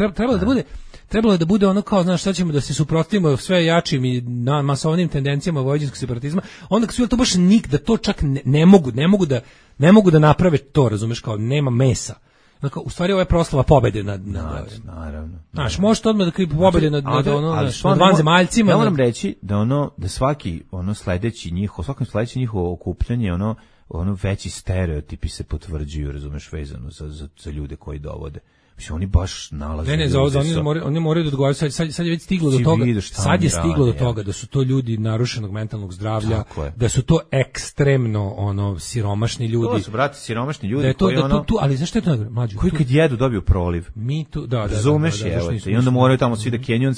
trebalo je da bude ono kao, znaš, šta ćemo da se suprotstavimo sve jačim i masovnim tendencijama vojvođanskog separatizma, onda kad su to baš da to čak ne mogu da naprave to, razumeš, kao nema mesa. Dakle, u stvari ovo je proslava pobede naravno. Znaš, možete odmah da krivi pobede nad vanzemaljcima. Ja moram reći da svaki sledeći njihovo okupljanje, ono veći stereotipi se potvrđuju, razumeš, vezano za ljude koji dovode. Mislim, oni baš nalaze. Oni moraju da odgovaraju. Sad je već stiglo do toga. Sad je stiglo do toga da su to ljudi narušenog mentalnog zdravlja, da su to ekstremno siromašni ljudi. To su, brate, siromašni ljudi da je to, koji ali zašto je to mlađi? Koji kad jedu dobiju proliv. Mi tu, da. Razumeš, i onda moraju tamo svi da kenjaju,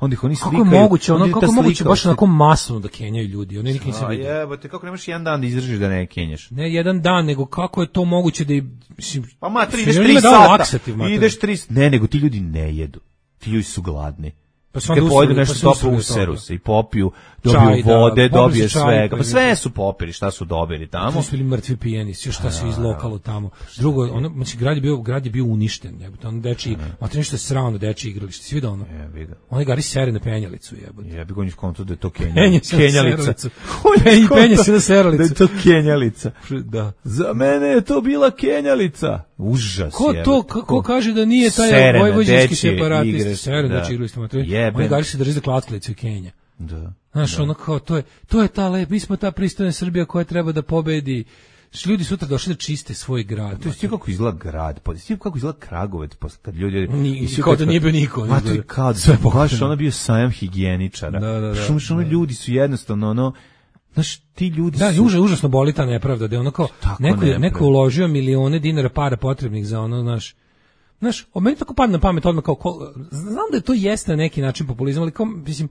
onda ih oni slikaju. Kako je moguće baš onako masovno da kenjaju ljudi? Oni nikad nisi vidio. Jebote, kako nemaš jedan dan da izdržiš da ne kenjaš? Ne jedan dan, nego kako je to moguće da pa matri, ideš 3 sata. Ideš 3, ne, nego ti ljudi ne jedu. Ti ljudi su gladni. Pa kad pojedu nešto toplo, useru se i popiju, dobiju vode, dobije svega. Pa sve su popili, šta su dobili tamo. To su bili mrtvi pijeni, šta su iz lokalo tamo. Drugo, znači grad je bio uništen, jebote. Ono dečiji, matri nešto je sravno dečije igralište. Si vidio ono? Oni gari sere na penjalicu, jebote. Jebi ga, on je skonto da je to kenjalica. Penje se na seralicu. Da je to kenjalica. Da. Za mene je to bila kenjalica. Užas. Ko kaže da nije taj vojvođanski separatist? Sere na dečiji igralište, matri. Oni gari se drži za klackalicu i Kenja. Da. Znaš, ono kao, to je ta mi smo ta pristojna Srbija koja treba da pobedi. Ljudi sutra došli da čiste svoj grad. To je kako izgleda grad, kako izgleda Kragujevac, kad ljudi... Kao da nije bio niko. Ma to je kao, baš ono bio sajam higijeničara. Što ljudi su jednostavno, znaš, ti ljudi su... Da, užasno boli ta nepravda, da je ono kao, neko uložio milione dinara para potrebnih za ono, znaš, meni tako padne na pamet odmah kao, znam da je to jeste na neki način populizam, ali kao, mislim,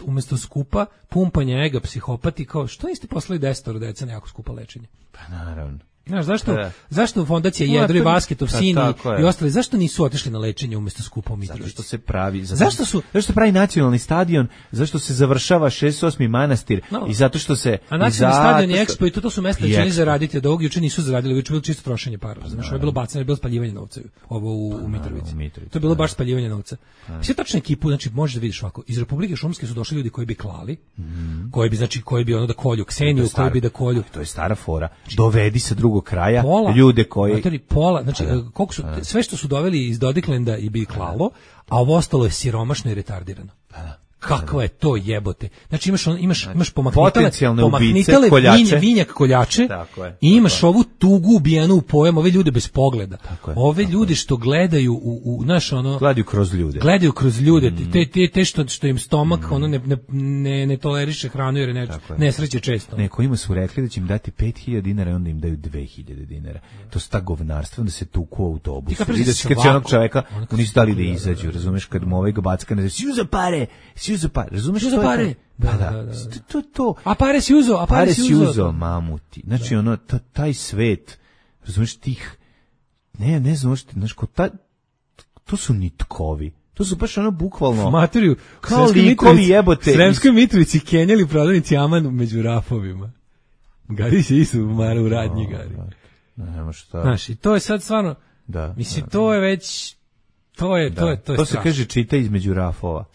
umjesto skupa pumpanja ega psihopati, kao, što niste poslali 10 deca na jako skupa lečenje? Pa naravno. Znaš, zašto fondacija Jedro i Vasketov sin i ostali, zašto nisu otišli na lečenje umjesto skupa u Mitrovici? Zašto se pravi, zašto se pravi nacionalni stadion, zašto se završava 68. manastir i zato što se... A nacionalni stadion i Expo i to su mesta gdje će zaraditi, od ovog juče nisu zaradili, juče bilo čisto trošenje para. Znaš, ovo je bilo bacanje, je bilo spaljivanje novca ovo u Mitrovici. To je bilo baš spaljivanje novca. Sve tačnu ekipu, znači možeš da vidiš ovako, iz Republike Šumske su došli ljudi koji bi klali, koji bi ono da kolju Kseniju, koji bi da kolju. To je stara fora. Dovedi se kraja, ljude koji... Znači, koliko su, sve što su doveli iz Dodiklenda i bi klalo, a ovo ostalo je siromašno i retardirano. Kakva je to jebote. Znači imaš potencijalne ubice, vinjak koljače i imaš ovu tugu ubijenu u pojam, ove ljude bez pogleda. Ove ljude što gledaju u naš ono gledaju kroz ljude. Te što im stomak ono ne toleriše hranu jer je nesreće često. Nekojima su rekli da će im dati 5.000 dinara i onda im daju 2.000 dinara. To su ta govnarstva, onda se tuku u autobus. I da će kad će onog čoveka nisu dali da izađu, razumeš, kad mu ovaj backa ne si uza pare, razumeš što pare? Da. To. A pare si uzo, mamuti. Znači ono taj svet, razumeš tih ne znaš, to su nitkovi. To su baš ono bukvalno materiju kao likovi jebote. Sremskoj Mitrovici kenjali prodavnici Aman među rafovima. Gari se isu u radnji gari. Nema šta. Znaš, i to je sad stvarno, mislim, to je već to se kaže čita između rafova.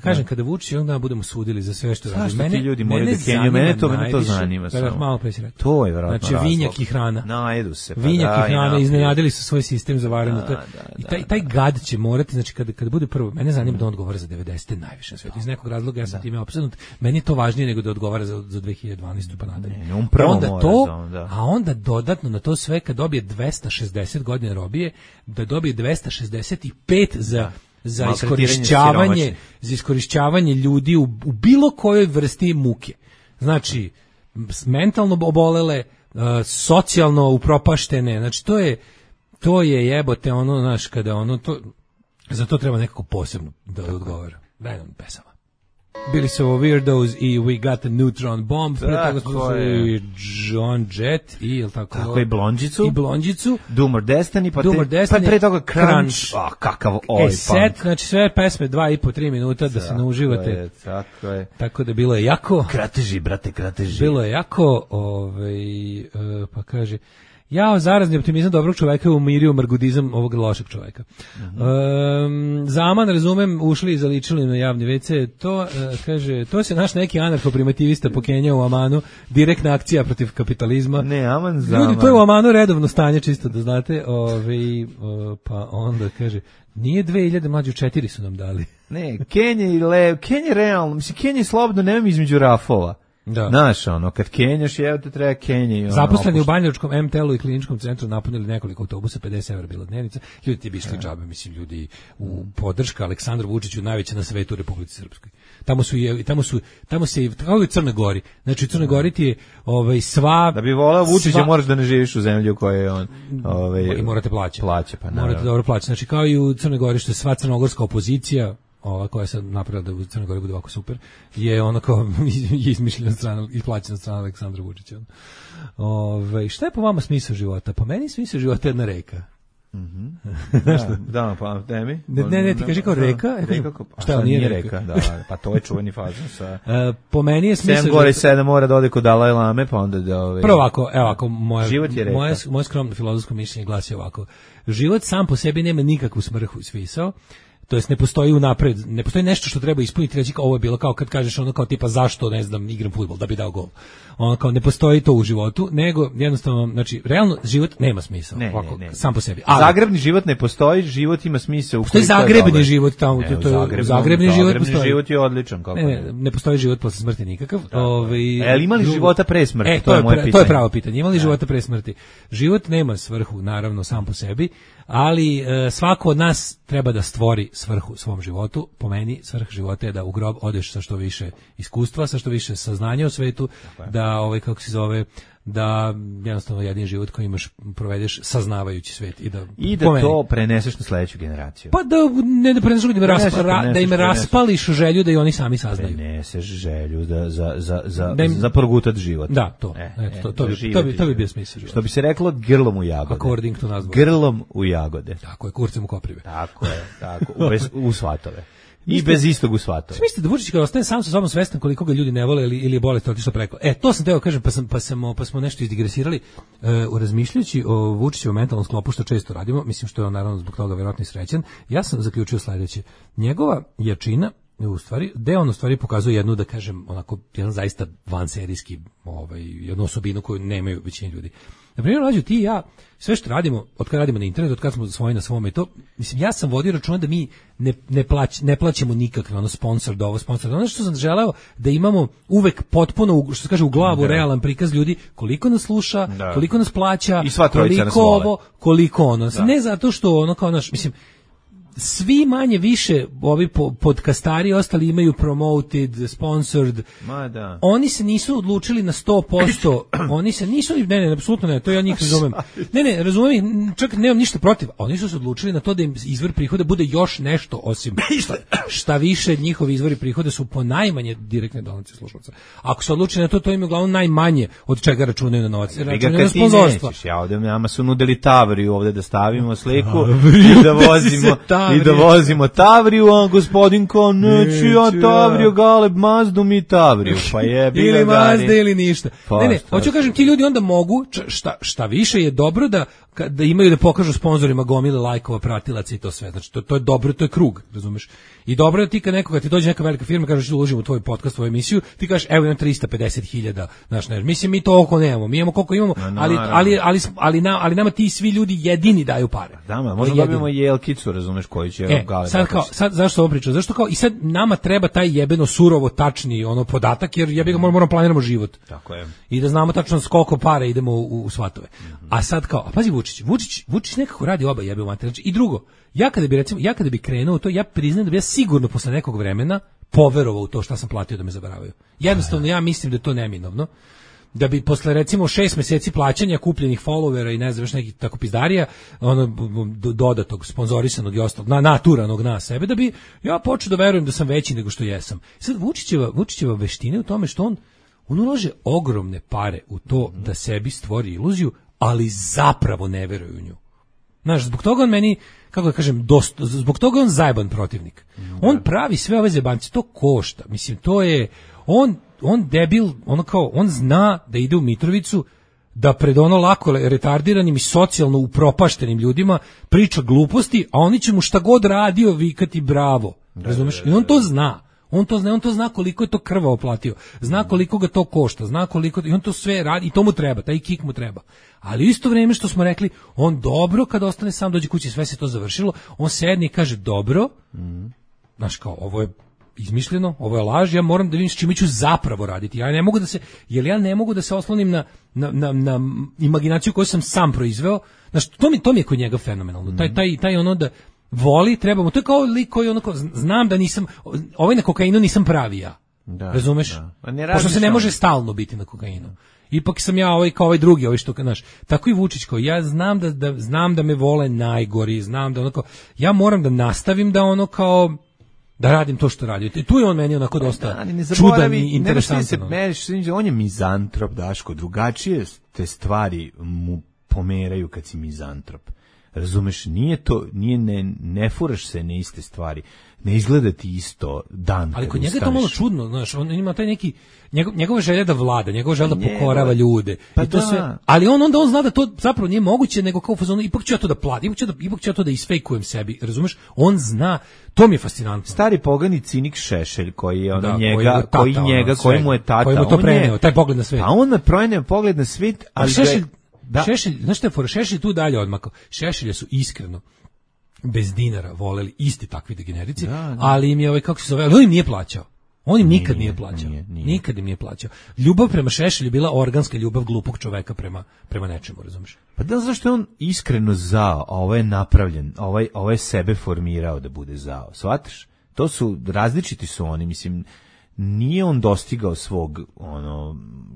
Kažem, kada Vučić onda budemo sudili za sve što radi. Mene ti ljudi moraju da kenjaju, mene to zanima samo. Malo pre si rekao. To je verovatno razlog. Znači, vinjak i hrana. Najedu se. Vinjak i hrana, iznenadili su svoj sistem za varanje. I taj gad će morati, znači, kada bude prvo, mene zanima da on odgovara za 90. najviše na svijetu. Iz nekog razloga ja sam time opsednut. Meni je to važnije nego da odgovara za 2012. pa nadalje. A onda dodatno na to sve, kad dobije 260 godina robije, da dobije 265 za iskorišćavanje ljudi u bilo kojoj vrsti muke. Znači, mentalno obolele, socijalno upropaštene, znači to je jebote ono, znaš, kada ono, za to treba nekako posebno da odgovara. Daj nam pesama. Bili su ovo Weirdos i We Got a Neutron Bomb, pre toga smo slušali John Jett i tako i Blondjicu, Doom or Destiny, pa pre toga Crunch. Kakav punk. Set, znači sve pesme 2,5-3 minuta da se nauživate. Tako je. Tako da bilo je jako. Krateži, brate, krateži. Bilo je jako, pa kaže, jao, zarazni optimizam dobrog čoveka je umirio margudizam ovog lošeg čoveka. Zaman, razumem, ušli i zaličili na javni WC, to, kaže, to se naš neki anarcho-primitivista pokenjao u Amanu, direktna akcija protiv kapitalizma. Ne, Aman, Zaman. Ljudi, to je u Amanu redovno stanje, čisto da znate, pa onda, kaže, nije 2000, mlađu 4 su nam dali. Ne, Kenja realno, mislim, Kenja je slobodno, nemam između rafova. Da. Znaš, ono, kad kenjaš, evo te treba Kenji. Zaposleni u Banjalučkom MTL-u i kliničkom centru napunili nekoliko autobusa, 50 evra bila dnevnica. Ljudi ti bi išli džabe, mislim, ljudi u podrška Aleksandru Vučiću najveća na svetu u Republici Srpskoj. Tamo se kao i u Crnoj Gori. Znači u Crnoj Gori ti je sva. Da bi voleo Vučića moraš da ne živiš u zemlji u kojoj je on. I morate plaćati. Pa naravno. Morate dobro plaćati. Znači kao i u Crnoj Gori što je sva crnogorska opozicija, ova koja je sad napravila da u Crnoj Gori bude ovako super, je ono kao izmišljena strana i plaćena strana Aleksandra Vučića. Šta je po vama smisao života? Po meni smisao života je jedna reka. Da, pa temi. Ne, ti kaži kao reka. Šta nije reka? Da, pa to je čuveni fazon sa. Po meni je smisao 7 gore 7 mora da ode kod Dalaj Lame, pa onda da Prvo ovako, moje skromno filozofsko mišljenje glasi ovako. Život sam po sebi nema nikakvu svrhu i smisao. To jest ne postoji unapred, ne postoji nešto što treba ispuniti, reći ovo je bilo kao kad kažeš ono kao tipa zašto, ne znam, igram fudbal da bi dao gol. Ono kao ne postoji to u životu, nego jednostavno, znači realno život nema smisla, ovako, sam po sebi. Zagrebni život ne postoji, život ima smisao. Postoji zagrebni život tamo, zagrebni život postoji. Život je odličan, kako ne postoji život posle smrti nikakav. Ima li života pre smrti? To je moje pitanje. To je pravo pitanje. Ima li života pre smrti? Život nema svrhu, naravno, sam po sebi, ali svako od nas treba da stvori svrhu svom životu. Po meni svrha života je da u grob odeš sa što više iskustva, sa što više saznanja o svetu, da da jednostavno jedini život koji imaš provedeš saznavajući svet i da to preneseš na sledeću generaciju. Pa da preneseš da im raspališ želju da i oni sami saznaju. Preneseš želju za progutat život. Da, to bi bio smisao života. Što bi se reklo grlom u jagode. According to nas. Grlom u jagode. Tako je, kurcem u koprive. Tako je, u svatove. I bez istog u svatove. Mislite da Vučić kao ostaje sam sa sobom svestan koliko ga ljudi ne vole ili je bolest otišla preko. To sam teo kažem, pa smo nešto izdigresirali razmišljajući o Vučićevom mentalnom sklopu, što često radimo, mislim što je on naravno zbog toga verovatno i srećan. Ja sam zaključio sledeće. Njegova jačina on u stvari pokazuje jednu, da kažem, onako jedan zaista vanserijski jednu osobinu koju nemaju većina ljudi. Na primjer, Mlađo, ti i ja, sve što radimo, od kada radimo na internetu, od kada smo svoji na svome, to, mislim, ja sam vodio računa da mi ne plaćamo nikakve, ono, sponsor da ovo, sponsor da ono, što sam želeo da imamo uvek potpuno, što se kaže, u glavu realan prikaz ljudi, koliko nas sluša, koliko nas plaća, koliko ovo, koliko ono. Ne zato što ono kao naš, mislim, svi manje više ovi podcastari ostali imaju promoted, sponsored. Oni se nisu odlučili na 100%. Oni se nisu, ne, apsolutno ne, to ja njih razumem. Ne, razumem, čak nemam ništa protiv. Oni su se odlučili na to da im izvor prihoda bude još nešto osim šta više njihovi izvori prihoda su po najmanje direktne donacije slušalaca. Ako se odluči na to, to im je uglavnom najmanje od čega računaju na novac. Računaju na sponzorstva. Ja ovde nama su nudili Tavriju ovde da stavimo sliku i da vozimo Tavriju, a gospodin kao, neću ja Tavriju, Galeb, Mazdu mi Tavriju, pa jebi ga ili Mazda ili ništa. Ne, hoću kažem, ti ljudi onda mogu, šta više je dobro da imaju da pokažu sponzorima gomile lajkova, pratilaca i to sve, znači to je dobro, to je krug, razumeš? I dobro je ti kad nekoga ti dođe neka velika firma, kažeš da uložimo u tvoj podcast, tvoju emisiju, ti kažeš evo imam 350.000, znaš, ne, mislim mi to oko nemamo, mi imamo koliko imamo, ali nama ti svi ljudi jedini daju pare. Da, možda dobijemo jelkicu, razumeš, koji će sad zašto ovo pričam? Zašto kao i sad nama treba taj jebeno surovo tačni ono podatak, jer jebi ga moramo planiramo život. Tako je. I da znamo tačno s koliko para idemo u svatove. A sad kao, a pazi Vučić nekako radi oba jebe u mater. Znači, i drugo, ja kada bi krenuo u to, ja priznajem da bi ja sigurno posle nekog vremena poverovao u to šta sam platio da me zaboravaju. Jednostavno ja mislim da je to neminovno. Da bi posle recimo 6 meseci plaćanja kupljenih followera i ne znam još nekih tako pizdarija, ono dodatog, sponzorisanog i ostalog, naturanog na sebe, da bi ja počeo da verujem da sam veći nego što jesam. Sad Vučićeva veština u tome što on ulaže ogromne pare u to da sebi stvori iluziju, ali zapravo ne veruje u nju. Znaš, zbog toga on meni, kako da kažem, zbog toga on zajeban protivnik. On pravi sve ove zebanci, to košta. Mislim, to je, on debil, ono kao, on zna da ide u Mitrovicu, da pred ono lako retardiranim i socijalno upropaštenim ljudima priča gluposti, a oni će mu šta god radio vikati bravo. Razumeš? I on to zna. On to zna koliko je to krvavo platio, zna koliko ga to košta, zna koliko, i on to sve radi, i to mu treba, taj kik mu treba. Ali u isto vrijeme što smo rekli, on dobro kad ostane sam, dođe kući, sve se to završilo, on sedne i kaže dobro, znaš kao, ovo je izmišljeno, ovo je laž, ja moram da vidim s čime ću zapravo raditi. Ja ne mogu da se oslonim na imaginaciju koju sam sam proizveo. Znaš, to mi je kod njega fenomenalno. Taj ono da voli, trebamo, to je kao lik koji onako, znam da nisam, ovaj na kokainu nisam pravi ja. Razumeš? Pošto se ne može stalno biti na kokainu. Ipak sam ja kao ovaj drugi, što znaš. Tako i Vučić, kao ja znam da me vole najgori, znam da onako, ja moram da nastavim da ono kao da radim to što radi. I tu je on meni onako dosta čudan i interesantan. On je mizantrop, Daško, drugačije te stvari mu pomeraju kad si mizantrop. Razumeš, ne furaš se na iste stvari, ne izgleda ti isto dan. Ali kod njega je to malo čudno, znaš, on ima taj neki, njegova želja da vlada, njegova želja da pokorava ljude. Pa i to sve, ali on zna da to zapravo nije moguće, nego kao fazonu, ipak ću ja to da platim, ipak ću ja to da isfejkujem sebi, razumeš, on zna, to mi je fascinantno. Stari pogani cinik Šešelj, koji je koji mu je tata, koji mu to preneo, taj pogled na svet. A on me preneo pogled na svet, ali Šešelj, znaš šta je fora, Šešelj tu dalje odmakao. Šešelja su iskreno bez dinara voleli isti takvi degenerici, ali im je kako se zove, on im nije plaćao. On im nikad nije plaćao. Nikad im nije plaćao. Ljubav prema Šešelju bila organska ljubav glupog čoveka prema nečemu, razumiješ? Pa da, zašto je on iskreno zao, a ovo je napravljen, ovo je sebe formirao da bude zao. Shvataš? To su, različiti su oni, mislim, nije on dostigao svog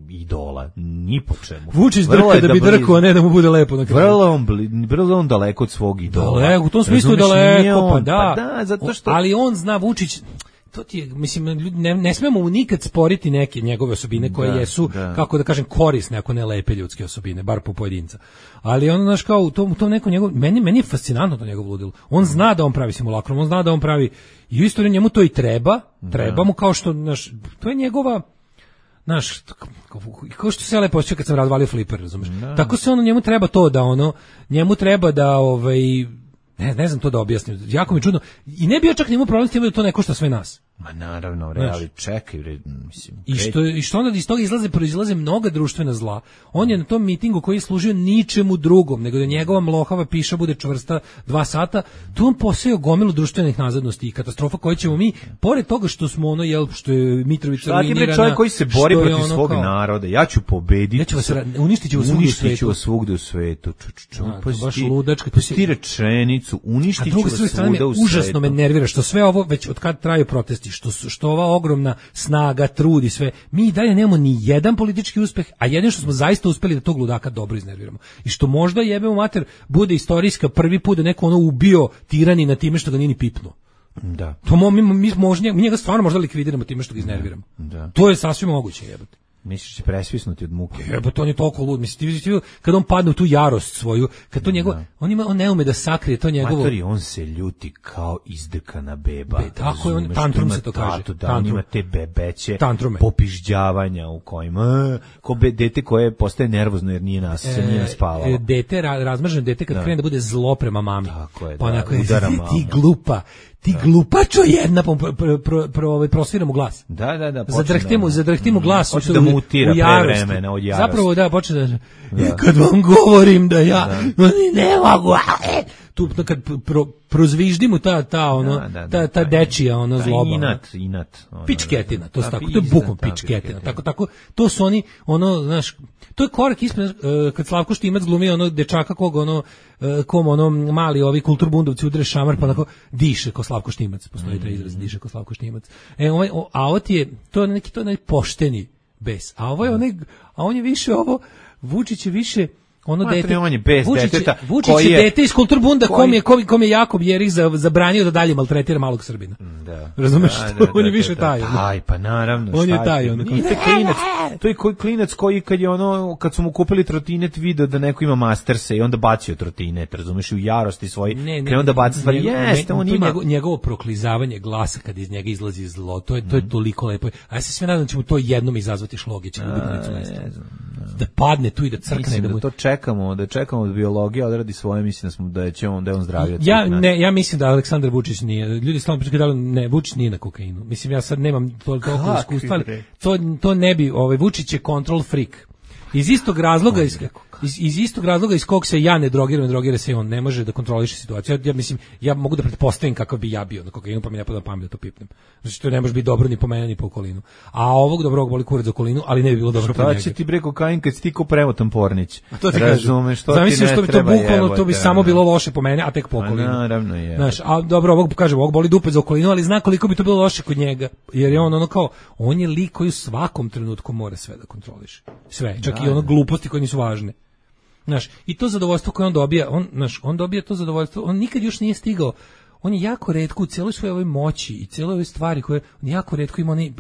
idola, ni po čemu. Vučić drka da bi drkao, a ne da mu bude lepo na kraju. Vrlo on daleko od svog idola. Daleko, u tom smislu daleko, pa da. Zato što... Ali on zna, Vučić, to ti je, mislim, ne smemo mu nikad sporiti neke njegove osobine koje jesu, kako da kažem, korisne, ako ne lepe ljudske osobine, bar po pojedinca. Ali on, znaš, kao u tom nekom njegov, meni je fascinantno to njegov ludilo. On zna da on pravi simulakrom, on zna da on pravi, i u istoriji njemu to i treba mu, kao što, znaš, to je njegova, znaš, kao što se ja lepo osjećao kad sam razvalio fliper, razumeš? Tako se njemu treba to da njemu treba da, ne znam to da objasnim, jako mi čudno, i ne bi ja čak njemu problem s tim da to ne košta sve nas. Ma naravno, ali čekaj, mislim. I što onda iz toga proizlaze mnoga društvena zla. On je na tom mitingu koji je služio ničemu drugom, nego da njegova mlohava piša bude čvrsta 2 sata, tu on posejao gomilu društvenih nazadnosti i katastrofa koje ćemo mi, pored toga što smo što je Mitrovica ruinirana. Šta ti čovjek koji se bori protiv svog naroda, ja ću pobediti. Ja ću vas uništit ću vas svugde u svetu. Baš ludačka. Ti rečenicu, uništit ću vas svuda u svetu. Užasno me nervira što sve ovo, već od kad traju protesti, što ova ogromna snaga, trud i sve, mi i dalje nemamo ni jedan politički uspeh, a jedino što smo zaista uspeli da tog ludaka dobro iznerviramo. I što možda jebemo mater bude istorijska prvi put da neko ubio tirani na time što ga nije ni pipnuo. Da. To mi njega stvarno možda likvidiramo time što ga iznerviramo. Da. To je sasvim moguće, jebote. Misliš će presvisnuti od muke? Jebote, on je toliko lud. Mislim, kad on padne u tu jarost svoju, kad to njegov, on ne ume da sakrije to njegovo. Matori, on se ljuti kao izdrkana beba. Tako je, on tantrum se to kaže. Da, on ima te bebeće popižđavanja u kojima, ko dete koje postaje nervozno jer nije naspavalo. Razmrženo dete kad krene da bude zlo prema mami. Tako je, pa onako je, ti glupa. Ti glupačo jedna, prosvira mu glas. Da. Zadrhti mu glas. Hoće da mutira pre vremena od jarosti. Zapravo da, počne da, kad vam govorim da ja, ne mogu, tu kad prozviždi mu ta dečija, zloba. Inat. Pičketina, to je tako, to je bukom pičketina. Tako, to su oni, znaš, to je korak ispred, kad Slavko Štimac glumi dečaka koga kom mali ovi kulturbundovci udre šamar, pa onako diše ko Slavko Štimac, postoji taj izraz, diše ko Slavko Štimac. A ovo ti je, to je neki pošteni bes, a on je više ovo, Vučić je više dete. Vučić je dete iz kulturbunda kom je Jakob Jerih zabranio da dalje maltretira malog Srbina. Da. Razumeš što? On je više taj. Aj, pa naravno. On je taj. To je klinac koji kad su mu kupili trotinet video da neko ima masterse i onda bacio trotinet, razumeš, u jarosti svoj, krenuo da baca stvari. Jeste, on ima. Njegovo proklizavanje glasa kad iz njega izlazi zlo, to je toliko lepo. A ja se sve nadam da će mu to jednom izazvati šlogić. Da padne tu i da crkne. Da čekamo da biologija odradi svoje, mislim da je on zdravio. Ja mislim da Aleksandar Vučić nije. Ljudi stalno pričaju da Vučić nije na kokainu. Mislim, ja sad nemam toliko iskustva, to ne bi, Vučić je control freak. Iz istog razloga iz kog se ja ne drogira se i on, ne može da kontroliše situaciju. Ja mislim, ja mogu da pretpostavim kakav bi ja bio na kokainu, pa mi ne pada na pamet da to pipnem. Znači, to ne može biti dobro ni po mene, ni po okolinu. A ovog dobrog boli kurac za okolinu, ali ne bi bilo dobro po njega. Šta će ti bre kokain kad si ti ko premotan pornić? Razumeš, to ti ne treba. Zamisliš što bi to bukvalno, to bi samo bilo loše po mene, a tek po okolinu. Naravno je. Znaš, a dobro, ovog boli dupe za okolinu, ali zna koliko bi to bilo loše kod njega. Jer je on je lik koji u svakom trenutku mora sve da kontroliše. Sve, čak i gluposti koje nisu važne. Znaš, i to zadovoljstvo koje on dobija, on dobija to zadovoljstvo, on nikad još nije stigao, on je jako retko u cijeloj svojoj ovoj moći i cijeloj ovoj stvari koje on jako retko ima one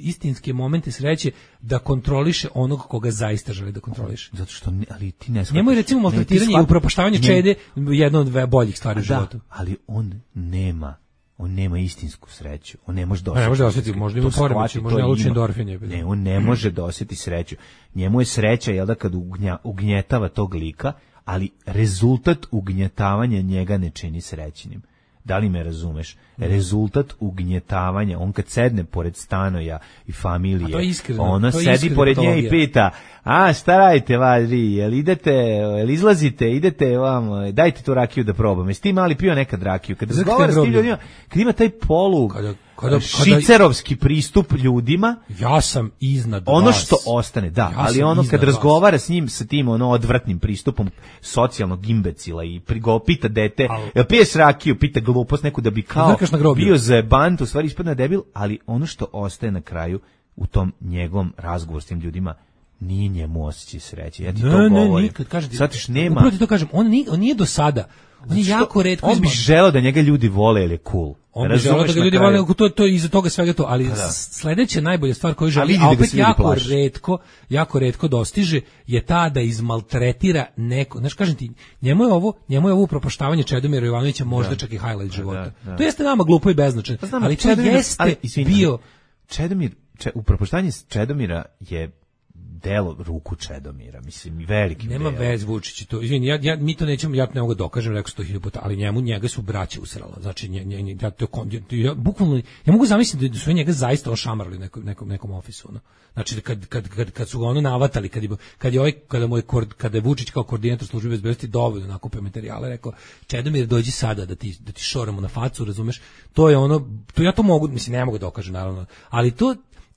istinske momente sreće da kontroliše onog koga zaista želi da kontroliše. Zato što, ali ti ne shvataš. Njemu je recimo maltretiranje i upropaštavanje čede jedno od boljih stvari u životu. Ali on nema istinsku sreću. On ne može da osjeti. Možda ima poremećaj, možda je lučni endorfin. Ne, on ne može da osjeti sreću. Njemu je sreća, da kad ugnjetava tog lika, ali rezultat ugnjetavanja njega ne čini srećnim. Da li me razumeš? Rezultat ugnjetavanja, on kad sedne pored Stanoja i familije, ona sedi pored nje i pita, šta radite vadri, jel izlazite, idete vam, dajte tu rakiju da probam. Jesi ti mali pio nekad rakiju? Kad razgovara s tim ljudima, kad ima taj šicerovski pristup ljudima, ja sam iznad ono vas. Što ostane, ali kad razgovara s njim, sa tim odvratnim pristupom socijalnog imbecila i pita dete, jel piješ rakiju, pita glupost neku da bi kao bio zajebant, u stvari ispadne debil, ali ono što ostaje na kraju u tom njegovom razgovoru s tim ljudima, nije njemu osjećaj sreće. Ja ti to govorim. Shvatiš, nema. Upravo ti to kažem, on nije do sada. On je jako retko. On bi želeo da njega ljudi vole jer je cool. On bi želeo da ga ljudi vole, to iza toga svega to, ali sledeća najbolja stvar koju želi, a opet jako retko dostiže, je ta da izmaltretira neko. Znaš, kažem ti, njemu je ovo upropaštavanje Čedomira Jovanovića možda čak i highlight života. To jeste nama glupo i beznačajno, ali to jeste bio... Upropaštavanje Čedomira je delo ruku Čedomira, mislim, veliki nema vez Vučić to. Izvini, mi to nećemo, ja ne mogu dokažem, rekao 100.000 puta, ali njega su braće usrala. Znači ja bukvalno ja mogu zamisliti da su njega zaista ošamarali nekom ofisu, ono. Znači kad su ga ono navatali, kada je Vučić kao koordinator službe bezbednosti dovoljno nakupio materijale, rekao Čedomir dođi sada da ti šoramo na facu, razumeš? To je ono, to ja to mogu, mislim ne mogu dokažem naravno, ali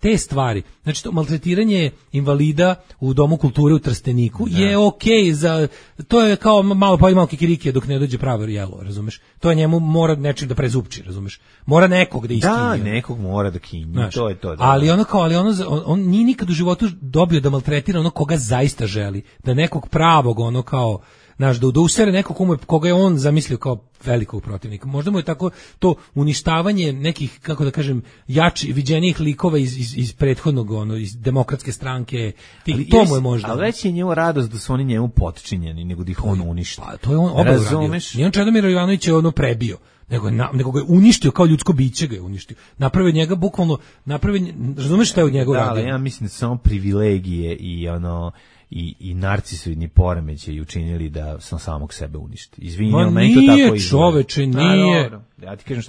te stvari, znači to maltretiranje invalida u Domu kulture u Trsteniku je okej za, to je kao malo kikirikije dok ne dođe pravo jelo, razumeš? To je njemu mora nečim da prezupči, razumeš? Mora nekog da iskinje. Da, nekog mora da kinje, znaš, to je to. Da, ali on nije nikad u životu dobio da maltretira ono koga zaista želi, da nekog pravog ono kao znaš, da usere nekog koga je on zamislio kao velikog protivnika. Možda mu je tako to uništavanje nekih, kako da kažem, viđenijih likova iz prethodnog, iz demokratske stranke, to mu je možda. Ali već je njemu radost da su oni njemu potčinjeni, nego da ih on uništi. Pa, to je on oba uradio. Nije on Čedomir Jovanović je ono prebio, nego ga je uništio, kao ljudsko biće ga je uništio. Napravio njega bukvalno, razumeš šta je od njega uradio? Da, ali ja mislim da samo privilegije i narcisoidni poremećaji učinili da sam samog sebe uništi. Izvinjam, meni to tako izgleda. Čoveče, nije. Ja ti kažem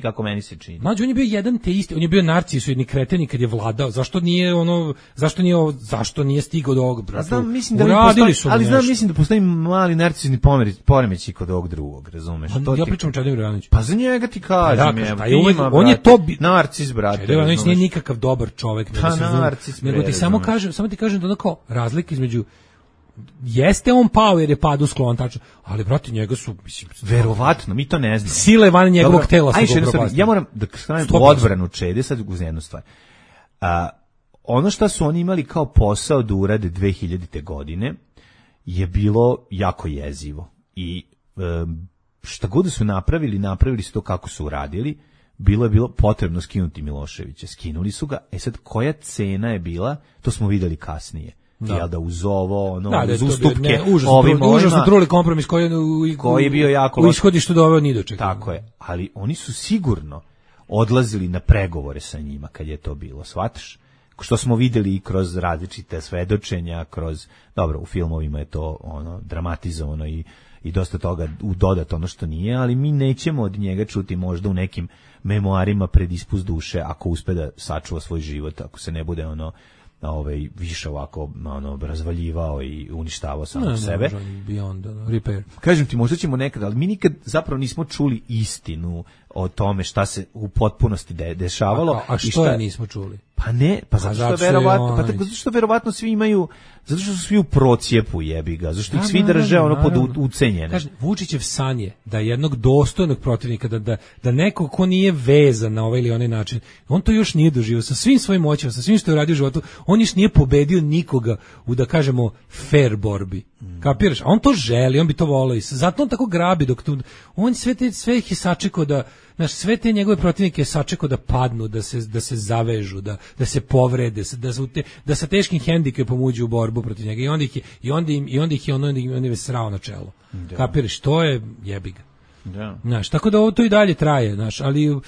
kako meni se čini. Mlađe, on je bio jedan te isti, on je bio narcisoidni kreten kad je vladao. Zašto nije stigao do ovog, brate? Mislim da postoji mali narcisoidni poremećaj kod ovog drugog, razumeš? Ja pričam o Čedomiru Jovanoviću. Pa za njega ti kažem, on je to narcis, brate. Čedomir Jovanović nije nikakav dobar čovek, nego ti samo ti kažem da ono kao razlika između jeste on pao jer je padu sklon, tačno, ali brate njega su, mislim, verovatno, mi to ne znamo. Sile van njegovog tela su ga upropastile. Ja moram da stavim u odbranu Čede sad uz jednu stvar. Ono što su oni imali kao posao da urade 2000. godine je bilo jako jezivo. I šta god su napravili su to kako su uradili. Bilo je potrebno skinuti Miloševića. Skinuli su ga. Sad koja cena je bila, to smo videli kasnije. Da uz ovo, uz ustupke, užasno truli kompromis koji je bio jako loš. U ishodištu doveo ni do čega. Tako je, ali oni su sigurno odlazili na pregovore sa njima kad je to bilo, shvataš? Što smo videli i kroz različite svedočenja, dobro, u filmovima je to dramatizovano i dosta toga dodat ono što nije, ali mi nećemo od njega čuti možda u nekim memoarima pred ispust duše ako uspe da sačuva svoj život, ako se ne bude više ovako razvaljivao i uništavao samo sebe. Kažem ti, možda ćemo nekad, ali mi nikad zapravo nismo čuli istinu o tome šta se u potpunosti dešavalo. A što je nismo čuli? Pa ne, zato što verovatno svi imaju, zato što su svi u procijepu, jebi ga, zato što ih svi drže pod ucenjene. Kažem, Vučićev san je da jednog dostojnog protivnika, da neko ko nije vezan na ovaj ili onaj način, on to još nije doživio sa svim svojim moćima, sa svim što je uradio u životu, on još nije pobedio nikoga u, da kažemo, fair borbi. Kapiraš? A on to želi, on bi to volao i zato on tako grabi on sve ih je sačekao da, znaš, sve te njegove protivnike je sačekao da padnu, da se zavežu, da se povrede, da sa teškim hendikepom uđu u borbu protiv njega i onda ih je srao na čelo. Kapiraš? To je jebi ga. Znaš, tako da ovo to i dalje traje, znaš, ali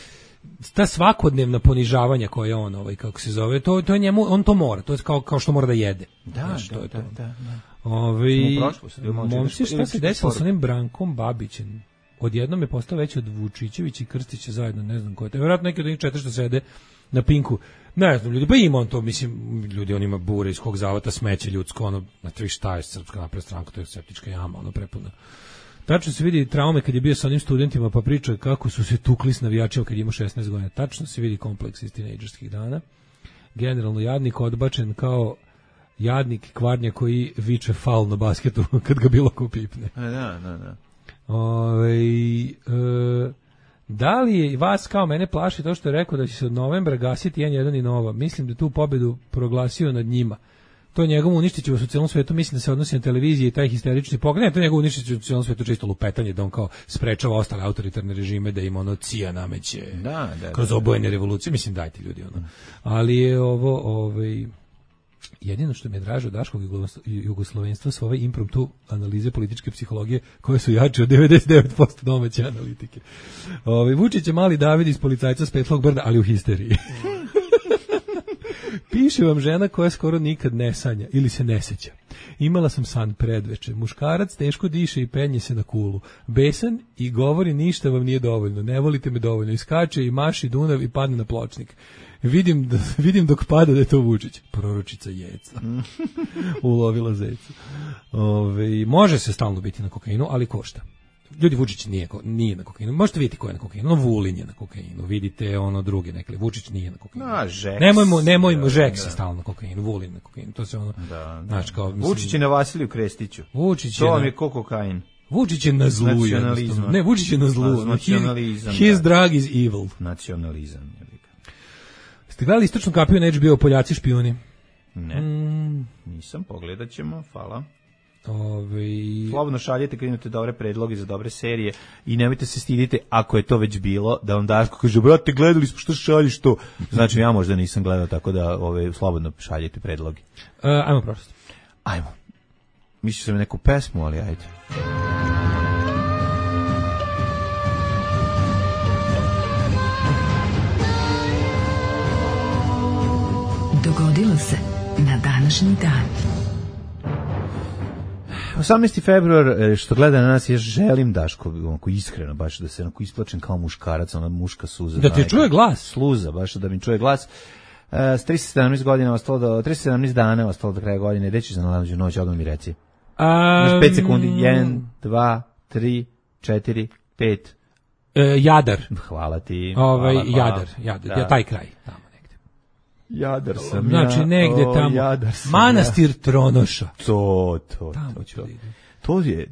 ta svakodnevna ponižavanja koje on, kako se zove, to je njemu, on to mora, to je kao što mora da jede. Da. Momci, šta se desilo sa onim Brankom Babićem? Odjednom je postao veći od Vučićevića i Krstića zajedno, ne znam ko je to. Vjerojatno neki od njih 4 što sede na Pinku. Ne znam, ljudi, pa ima on to, mislim, ljudi, on ima bure iz kog zavata smeće ljudsko, na tri šta je Srpska napredna stranka, to je septička jama, prepuna. Tačno se vidi traume kad je bio sa onim studentima, pa priča kako su se tukli s navijačima kad je imao 16 godina. Tačno se vidi kompleks iz tinejdžerskih dana. Generalno, jadnik odbačen kao jadnik kvarnja koji viče faul na basketu kad ga bilo ko pipne. Da. Da li je vas kao mene plaši to što je rekao da će se od novembra gasiti N1 i Nova? Mislim da tu pobedu proglasio nad njima. To njegovo uništiće u cijelom svetu, mislim da se odnosi na televiziji i taj histerični pogled. Ne, to njegovo uništiće u cijelom svetu čisto lupetanje, da on kao sprečava ostale autoritarne režime, da im CIA nameće kroz obojene revolucije. Mislim, dajte ljudi Ali je ovo, jedino što mi je draže od daškog jugoslovenstva su ove impromptu analize političke psihologije koje su jače od 99% domaće analitike. Vučić je mali David iz Policajca s Petlog brda, ali u histeriji. Piše vam žena koja skoro nikad ne sanja ili se ne seća. Imala sam san predveče. Muškarac teško diše i penje se na kulu. Besan i govori ništa vam nije dovoljno. Ne volite me dovoljno. Iskače i maši Dunav i padne na pločnik. Vidim dok pada da je to Vučić. Proročica Jeca. Ulovila zeca. Može se stalno biti na kokainu, ali košta. Ljudi, Vučić nije na kokainu. Možete vidjeti ko je na kokainu. Vulin je na kokainu. Vidite druge nekle. Vučić nije na kokainu. Nemojmo Žek se stalno na kokainu. Vulin na kokainu. To se znači kao mislim, Vučić je na Vasiliju Krestiću. Vučić je to vam je kokain. Vučić je na zlu. Ne, Vučić je na zlu. Nacionalizam. His drug is evil. Nacionalizam. Ste gledali Istočnu kapiju na HBO Poljaci špijuni? Ne. Nisam, pogledat ćemo. Hvala. Slobodno šaljete kad imate dobre predloge za dobre serije i nemojte se stidite ako je to već bilo da vam Daško kaže brate gledali smo što šaljiš to, znači ja možda nisam gledao, tako da slobodno šaljete predloge. Ajmo prosto. Ajmo. Mislio sam neku pesmu, ali ajde. Dogodilo se na današnji dan. 18. februar, što gleda na nas, ja želim Daško, onako iskreno, baš da se onako isplačem kao muškarac, ona muška suza. Da ti čuje glas. Sluza, baš da mi čuje glas. 317 dana ostalo do kraja godine. Gde ćeš za najluđu noć, odmah mi reci. Imaš 5 sekundi. 1, 2, 3, 4, 5. Jadar. Hvala ti. Jadar. Ja, taj kraj. Tamo negde. Jadar sam znači, negde tamo. Manastir Tronoša. To. Tamo ću vidjeti.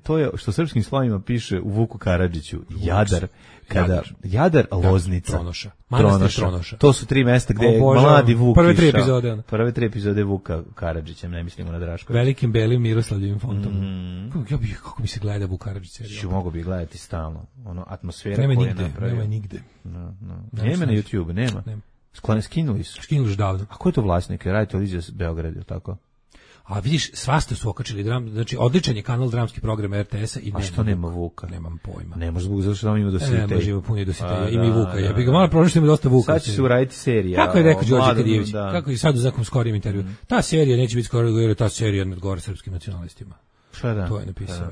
To je što srpskim slovima piše u Vuku Karadžiću. Jadar, Loznica. Tronoša. Manastir Tronoša. To su 3 mesta gde je mladi Vuk išao. Prve 3 epizode Vuka Karadžića, ne mislimo na Draškovića. Velikim belim Miroslavljevim fontom. Kako mi se gleda Vuk Karadžić serija. Mogu bi gledati stalno. Atmosfera koja je napravio. Nema nigde. Nema na YouTube, nema. Skinuli su. Skinuli davno. A ko je to vlasnik? Radio televizija Beograd, je tako? A vidiš, svašta su okačili znači odličan je kanal dramski program RTS-a i a što nema Vuka? Nemam pojma. Ne može Vuk, zato što ima dositeja. Ne može, ima puno dositeja. Ima i Vuka. Ja bih ga malo prošli, ima dosta Vuka. Sad će se uraditi serija. Kako je rekao Đorđe Kadijević? Kako je sad u nekom skorijem intervju? Ta serija neće biti skoro, jer ta serija ne odgovara srpskim nacionalistima. Šta da? To je napisao.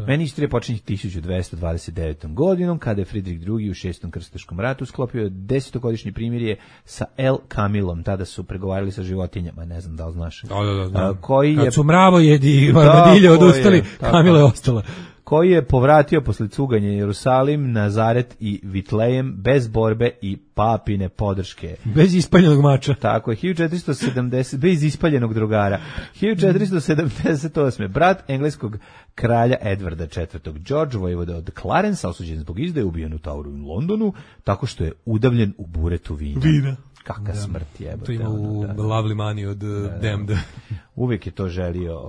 Meni istorija počinje 1229. godinom, kada je Fridrik II. U 6. krstaškom ratu sklopio 10-godišnje primirje sa El Kamilom. Tada su pregovarali sa životinjama, ne znam da li znaš. Da. Kad su mravojedi i armadilje odustali, Kamila je ostala. Koji je povratio posle cuganja Jerusalim, Nazaret i Vitlejem bez borbe i papine podrške. Bez ispaljenog mača. Tako je, 1470, bez ispaljenog drugara. 1478. Brat engleskog kralja Edvarda IV. George, vojvoda od Clarence, osuđen zbog izdaje, ubijen u Toweru u Londonu, tako što je udavljen u buretu vina. Kakva smrt jebote. To ima u Lovely Money od Damned. Uvijek je to želio,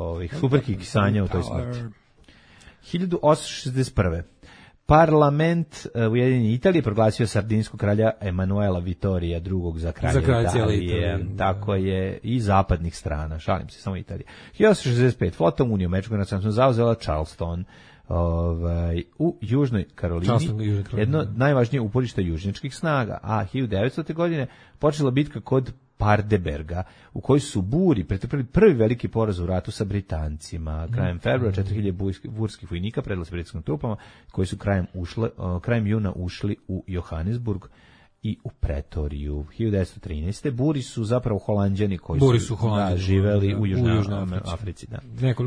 superkih sanja u toj smrti. 1861. Parlament Ujedinjene Italije proglasio sardinskog kralja Emanuela Vittorija II. Za kralja Italije. Tako je, i zapadnih strana, šalim se, samo Italije. 1865. Flota Unije američkog nacionalnog zauzela Charleston u Južnoj Karolini, jedno najvažnije uporište južnjačkih snaga, a 1900. godine počela bitka kod Pardeberga, u kojoj su Buri pretrpeli prvi veliki poraz u ratu sa Britancima. Krajem februara 4000 burskih vojnika predali se britanskim trupama, koji su krajem juna ušli u Johannesburg i u Pretoriju. 1913. Buri su zapravo Holanđani koji su živeli u Južnoj Africi.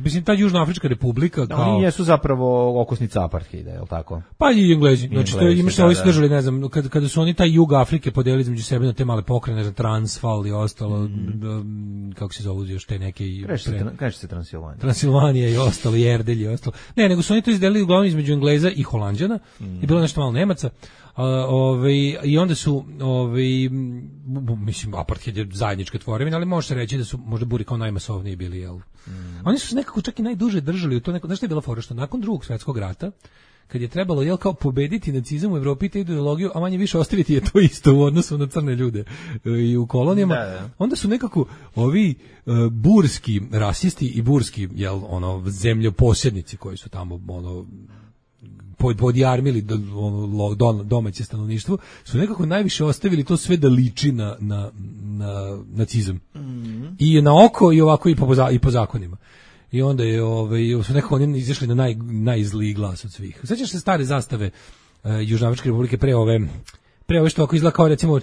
Mislim, ta Južnoafrička republika kao... Oni jesu zapravo okosnica apartheida, je li tako? Pa i Englezi. Znači, imaš ovi su držali, ne znam, kada su oni taj jug Afrike podelili između sebe na te male pokrajine, Transvaal i ostalo, kako se zove još te neke... Kaže se Transilvanija. Transilvanija i ostalo, i Erdelj i ostalo. Ne, nego su oni to izdelili uglavnom između Engleza i Holanđana i bilo nešto malo Nemaca. I onda su mislim, apartheid je zajednička tvorevina, ali može se reći da su možda Buri kao najmasovniji bili, jel? Oni su se nekako čak i najduže držali u to znaš što je bila fora, što nakon Drugog svjetskog rata, kad je trebalo, jel, kao pobediti nacizam u Evropi, te ideologiju, a manje više ostaviti je to isto u odnosu na crne ljude i u kolonijama, onda su nekako ovi burski rasisti i burski, jel, zemljoposjednici koji su tamo, podjarmili domaće stanovništvo, su nekako najviše ostavili to sve da liči na nacizam. I na oko i ovako i po zakonima. I onda je su nekako oni izašli na najzliji glas od svih. Sećaš se stare zastave Južnoafričke republike pre ove što ako izgleda kao recimo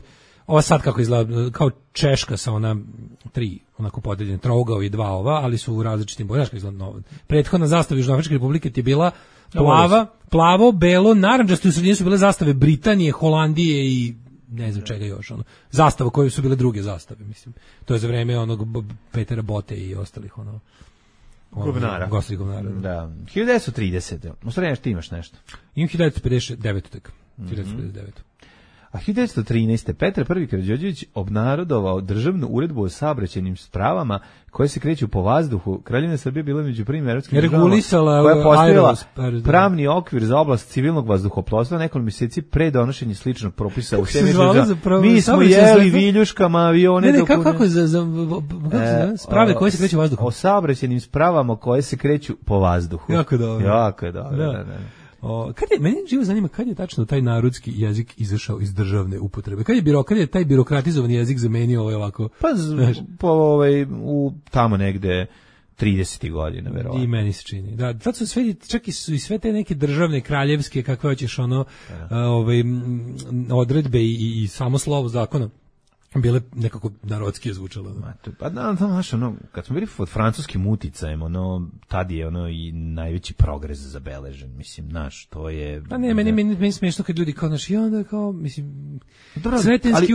ova sad kako izgleda kao Češka sa ona 3 onako podeljene trougao i 2 ova, ali su u različitim bojama. Prethodna zastava Južnoafričke republike ti bila plavo, belo, narandžasto, u sredini su bile zastave Britanije, Holandije i ne znam čega još, zastava koje su bile druge zastave, mislim. To je za vreme onog Petera Bote i ostalih Govnara. Da. 1930. U stvari ti imaš nešto. Imam 1959. tek. 1959. A 1913. Petar I. Karađorđević obnarodovao državnu uredbu o saobraćajnim spravama koje se kreću po vazduhu. Kraljevina Srbije bila među prvim evropskim državama koja je postavila pravni okvir za oblast civilnog vazduhoplovstva nekoliko mjeseci pre donošenja sličnog propisa u Sjemenu. Mi smo jeli viljuškama avione. Ne, kako za sprave koje se kreću vazduhom? O saobraćajnim spravama koje se kreću po vazduhu. Jako dobro. Da. Meni živo zanima kad je tačno taj narodski jezik izašao iz državne upotrebe. Kad je taj birokratizovani jezik zamenio ovako? U tamo negde 30. godina, verovatno. I meni se čini. Da, tad su čak i sve te neke državne, kraljevske, kakve hoćeš odredbe i samo slovo zakona bile nekako narodski zvučalo. Kad smo bili pod francuskim uticajem, tad je i najveći progres zabeležen, mislim, to je... Meni smiješno kad ljudi kao i onda kao, mislim, Sretenski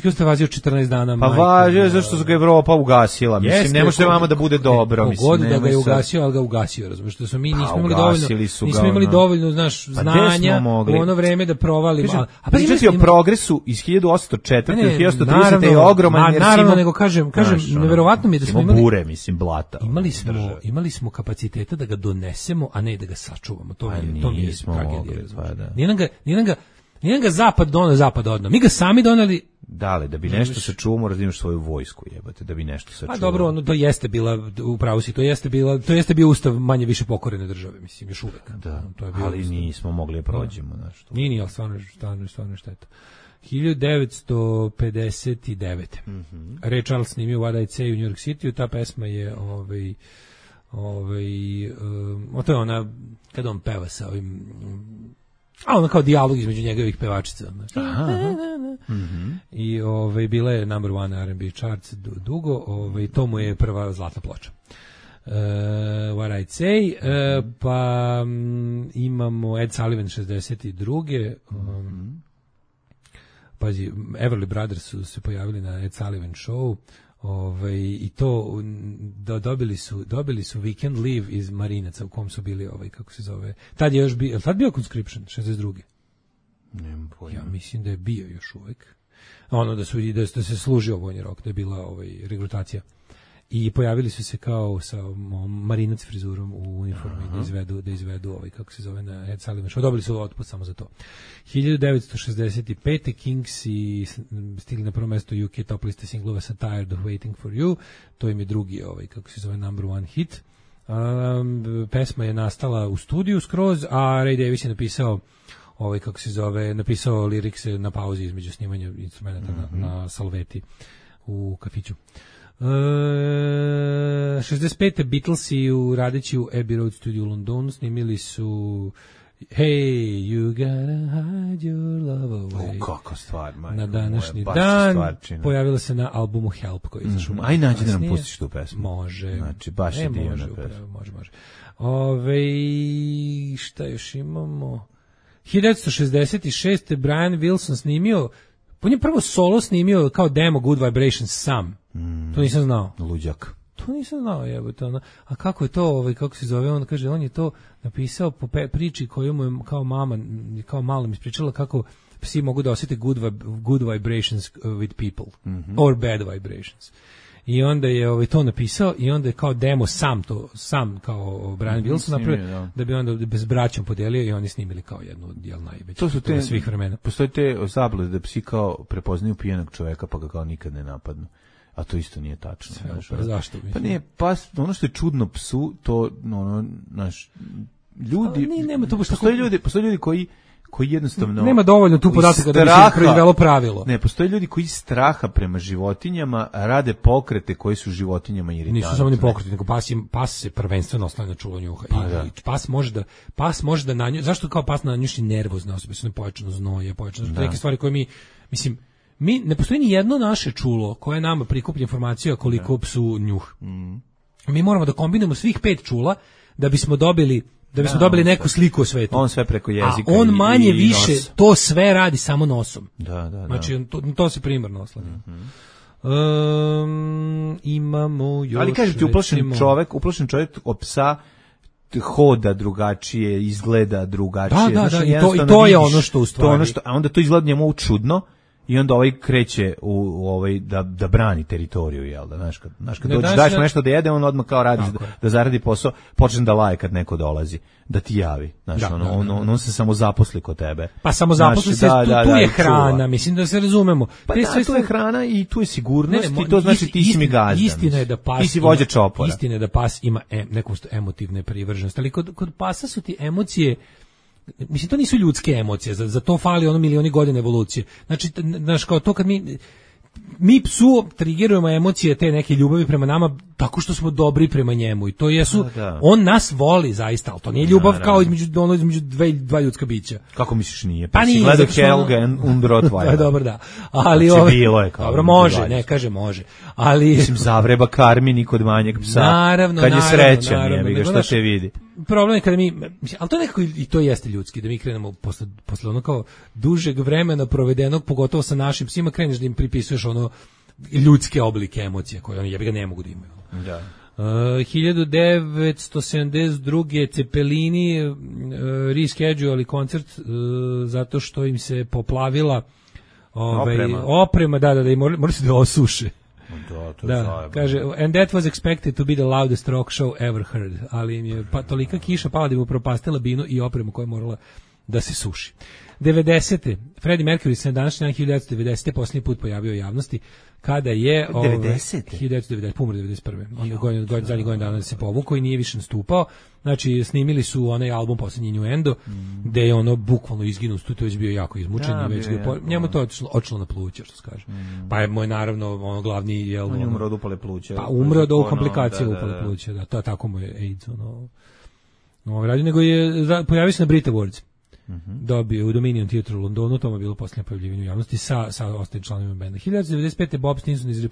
ustav vazio 14 dana. Pa važio, zašto ga Evropa ugasila, mislim, ne može vama da bude dobro, mislim. Pogod da ga je ugasio, ali ga ugasio, razumiješ, što smo mi nismo imali dovoljno, znanja u ono vreme da provalimo. A pričati o progresu iz 1804. ili 1830. je ogroman, jer naravno, nego kažem, neverovatno mi je da smo imali bure, mislim, blata. Imali smo kapaciteta da ga donesemo, a ne da ga sačuvamo. To mi je tragedija. Nije ga zapad donao, zapad odno. Mi ga sami doneli. Da bi nešto sačuvamo, razvijaš svoju vojsku, jebate, da bi nešto sačuvamo. A dobro, to jeste bila, upravo si, to jeste bio ustav manje više pokorene države, mislim, još uvek. Da, ali nismo mogli da prođemo. Nije, ali stvarno šteta. 1959. Ray Charles snimio What I'd Say u New York City, ta pesma je to je ona kada on peva sa ovim ono kao dijalog između njegovih pevačica. I bila je number one R&B charts dugo, to mu je prva zlatna ploča. What I'd Say, pa imamo Ed Sullivan 62. Pazi, Everly Brothers su se pojavili na Ed Sullivan Show, i to dobili su Weekend Leave iz Marinaca u kom su bili kako se zove. Tad je još bio Conscription 62. Nemam pojma. Ja mislim da je bio još uvek. Da se služio vojni rok, da je bila regrutacija. I pojavili su se kao sa marinac frizurom u uniformi da izvedu kako se zove na Ed Sullivan Show. Dobili su otpust samo za to. 1965. Kings i stigli na prvo mesto UK top liste singlova sa Tired of Waiting for You. To im je drugi kako se zove number one hit. Pesma je nastala u studiju skroz, a Ray Davies je napisao napisao lirikse na pauzi između snimanja instrumenta na salveti u kafiću. 65. Beatlesi radeći u Abbey Road Studio u Londonu snimili su Hey, you gotta hide your love away. Kako stvar, majko. Na današnji dan pojavila se na albumu Help koji je izašao. Aj nađi da nam pustiš tu pesmu. Može. Znači, baš je divna pesma. Može. Šta još imamo? 1966. Brian Wilson snimio, on je prvo solo snimio kao demo Good Vibrations sam. To nisam znao. Luđak. To nisam znao, jebote. A kako je to, kako se zove, on kaže, on je to napisao po priči koju mu je kao mama, kao malom ispričala kako psi mogu da osjete good vibrations with people, or bad vibrations. I onda je to napisao i onda je kao demo sam kao Brian Wilson napravio, da bi onda bez braćom podelio i oni snimili kao jednu od najvećih. To su te svih vremena. Postoje te zablude da psi kao prepoznaju pijanog čoveka pa ga kao nikad ne napadnu. A to isto nije tačno. Zašto? Pa nije, ono što je čudno psu, to ljudi, nema to baš postoje ljudi koji jednostavno nema dovoljno tu podataka da bi se proizvelo pravilo. Ne, postoje ljudi koji straha prema životinjama rade pokrete koji su životinjama iritantni. Nisu samo ni pokreti, nego pas se prvenstveno oslanja na čulo njuha. I pas može da na nju, zašto kao pas na njuši nervozne osobe, su nepojačano znoje, neke stvari koje mi ne postoji ni jedno naše čulo koje nama prikuplja informaciju koliko psu njuh. Mi moramo da kombinujemo svih 5 čula da bismo dobili neku sliku o svetu. On sve preko jezika. A on manje više to sve radi samo nosom. Da. Znači to se primarno oslanja. Imamo još. Ali kažete, uplašen čovjek od psa hoda drugačije, izgleda drugačije. Da, i to je ono što u stvari. A onda to izgleda njemu čudno. I onda kreće da brani teritoriju, jel da, znaš kad daš nešto da jede, on odmah kao radi da zaradi posao, počne da laje kad neko dolazi, da ti javi, znaš, on se samo zaposli kod tebe. Pa samo zaposli se, tu je hrana, mislim da se razumemo. Pa tu je hrana i tu je sigurnost i to znači ti si mi gazda. Istina je da pas, ti si vođa čopora. Istina je da pas ima neku emotivne privrženosti, ali kod pasa su ti emocije. Mislim, to nisu ljudske emocije, za to fali milioni godina evolucije. Znači, kao to kad mi psu trigirujemo emocije te neke ljubavi prema nama tako što smo dobri prema njemu i to jesu, on nas voli zaista, ali to nije ljubav kao između dva ljudska bića. Kako misliš nije? Pa si gledao Helga und Rottweiler. Dobro, da. Ali bilo je kao. Dobro, može, ne kaže može. Ali mislim, zavreba karmini kod manjeg psa. Naravno, kad je srećan, šta te vidi. Problem je kada ali to nekako i to jeste ljudski, da mi krenemo posle ono kao dužeg vremena provedenog, pogotovo sa našim psima, kreneš da im pripisuješ ljudske oblike emocija koje oni jebi ga ne mogu da imaju. Da. 1972. Cepelini rescheduali koncert zato što im se poplavila oprema, da, i morali su da osuše. Da, kaže, and that was expected to be the loudest rock show ever heard, ali im je tolika kiša pala da im upropastila binu i opremu koja je morala da se suši. 90. Freddie Mercury se na današnji dan 1990. posljednji put pojavio u javnosti kada je 1990. Umro 91. On zadnji godin dana se povukao i nije više nastupao. Znači, snimili su onaj album posljednji Innuendo, gde je bukvalno izginuo, tu je već bio jako izmučen i već njemu to očilo na pluća, što se kaže. Pa je moj naravno glavni on je umro od upale pluća. Pa umro od komplikacije upale pluća, da, to tako mu je AIDS radio, nego je pojavio se na Brit Awards. Dobio u Dominion Theatre u Londonu, to je bilo posljednje pojavljivanje u javnosti sa ostalim članovima benda. 1995. Bob Stinson iz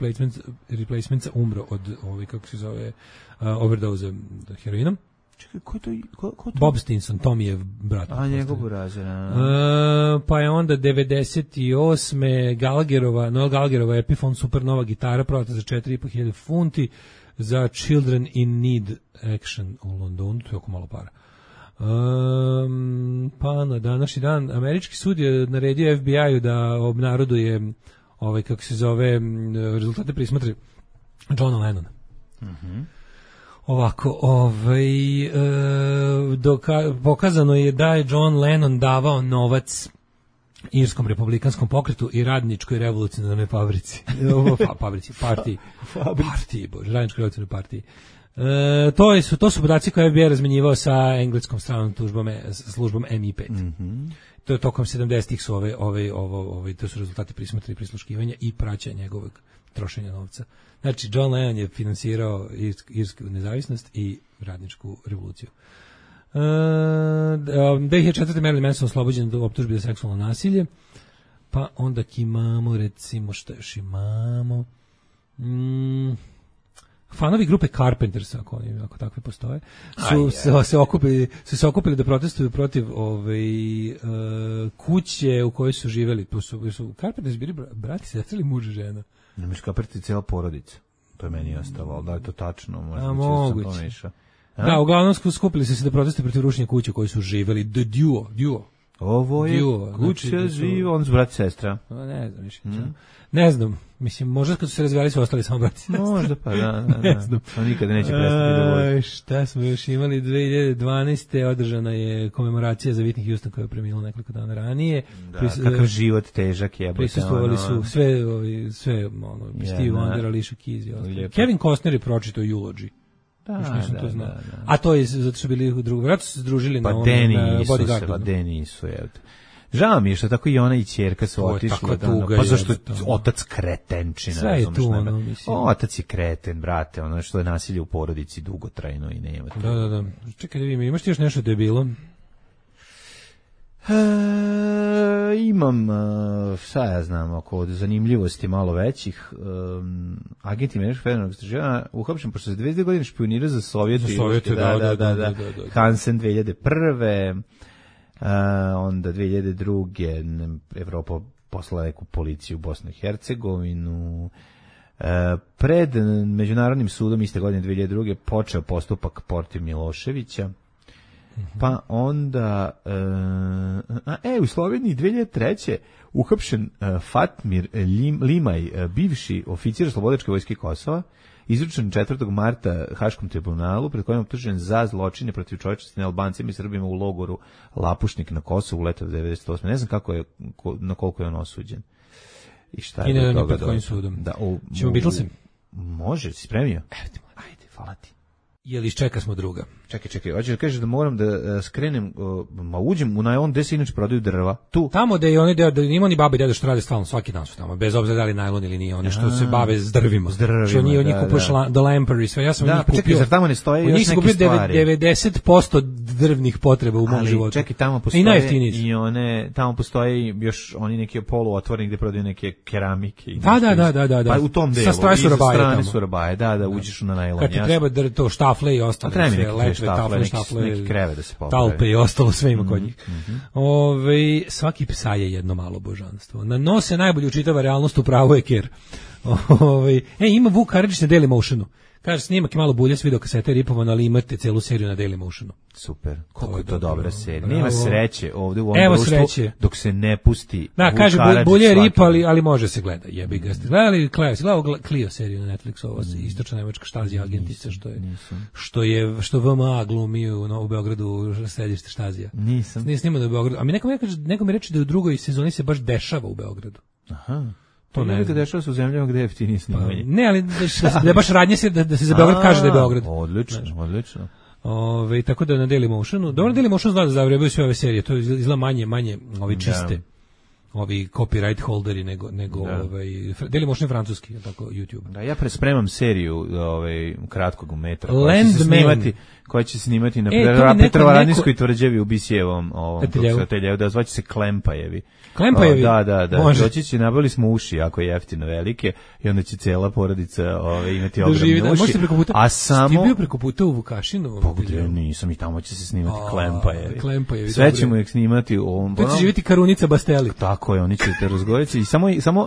Replacementsa umro od kako se zove overdose heroinom. Čekaj, ko to? Bob Stinson, Tommyjev brat. A njegov burazer. Pa je onda 98. Noel Gallagherova Epiphone Supernova gitara prodata za 4.500 funti za Children in Need Action u Londonu, to je oko malo para. Pa na današnji dan američki sud je naredio FBI-u da obnaroduje kako se zove rezultate prismatre Johna Lennona. Ovako, pokazano je da je John Lennon davao novac Irskom republikanskom pokretu i radničkoj revolucionarnoj fabrici. Partiji, radničkoj revolucionarnoj partiji. To su podaci koje je FBI razmenjivao sa engleskom stranom službom MI5. To je tokom 70-ih su to su rezultati prismatra i prisluškivanja i praćenja njegovog trošenja novca. Znači, John Lennon je finansirao irsku nezavisnost i radničku revoluciju. 2004. Marilyn Manson oslobođen do optužbe za seksualno nasilje. Pa onda imamo, recimo, što još imamo? Fanovi grupe Carpenters, ako takve postoje, su se okupili da protestuju protiv kuće u kojoj su živeli. Su Carpenters bili brati, sestre ili muž i žena? Ne misliš Carpenters je cijela porodica. To je meni ostalo, ali da je to tačno. Moguće. Da, uglavnom skupili su se da protestuju protiv rušenja kuće u kojoj su živeli. The Duo. Ovo je kuća živa, oni su brati sestra. Ne znam više. Ne znam, mislim, možda kad su se razvijali su ostali samo brati sestra. Možda pa, da. Ne znam. On nikada neće prestati da voli. Šta smo još imali? 2012. održana je komemoracija za Whitney Houston koja je premila nekoliko dana ranije. Da, kakav život težak je. Prisustvovali su sve Steve Wonder, Alicia Keys. Kevin Costner je pročitao Eulogy. Još nisam to znao. A to je zato što bili u drugom ratu, su se združili na Bodyguardu. Nisu, evo. Žao mi je što tako i ona i ćerka su otišli. Pa zašto otac kretenčina. Sve je tu, ono, mislim. Otac je kreten, brate, ono što je nasilje u porodici dugotrajno i nema. Da. Čekaj da vidim, imaš ti još nešto da je bilo? Imam, šta ja znam, oko zanimljivosti malo većih. Agenti Američkog federalnog istraživanja uhapšen pošto se 22 godine špionira za Sovjete. Da. Hansen 2001. Onda 2002. Evropa poslala neku policiju u Bosnu i Hercegovinu. Pred Međunarodnim sudom iste godine 2002. počeo postupak protiv Miloševića. Pa onda u Sloveniji 2003. uhapšen Fatmir Limaj, bivši oficir Slobodačke vojske Kosova, izručen 4. marta Haškom tribunalu, pred kojim je optužen za zločine protiv čovječnosti na Albancima i Srbima u logoru Lapušnik na Kosovu u leto 98. Ne znam na koliko je on osuđen. I šta je do toga? Pred kojim sudom? Ćemo Beatlesem? Može, si spremio? Ajde, hvala ti. Jel iščeka smo druga? Čekaj, hoćeš da kažeš da moram da skrenem, uđem u najlon gde se inače prodaju drva, tu. Tamo da je oni da ima oni babe i dede što rade stalno, svaki dan su tamo, bez obzira da li najlon ili nije, oni što se bave s drvima. Što oni od njih kupuješ The Lamper i sve, ja sam od njih kupio. Čekaj, zar tamo ne stoje još neke stvari? 90% drvnih potreba u mom životu. Čekaj, tamo postoje i one, tamo postoje još oni neki poluotvoreni gde prodaju neke keramike. Da. Pa u tom delu, sa strane Surabaje, da, uđeš na najlon. Kad ti treba to štafle i ostalo, neki kreve da se popravi. Talpe i ostalo sve ima kod njih. Svaki psa je jedno malo božanstvo. Na nos se najbolje učitava realnost, u pravu je ker. Ima Vuk Karadžić na Dailymotionu. Kaže, snimak je malo bulje s videokasete ripovan, ali imate celu seriju na Dailymotionu. Super, koliko je to dobra serija. Nema sreće ovde u ovom društvu dok se ne pusti. Da, kaže, bulje je ripa, ali može se gleda. Jebi ga. Ste gledali Clio seriju na Netflixu, ovo istočna nemačka Štazija agentica, što VMA glumi u Beogradu središte Štazija. Nisam. Nije snimano u Beogradu. A neko mi reče da u drugoj sezoni se baš dešava u Beogradu. Aha. To ne da dešava se u zemljama gde je jeftinije snimanje. Ne, ali da je baš radnje se da se za Beograd kaže da je Beograd. Odlično. Tako da na Dailymotionu. Dobro, Dailymotion zna da zavrebaju sve ove serije. To izgleda manje ovi čiste. Ovi copyright holderi nego Dailymotion je francuski, tako YouTube. Da, ja prespremam seriju kratkog metra koja će se snimati na Petrovaradinskoj tvrđavi u Bisijevom ateljevu, da zvaće se Klempajevi. Klempajevi? Da. Doći će, nabavili smo uši jako jeftino velike i onda će cela porodica imati ogromne uši. A samo... Ti bio preko puta u Vukašinu? Pogledaj, nisam, i tamo će se snimati Klempajevi. Sve ćemo ih snimati u ovom... Tu će živjeti Karunica Basteli. Tako je, oni će te razgovoriti i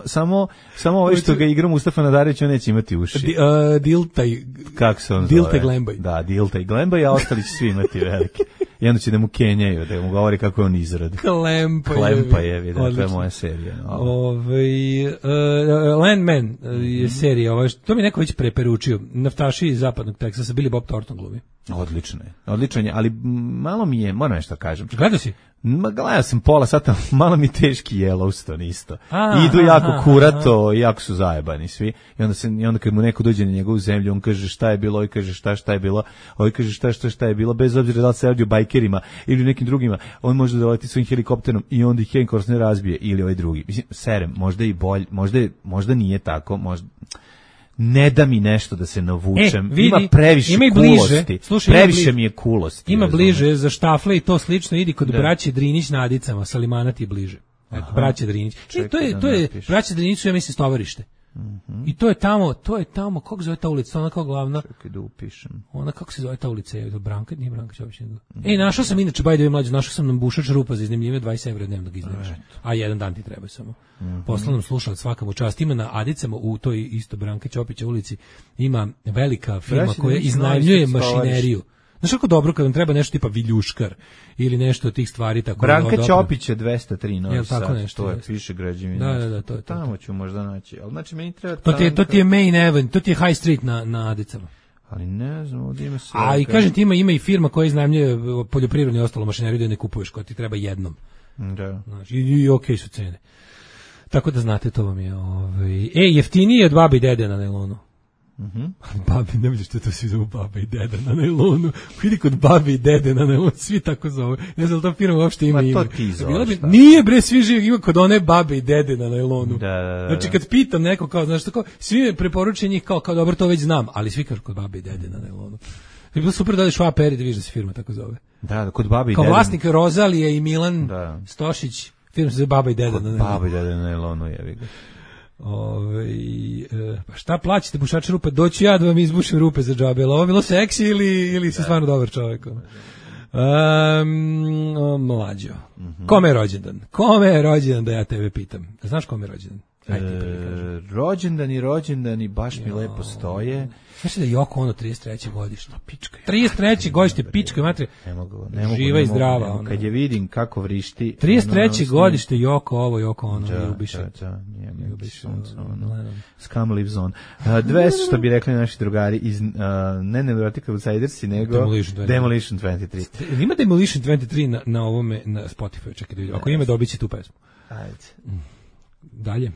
samo ovaj što ga igra Mustafa Nadarević, on neće imati uši. Diltaj. Kako se on zove? Diltaj Glembaj. Da, Diltaj Glembaj, a ostali će svi imati velike. I onda će da mu kenjaju, da mu govori kako je on izradi. Klempajevi, da, to je moja serija. Landman je serija, to mi neko već preporučio. Naftaši iz zapadnog Teksasa, Billy Bob Thornton glumi. Odlično je, ali malo mi je, moram nešto kažem. Gledao si? Gledao sam pola sata, malo mi teški Yellowstone isto. Idu jako kurato, jako su zajebani svi. I onda kad mu neko dođe na njegovu zemlju, on kaže šta je bilo, ovaj kaže šta je bilo, ovaj kaže šta je bilo, bez obzira da li se radi o bajkerima ili nekim drugima, on može da doleti svojim helikopterom i onda ih Henkors ne razbije ili ovaj drugi. Mislim, serem, možda i bolj, možda nije tako, možda... Ne da mi nešto da se navučem. Ima previše kulosti. Previše mi je kulosti. Ima bliže za štafle i to slično. Idi kod braće Drinić na Adicama. Salimana ti je bliže. Braće Drinić. To je braće Drinić su, ja mislim, stovarište. I to je tamo, kako zove ta ulica, ona kao glavna. Čekaj da upišem. Ona, kako se zove ta ulica, je to Branka? Nije Branka Ćopić. Našao sam inače, našao sam nam bušač rupa za iznajmljivanje 20 € dnevnog iznajmljača. A jedan dan ti treba samo. Poslao nam slušalac svaka mu čast. Ima na Adicama, u toj isto Branka Ćopića ulici, ima velika firma koja iznajmljuje mašineriju. Znaš kako dobro kad vam treba nešto tipa viljuškar ili nešto od tih stvari tako. Branka Ćopić je 203 Novi Sad. Tako nešto, to je piše građevina. Da, to je tamo ću možda naći. Al znači meni treba to ti je Main Avenue, to ti je High Street na Adicama. Ali ne znam, ovdje ima sve. A i kažem ti ima i firma koja iznajmljuje poljoprivrednu i ostalo mašineriju da ne kupuješ, koja ti treba jednom. Da. Znači, i okej su cene. Tako da znate, to vam je jeftinije od babi i dede na nailonu. Babi, ne vidiš što to svi zovu baba i deda na najlonu. Vidi kod babi i dede na najlonu, svi tako zove. Ne znam da ta firma uopšte ima ime. Ma to ti zoveš. Nije bre, svi živi, ima kod one babe i dede na najlonu. Da. Znači kad pitam neko kao, znaš tako, svi me preporučuju njih kao dobro, to već znam, ali svi kažu kod babe i dede na najlonu. Je bilo super da odeš u APR i da vidiš da se firma tako zove. Da, kod babi i kao dede. Kao vlasnik Rozalije i Milan Stošić, firma se zove baba i deda na najlonu. Baba i dede na najlonu, jebi ga. Pa šta plaćate bušače rupe? Doću ja da vam izbušim rupe za džabe. Ovo je bilo seksi ili si stvarno dobar čovjek? Mlađo. Kome je rođendan? Kome je rođendan da ja tebe pitam? Znaš kome je rođendan? Rođendani baš mi lepo stoje. Znaš da je Yoko Ono 33. godište? 33. godište, pička matri. Ne mogu. Živa i zdrava. Kad je vidim kako vrišti. 33. godište Yoko Ono. Scum lives on. 200, što bi rekli naši drugari, iz ne Neurotic Outsidersi, nego Demolition 23. Ima Demolition 23 na ovome, na Spotify, čekaj da vidim. Ako ima, dobit će tu pesmu. Ajde. Dalje.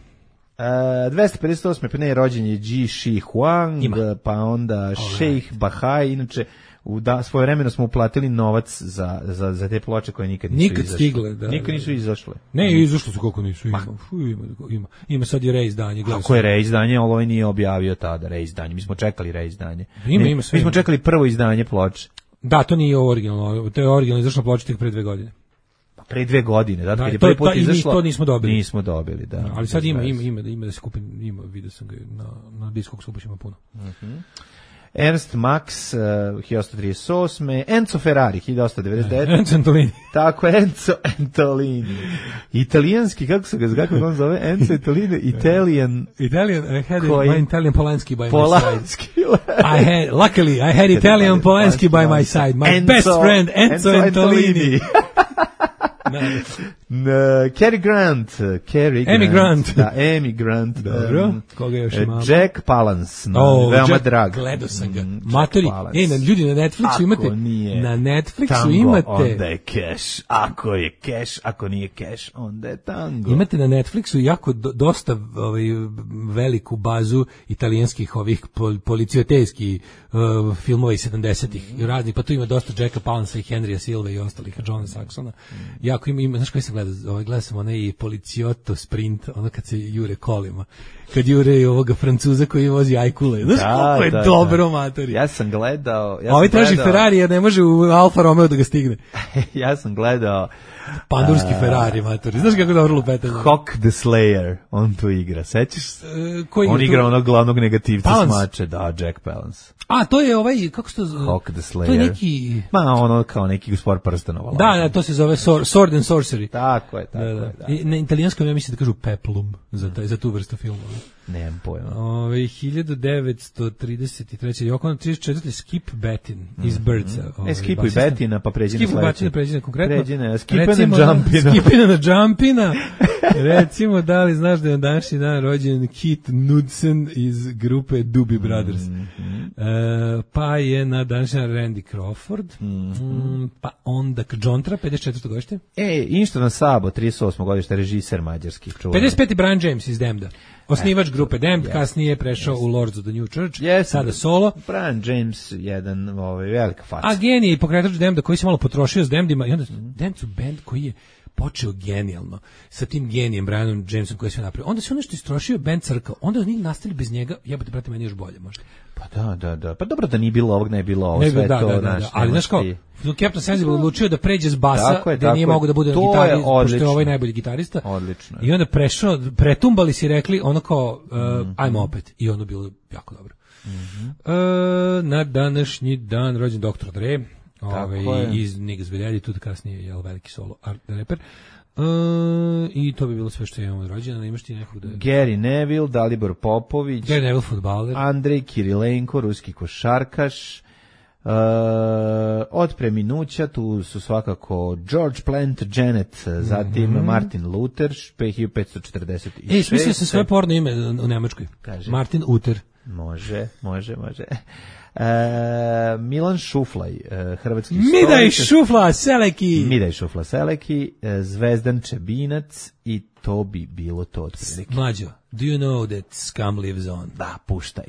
258. pa ne, rođen je Ji Shi Huang, pa onda Sheikh Bahai, inače svoje vremeno smo uplatili novac za te ploče koje nikad nisu izašle. Stigle, nikad nisu izašle. Ne, izašle su koliko nisu. Ima sad je reizdanje. Ako je reizdanje, ali ovaj nije objavio tada reizdanje. Mi smo čekali reizdanje. Mi smo čekali prvo izdanje ploče. Da, to nije originalno. To je originalno izašla ploča tek pre 2 godine. Pre 2 godine, da, kad je prvi put izašlo. To nismo dobili. Nismo dobili, da. Ali sad ima da se kupim, vidio sam ga na Discogs ima puno. Ernst Max, 1838. Enzo Ferrari, 1899. Enzo Antolini. Tako, Enzo Antolini. Italijanski, kako on zove? Enzo Antolini, Italian, I had my Italian Polanski by my side. Luckily, I had Italian Polanski by my side. My best friend, Enzo Antolini. Cary Grant. Da, Amy Grant. Dobro, koga još imamo? Jack Palance, veoma drag. Gledao sam ga. Matori, ljudi na Netflixu imate. Na Netflixu tango, imate. Onda je cash. Ako je cash, ako nije cash, onda je tango. Imate na Netflixu jako dosta veliku bazu italijanskih ovih policijotejskih filmova iz 70-ih i raznih, pa tu ima dosta Jacka Palansa i Henrya Silva i ostalih, Johna Saxona. Jako ima, znaš koji sam gledao sam onaj Policijotto Sprint, ono kad se jure kolima, kad jure ovoga Francuza koji vozi ajkule, znaš koliko je dobro, matori. Ja sam gledao... Ovi traži Ferrari jer ne može u Alfa Romeo da ga stigne. Ja sam gledao... Pandurski Ferrari, matori. Znaš kako dobro lupetanje? Hawk the Slayer, on tu igra, sećaš? On igra onog glavnog negativca smače, da, Jack Palance. A, to je ovaj, kako se to zove? Hawk the Slayer. To je neki... ono kao neki Gospodar prstenova. Da, to se zove Sword and Sorcery. Tako je. I na italijanskom ja mislim da kažu peplum za tu vrstu filmova. Nemam pojma. 1933. Yoko Ono 34. Skip Batin iz Birdsa. Skipuj Batina pa pređi na sledeći. Skip Batina pređi na konkretno. Skipina na Jumpina. Recimo, da li znaš da je na današnji dan rođen Keith Knudsen iz grupe Doobie Brothers. Pa je na današnji dan Randy Crawford. Pa onda John Tra, 54. godište. Inštvan Sabo, 38. godište, režiser mađarski. 55. Brian James iz Damned. Osnivač grupe Damned, kasnije je prešao u Lords of the New Church, sada solo. Brian James, jedan velika faca. A genij, pokretač Damneda koji se malo potrošio s Damnedima i onda Damned su band koji je počeo genijalno sa tim genijem Brianom Jamesom koji je sve napravio. Onda se ono što istrošio band crkao, onda oni nastavili bez njega, jebote brate, meni još bolje možda. Pa da. Pa dobro da nije bilo ovog, ne bilo ovo, sve to. Ali znaš kao, Captain Sensible odlučio da pređe s basa, gde nije mogo da bude na gitari, pošto je ovaj najbolji gitarista. Odlično. I onda pretumbali si rekli ono kao, ajmo opet. I ono bilo jako dobro. Na današnji dan rođen Dr. Dre, iz Niggas with Attitude, kasnije je veliki solo art rapper. I to bi bilo sve što imamo od rođena. Imaš ti nekog da... Gary Neville, Dalibor Popović, Gary Neville, fudbaler, Andrej Kirilenko, ruski košarkaš. Od preminuća tu su svakako George Plantagenet, zatim Martin Luther, 1546. Smislio sam svoje porno ime u Nemačkoj. Kaže. Martin Luther. Može. Milan Šuflaj, hrvatski Midaj Šufla Seleki, Zvezdan Čebinac i to bi bilo to otprilike. Mlađo, do you know that scum lives on? Da, puštaj.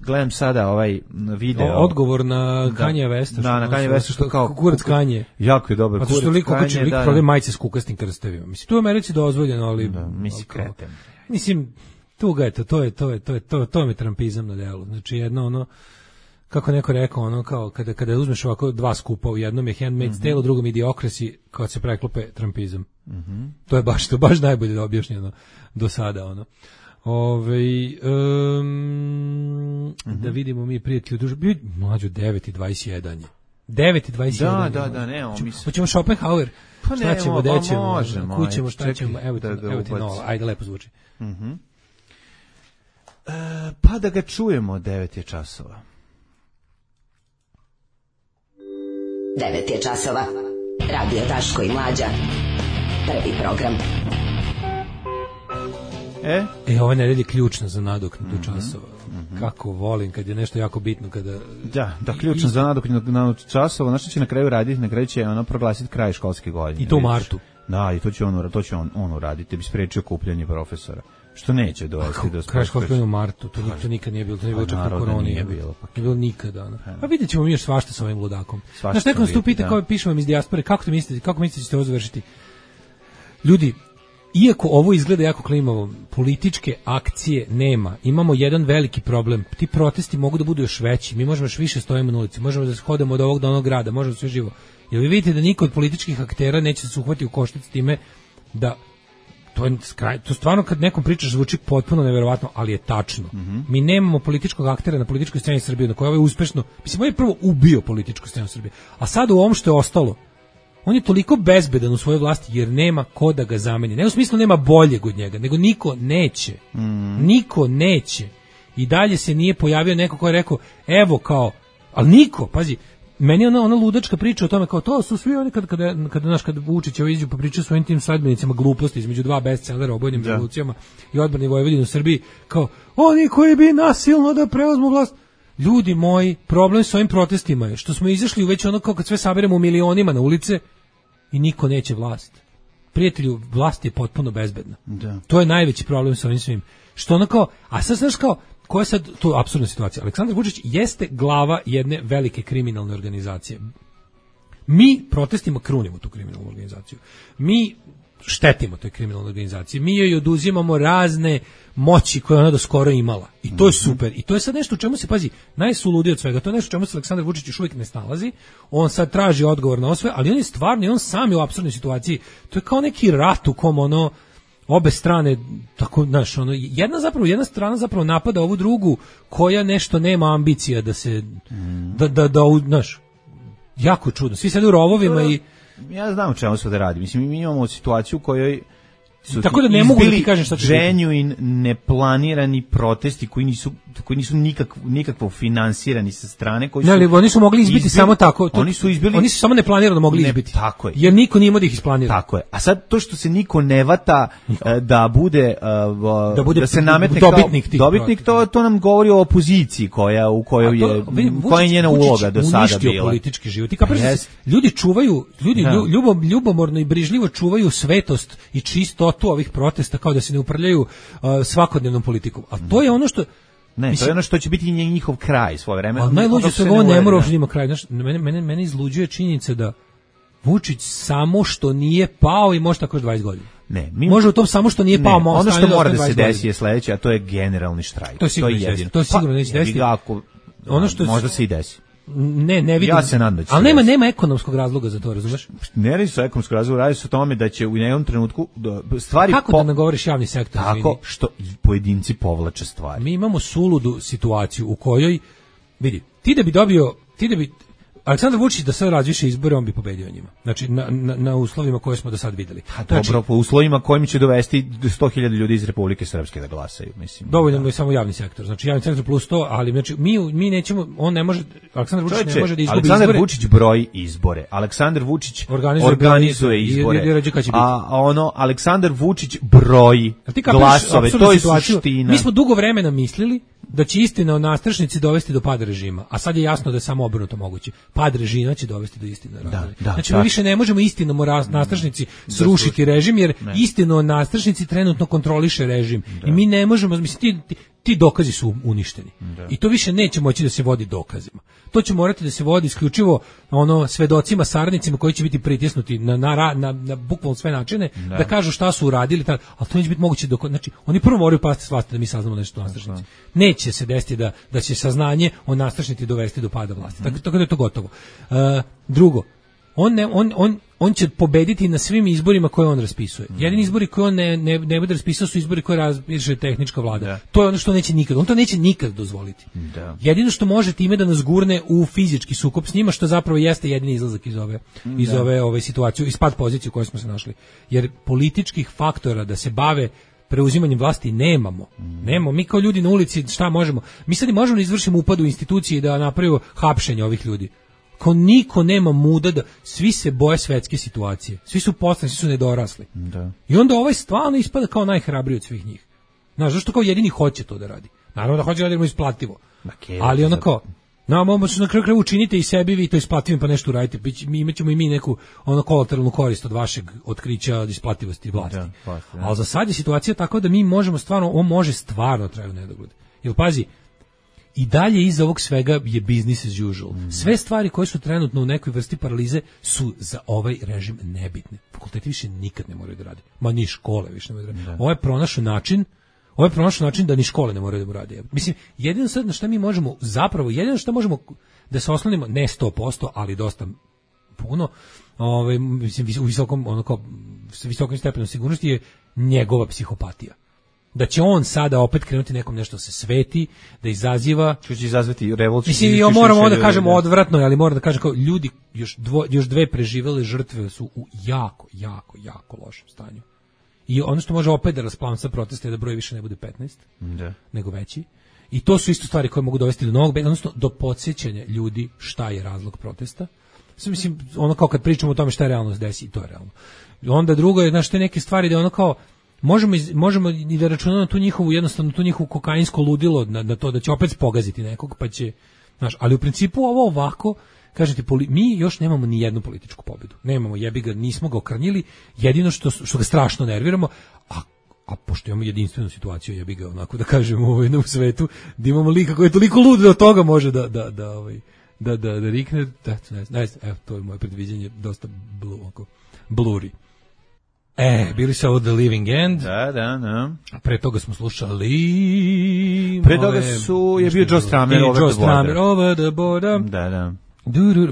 Gledam sada ovaj video. Odgovor na Kanje Westa. Da, na Kanje Westa što kao kurac Kanje. Jako je dobar kurac Kanje. Zato što liko će prodaje majice s kukastim krstavima. Mislim, tu je u Americi dozvoljeno, ali... Da, misli kreten. Mislim, tuga je to je trampizam na delu. Znači, jedno ono, kako neko rekao, ono, kao, kada uzmeš ovako dva skupa, u jednom je Handmaid's Tale, u drugom Idiocracy, kad se preklope trampizam. To je baš najbolje objašnjeno do sada, ono. Da vidimo mi prijatelji mlađu 9:21 je. 9:21. Da, nemamo. Hoćemo Schopenhauer. Pa šta ćemo, gde ćemo? Možemo. Kućemo, šta ćemo? Evo ti nova. Ajde, lepo zvuči. Pa da ga čujemo, 9 je časova. 9 je časova. Radio Daško i Mlađa. Prvi program. Ova nedelja je ključna za nadoknadu časova. Kako volim kad je nešto jako bitno kada... Da, ključno za nadoknadu časova. Znaš što će na kraju raditi? Na kraju će ono proglasiti kraj školske godine. I to u martu. Da, i to će on uraditi. Da bi sprečio kupljanje profesora. Što neće dovesti do... Kraj školske godine u martu. To nikad nije bilo. To nije bilo čak u koroni. Nije bilo nikada. Pa vidjet ćemo mi još svašta sa ovim ludakom. Znaš, neko nas tu pita kao pišemo vam iz dijaspore. Kako mislite da ćete ovo završiti? Ljudi, iako ovo izgleda jako klimavo, političke akcije nema. Imamo jedan veliki problem. Ti protesti mogu da budu još veći. Mi možemo još više stojimo na ulici. Možemo da hodamo od ovog do onog grada. Možemo sve živo. Jer vi vidite da niko od političkih aktera neće se uhvati u koštac s time da to stvarno kad nekom pričaš zvuči potpuno neverovatno, ali je tačno. Mi nemamo političkog aktera na političkoj sceni Srbije na kojoj je uspešno. Mislim, on je prvo ubio političku scenu Srbije. A sad u ovom što je ostalo, on je toliko bezbedan u svojoj vlasti jer nema ko da ga zameni. Ne u smislu nema boljeg od njega, nego niko neće. Niko neće. I dalje se nije pojavio neko ko je rekao, evo kao, ali niko, pazi, meni je ona ludačka priča o tome kao to su svi oni kad Vučić iđu pa pričaju svojim tim sledbenicima gluposti između dva bestsellera o obojnim revolucijama i odbrani Vojvodine u Srbiji, kao oni koji bi nasilno da preuzmu vlast. Ljudi moji, problem s ovim protestima je što smo izašli već ono kao kad sve saberemo u milionima na ulice i niko neće vlast. Prijatelju, vlast je potpuno bezbedna. Da. To je najveći problem sa ovim svim. Što ono kao, a sad znaš kao, koja je sad to apsurdna situacija? Aleksandar Vučić jeste glava jedne velike kriminalne organizacije. Mi protestima krunimo tu kriminalnu organizaciju. Mi štetimo toj kriminalnoj organizaciji. Mi joj oduzimamo razne moći koje ona do skoro imala. I to je super. I to je sad nešto u čemu se, pazi, najsuludije od svega. To je nešto u čemu se Aleksandar Vučić još uvijek ne snalazi. On sad traži odgovor na ovo sve, ali on je stvarno i on sam je u apsurdnoj situaciji. To je kao neki rat u kom ono obe strane, tako, znaš, ono, jedna strana zapravo napada ovu drugu koja nešto nema ambicija da se, znaš, jako čudno. Svi sede u rovovima i... Ja znam o čemu se da radi. Mislim, mi imamo situaciju u kojoj su tako da ne mogu da ti kažem šta će i neplanirani protesti koji nisu nikakvo finansirani sa strane, koji su... Ne, oni su mogli izbiti samo tako. Oni su samo neplanirano mogli izbiti. Tako je. Jer niko nije imao da ih isplanira. Tako je. A sad to što se niko ne vata da bude da se nametne dobitnik, to nam govori o opoziciji u kojoj je njena uloga do sada bila. Politički život. Ljudi čuvaju, ljubomorno i brižljivo čuvaju svetost i čistotu ovih protesta kao da se ne uprljaju svakodnevnom politikom. A to je ono što... Ne, to je ono što će biti njihov kraj svoje vreme. Ali najluđe se ovo ne mora uopšte ima kraj. Znaš, mene izluđuje činjenica da Vučić samo što nije pao i može tako još 20 godina. Može u tom samo što nije pao. Ono što mora da se desi je sledeće, a to je generalni štrajk. To je sigurno neće desiti. Možda se i desi. Ne vidim. Ja se nadam da će. Ali nema ekonomskog razloga za to, razumeš? Ne radi se o ekonomskog razloga, radi se o tome da će u jednom trenutku stvari... Kako da ne govoriš javni sektor? Tako što pojedinci povlače stvari. Mi imamo suludu situaciju u kojoj, vidi, ti da bi Aleksandar Vučić da sad razviše izbore, on bi pobedio njima. Znači, na uslovima koje smo do sad videli. Dobro, po uslovima kojim će dovesti 100.000 ljudi iz Republike Srpske da glasaju, mislim. Dovoljno je samo javni sektor. Znači, javni sektor plus 100, ali znači, mi nećemo, on ne može, Aleksandar Vučić ne može da izgubi izbore. Aleksandar Vučić broji izbore. Aleksandar Vučić organizuje izbore. A Aleksandar Vučić broji glasove. To je suština. Mi smo dugo vremena mislili da će istina o nastrešnici dovesti do pada režima, a sad je jasno da je samo obrnuto moguće. Pad režima će dovesti do istine. Znači mi više ne možemo istinom o nastrešnici srušiti režim, jer istinu o nastrešnici trenutno kontroliše režim. I mi ne možemo, mislim, ti dokazi su uništeni. I to više neće moći da se vodi dokazima. To će morati da se vodi isključivo svedocima, saradnicima koji će biti pritisnuti na bukvalno sve načine da kažu šta su uradili, ali to neće biti moguće znači oni prvo moraju pasti s vlasti da mi saznamo nešto o nastrešnici. Neće se desiti da će saznanje o nastrešnici dovesti do pada vlasti. Tako da je to gotovo. Drugo, on će pobediti na svim izborima koje on raspisuje. Jedini izbori koje on ne bude raspisao su izbori koje raspiše tehnička vlada. Da. To je ono što neće nikad. On to neće nikad dozvoliti. Da. Jedino što može time da nas gurne u fizički sukob s njima, što zapravo jeste jedini izlazak iz ove situacije, iz pad pozicije u kojoj smo se našli. Jer političkih faktora da se bave preuzimanjem vlasti nemamo. Nemamo. Mi kao ljudi na ulici šta možemo? Mi sad možemo da izvršimo upad u institucije i da napravimo hapšenje ovih ljudi. Kao niko nema muda da svi se boje svetske situacije. Svi su poslani, svi su nedorasli. Da. I onda ovaj stvarno ispada kao najhrabriji od svih njih. Znaš, zašto kao jedini hoće to da radi? Naravno da hoće da radimo isplativo. Ali ono kao, možemo na kraju učinite i sebi vi to isplativim pa nešto uradite. Imaćemo i mi neku kolateralnu korist od vašeg otkrića isplativosti vlasti. Ali za sad je situacija tako da mi možemo stvarno, on može stvarno traju nedogled. Jer pazi, i dalje iza ovog svega je business as usual. Sve stvari koje su trenutno u nekoj vrsti paralize su za ovaj režim nebitne. Fakulteti više nikad ne moraju da rade. Ma ni škole više ne moraju da rade. Ovo je pronašao način da ni škole ne moraju da mu rade. Mislim, jedino sad na šta mi možemo, zapravo, jedino što možemo da se oslonimo, ne 100%, ali dosta puno, mislim, u visokom stepenu sigurnosti je njegova psihopatija. Da će on sada opet krenuti nekom nešto se sveti, da izaziva... Što će izazvati revoluciju? Mislim, moramo da kažemo odvratno, ali moram da kažem kao ljudi, još dve preživele žrtve su u jako lošem stanju. I ono što može opet da rasplamsa protesta je da broj više ne bude 15, nego veći. I to su isto stvari koje mogu dovesti do novog, odnosno do podsjećanja ljudi šta je razlog protesta. Mislim, ono kao kad pričamo o tome šta je realnost desi, i to je realno. Onda drugo je, znaš, te neke stvari da ono kao možemo i da računamo tu njihovu kokainsko ludilo na to da će opet pogaziti nekog, pa će, znaš, ali u principu ovo ovako, kažete, mi još nemamo ni jednu političku pobedu. Nemamo, jebi ga, nismo ga okrnjili, jedino što ga strašno nerviramo, a pošto imamo jedinstvenu situaciju, jebi ga, onako da kažemo u svetu, da imamo lika koji je toliko lud da od toga može da rikne, evo, to je moje predviđenje, dosta bluri. Bili su ovo The Living End. Da. Pre toga smo slušali... Pre toga je bio Joe Strummer, Over the Border. Da.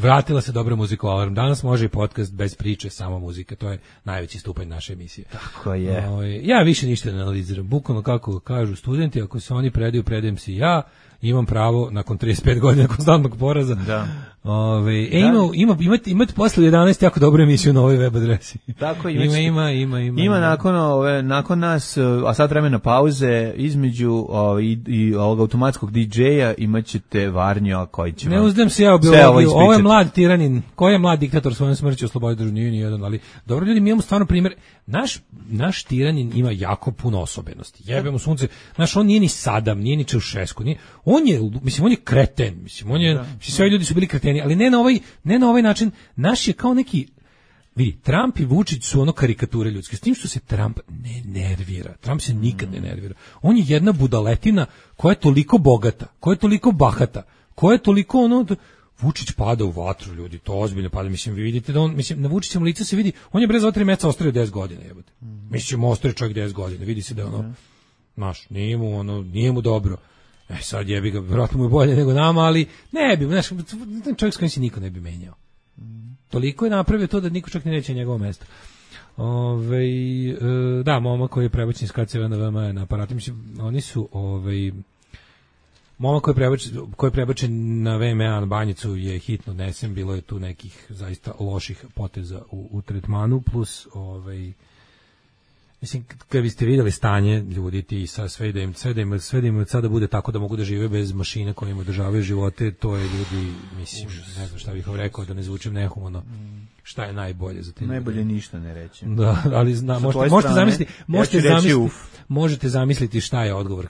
Vratila se dobra muzika u Alarm. Danas može i podcast bez priče, samo muzika. To je najveći stupanj naše emisije. Tako je. Ja više ništa ne analiziram. Bukvalno kako kažu studenti, ako se oni predaju, predajem se i ja. Imam pravo nakon 35 godina konstantnog poraza. Da. Imate posle 11 jako dobru emisiju na ovoj web adresi. Tako ima nakon nas, a sad vremena pauze između i ovog automatskog DJ-a imaćete Varnjo koji će ne uzdem se ja u biologiju. Ovo je mlad tiranin. Koji je mlad diktator svojom smrću oslobodio državu? Nije ni jedan, ali dobro ljudi, mi imamo stvarno primjer. Naš tiranin ima jako puno osobenosti. Jebemo sunce. Naš, on nije ni Sadam, nije ni Čaušesku, on je kreten, sve ljudi su bili kreteni, ali ne na ovaj način. Naš je kao neki, vidi, Trump i Vučić su ono karikature ljudske, s tim što se Trump ne nervira. Trump se nikad ne nervira. On je jedna budaletina koja je toliko bogata, koja je toliko bahata, koja je toliko Vučić pada u vatru, ljudi, to ozbiljno pada. Mislim, vi vidite da na Vučićevom licu se vidi, on je bre za 3 meseca ostario 10 godina, jebote. Mislim, ostario čovjek 10 godina, vidi se da je nije mu dobro. Sad jebi ga, vjerojatno mu je bolje nego nama, ali ne bi, znaš, čovjek s kojim se niko ne bi menjao. Toliko je napravio to da niko čak ne neće njegovo mesto. Da, momak koji je prebačen iz KCV na VMA na aparatu, mislim, oni su, momak koji je prebačen na VMA na Banjicu je hitno odnesen, bilo je tu nekih zaista loših poteza u tretmanu, plus, mislim, kad biste vidjeli stanje ljudi ti sve da im sada bude tako da mogu da žive bez mašine koje im održavaju živote, to je ljudi, mislim, ne znam šta bih vam rekao da ne zvučim nehumano, šta je najbolje za te ljude? Najbolje ništa ne reći. Da, ali možete zamisliti šta je odgovor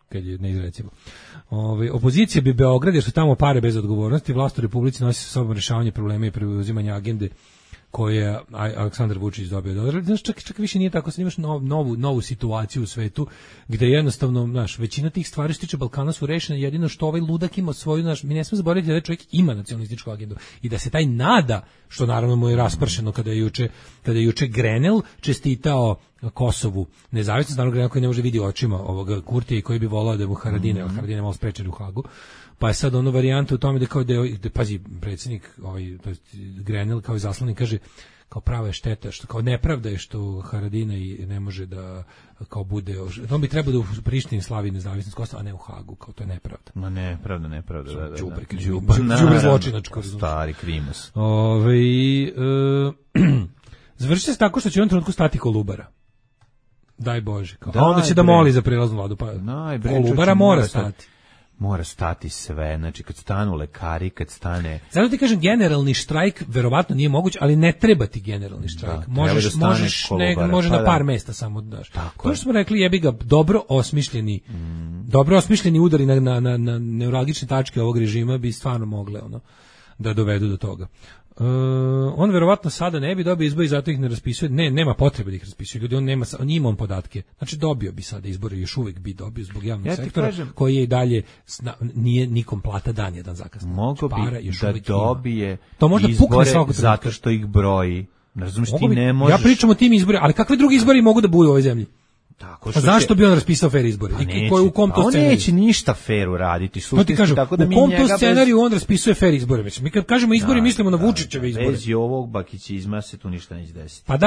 kad je neizrecivo. Opozicija bi Beograd, jer su tamo pare bez odgovornosti, vlast u Republici nosi sa sobom rješavanje problema i preuzimanje agende koje je Aleksandar Vučić dobio dolar. Znaš, čak više nije tako, sad imaš novu situaciju u svetu gde jednostavno, znaš, većina tih stvari što tiče Balkana su rešene, jedino što ovaj ludak ima svoju, znaš, mi ne smemo zaboraviti da čovjek ima nacionalističku agendu i da se taj nada, što naravno mu je raspršeno kada je juče Grenell čestitao Kosovu nezavisnost, naravno Grenell koji ne može vidi očima ovoga Kurtija i koji bi volao da mu Haradine malo sprečeni u Hagu. Pa je sad ono varijanta u tome da kao pazi, predsjednik Grenell kao izaslanik kaže kao prava je šteta, što kao nepravda je što Haradina i ne može da kao bude, on bi trebao da u Prištini slavi nezavisnost Kosova, a ne u Hagu, kao to je nepravda. Ma nepravda, da. Đubre zločinačko. Stari krimus. Završi se tako što će u jednom trenutku stati Kolubara. Daj Bože. Onda će da moli za prelaznu vladu, pa Kolubara mora stati. Mora stati sve, znači kad stanu lekari, kad stane... Zato ti kažem, generalni štrajk verovatno nije moguć, ali ne treba ti generalni štrajk. Možeš na par mesta samo daš. To što smo rekli, jebi ga, dobro osmišljeni udari na neuralgične tačke ovog režima bi stvarno mogle da dovedu do toga. On verovatno sada ne bi dobio izbore i zato ih ne raspisuje. Nema potrebe da ih raspisuje. Ljudi, on ima podatke. Znači dobio bi sada izbore, još uvijek bi dobio zbog javnog sektora, koji je i dalje nije nikom plata dan jedan zakasno. Mogu bi da dobije izbore zato što ih broji. Razumiješ, ti ne možeš... Ja pričam o tim izborima, ali kakve drugi izbori mogu da budu u ovoj zemlji? Zašto bi on raspisao fair izbore? U kom to scenariju? On neće ništa fairu raditi. To ti kažem, u kom to scenariju on raspisuje fair izbore? Mi kad kažemo izbori, mislimo na Vučićeve izbore. Bez ovog bakićizma se tu ništa neće desiti. Pa da,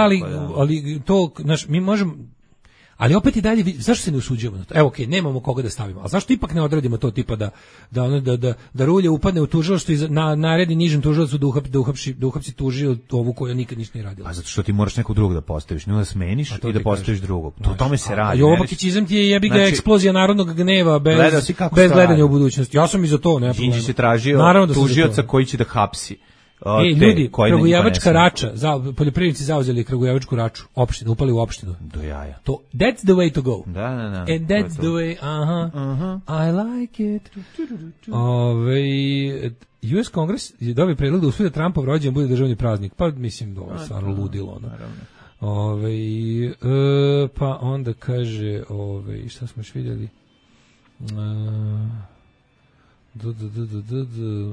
ali to, znaš, mi možemo... Ali opet i dalje, zašto se ne usuđujemo na to? Evo, okej, nemamo koga da stavimo. A zašto ipak ne odradimo to tipa da Rulja upadne u tužilaštvo i naredi nižem tužilaštvu da uhapsi tužio ovu koja nikad ništa nije radila? Pa zato što ti moraš nekog drugog da postaviš, ne da smeniš i da postaviš drugog. O tome se radi. A ovo bakićizam ti je jebi ga eksplozija narodnog gneva bez gledanja u budućnosti. Ja sam i za to, nema problema. Đinđić je tražio tužioca koji će da hapsi. Ljudi, Kragujevačka rača, poljoprivrednici zauzeli Kragujevačku raču, opštinu, upali u opštinu. Do jaja. That's the way to go. Da. And that's the way, I like it. US Kongres je dobio predlog da usvoji da Trumpov rođendan bude državni praznik. Pa mislim da ovo je stvarno ludilo. Pa onda kaže, šta smo još vidjeli?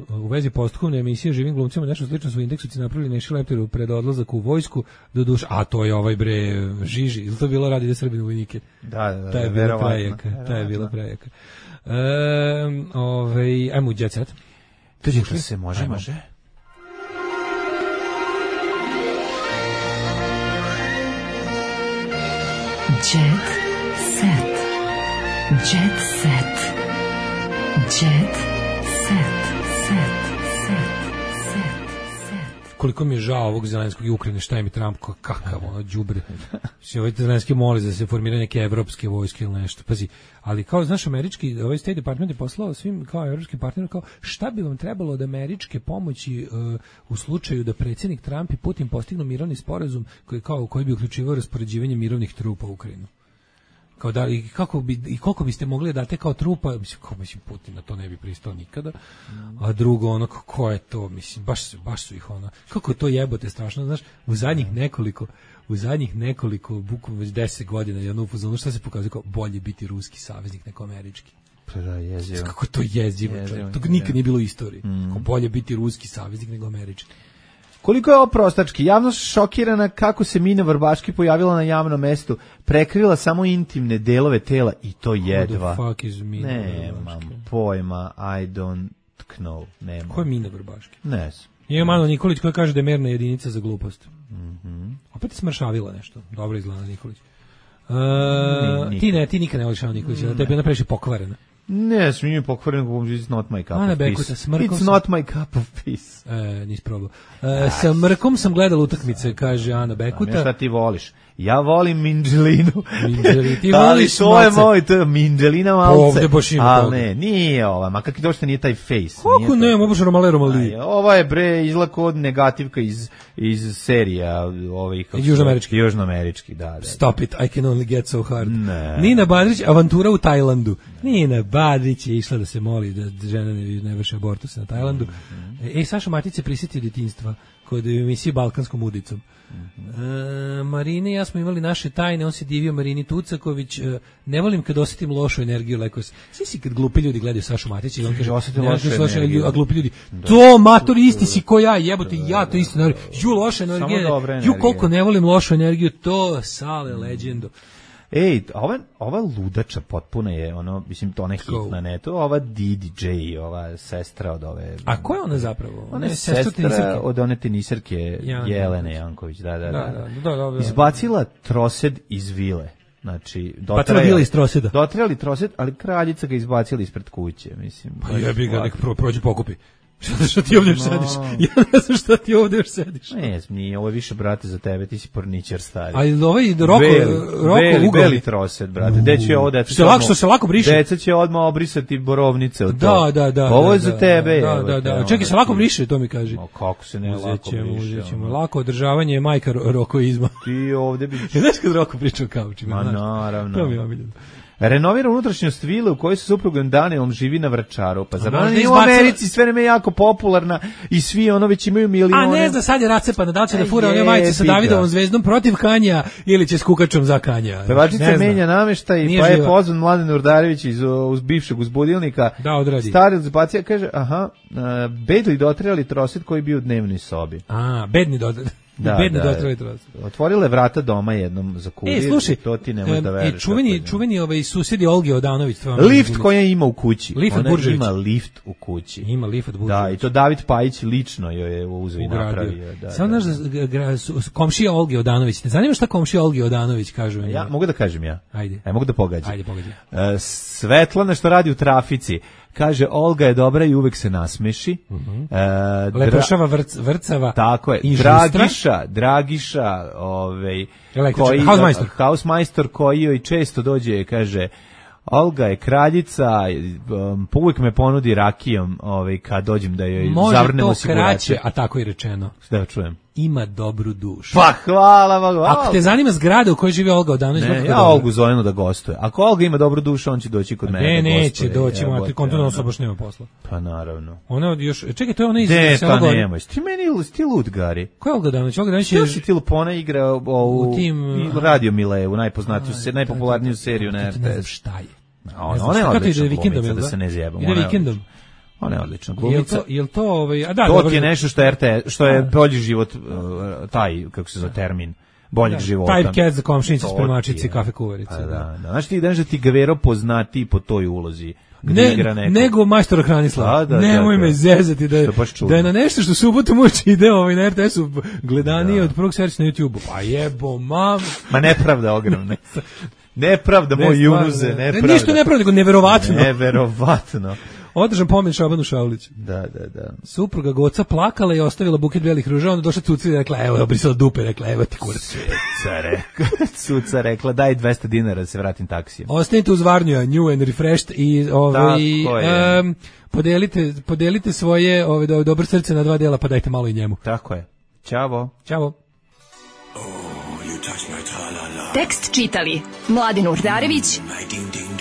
U vezi postupkovne emisije živim glumcima nešto slično su indeksuci napravili Neši Lepteru pred odlazak u vojsku do duša, a to je ovaj bre Žiži, ili to bilo radi da Srbinu vojnike? Da, ta je bila prejaka. Ajmo u Jet Set. Tuđe se može. Jet Set. Jet Set. Jet set. Koliko mi je žao ovog Zelenskog i Ukrajine, šta je mi Trump, kakav đubre. Ovaj Zelenski moli da se formira neke evropske vojske ili nešto. Pazi, ali kao, znaš, američki, ovaj State Department je poslao svim kao evropskim partnerima kao šta bi vam trebalo od američke pomoći u slučaju da predsjednik Trump i Putin postignu mirovni sporazum koji bi uključivao raspoređivanje mirovnih trupa u Ukrajinu. Kao da, koliko biste mogli da date kao trupa, mislim Putin na to ne bi pristao nikada, a drugo ko je to, mislim, baš su ih kako je to jebote strašno, znaš, u zadnjih nekoliko bukvalno već 10 godina jednu upozornu, šta se pokazuje kao bolje biti ruski saveznik nego američki. Kako to jezivo, to nikad nije bilo u istoriji, kao bolje biti ruski saveznik nego američki. Koliko je ovo prostački? Javnost šokirana kako se Mina Vrbaški pojavila na javnom mestu, prekrila samo intimne delove tela i to jedva. Who the fuck is Mina Vrbaški? Nemam pojma, I don't know. Ko je Mina Vrbaški? Ne znam. Je Mano Nikolić koji kaže da je merna jedinica za glupost. Opet je smršavila nešto. Dobro izgleda Nikolić. Ti nikad ne voliš Mano Nikolića, da tebi ona previše pokvarena. Ne, smijem pokvaren, it's not my cup of peace. It's not my cup of peace. Nisi probao. Sa Mrkom sam gledala utakmice, kaže Ana Bekuta. Šta ti voliš? Ja volim Minđelinu. Ti voliš to je moj, to je Minđelina malce. Ovdje baš ima toga. Ali ne, nije ova, ma kakvi došto nije taj face. Kako ne, baš Romale Romali. Ova je bre izlako od negativka iz serija južnoamerički, da. Stop it, I can only get so hard. Nina Badrić, avantura u Tajlandu. Nina Badrić je išla da se moli da žena ne vrši abortus na Tajlandu. Saša Matić se prisjetio djetinjstva kod emisije Balkanskom udicom. Marini i ja smo imali naše tajne, on se divio Marini Tucaković, ne volim kad osjetim lošu energiju, leko si kad glupi ljudi gledaju Sašu Matića i on kaže, osjetim lošu energiju, a glupi ljudi, to mator isti si ko ja, jebote, ja to isto, ju loša energija, ju koliko ne volim lošu energiju, to Sale legendo. Ej, ova ludača potpuno je, mislim, to ne hit na netu, ova DJ, ova sestra od ove... A ko je ona zapravo? Ona je sestra od one tenisirke Jelene Janković, da. Izbacila trosed iz vile. Znači, dotrajali trosed, ali kraljica ga izbacila ispred kuće, mislim. Pa jebi ga, nek prođe pokupi. Što ti ovdje još sediš? Ja ne znam što ti ovdje još sediš. Ne, nije, ovo je više, brate, za tebe, ti si porničar stari. Ali ovaj Roko Beli trosed, brate. Što se lako briše. Deca će odmah obrisati borovnice od to. Da. Ovo je za tebe. Da. Čekaj, se lako briše, to mi kaže. Kako se ne lako briše? Lako održavanje je majka rokoizma. Ti ovdje bi... Znaš kad Roko priča o kaučima? Ma naravno. To mi je omiljeno. Renovira unutrašnjost vile u kojoj se suprugom Danielom živi na Vračaru. Pa zar u Americi sve vreme jako popularna i svi već imaju milione. A ne zna, sad je racepana, da li će da fura one majice sa Davidovom zvezdom protiv Kanja ili će s kukačom za Kanja. Pevačica menja nameštaj, pa je pozvan Mladen Urdarević iz bivšeg uzbudilnika. Da, odradi. Stari uzbacija kaže, bedli dotrajali trosed koji bi u dnevnoj sobi. Bedni dotrajali. Otvorile vrata doma jednom za kurir. Slušaj, to ti nemoj da veriš. Čuveni susjedi Olge Odanović. Lift koja ima u kući. Ona ima lift u kući. Ima lift od Buržović. Da, i to David Pajić lično joj je uzeo i napravio. Samo znaš komšija Olge Odanović. Ne zanima šta komšija Olge Odanović kažu? Ja mogu da kažem ja. Ajde. Mogu da pogađam. Ajde, pogađam. Dragan što radi u trafici. Kaže, Olga je dobra i uvek se nasmeši. Lepršava vrcava. Tako je. Dragiša, hausmajstor koji joj često dođe, kaže, Olga je kraljica, uvijek me ponudi rakijom kad dođem da joj zavrnem osigurače. Može to kraće, a tako i rečeno. Da čujem. Ima dobru dušu. Pa hvala Bogu. Ako te zanima zgrada u kojoj živi Olga Odanović, ja Olgu zovem da gostuje. Ako Olga ima dobru dušu, on će doći kod mene da gostuje. Neće doći, ti konturno osoba baš nema posla. Pa naravno. Ona još, čekaj, to je ona iz Selogora. Ne, pa nemoj, ti meni ti lud, Gari. Ko je Olga Odanović? Olga Odanović je... Ti Lupona igra u Radio Milevu, najpopularniju seriju na RTS. Ne znam šta je. Ona je odlična glumica, da se ne zjebam. Ide vikendom. Ona je odlična glumica. Jel to to je nešto što je bolji život, taj, kako se zove termin, boljeg života. Typecast za komšinice, spremačice, kafe kuvarice. Da. Znaš ti da ti Gavero poznati po toj ulozi. Nego majstor Hranislav. Nemoj me zezati da je na nešto što subotom uči ide na RTS-u gledanije od prvog servisa na YouTube-u. Pa jebo, mam. Ma nepravda ogromna. Nepravda, moj Junuze, nepravda. Ništa nepravda, nego neverovatno. Neverovatno. Održan pomen Šabanu Šauliću. Da. Supruga Goca plakala i ostavila buket belih ruža, onda došla Cuca i rekla, evo, obrisala dupe, rekla, evo ti kurac. Cuca rekla, daj 200 dinara da se vratim taksijem. Ostanite uz Varnju, New and Refreshed i podelite svoje dobro srce na 2 dela, pa dajte malo i njemu. Tako je. Ćavo. Tekst čitali Mladen Urdarević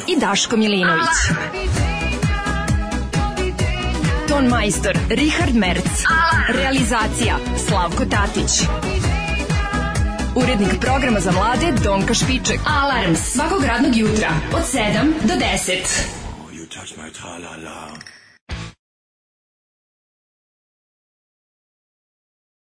i Daško Milinović. Ton majstor Richard Merc. Realizacija Slavko Tatić. Urednik programa za mlade Donka Špiček. Alarms svakog radnog jutra od 7 do 10.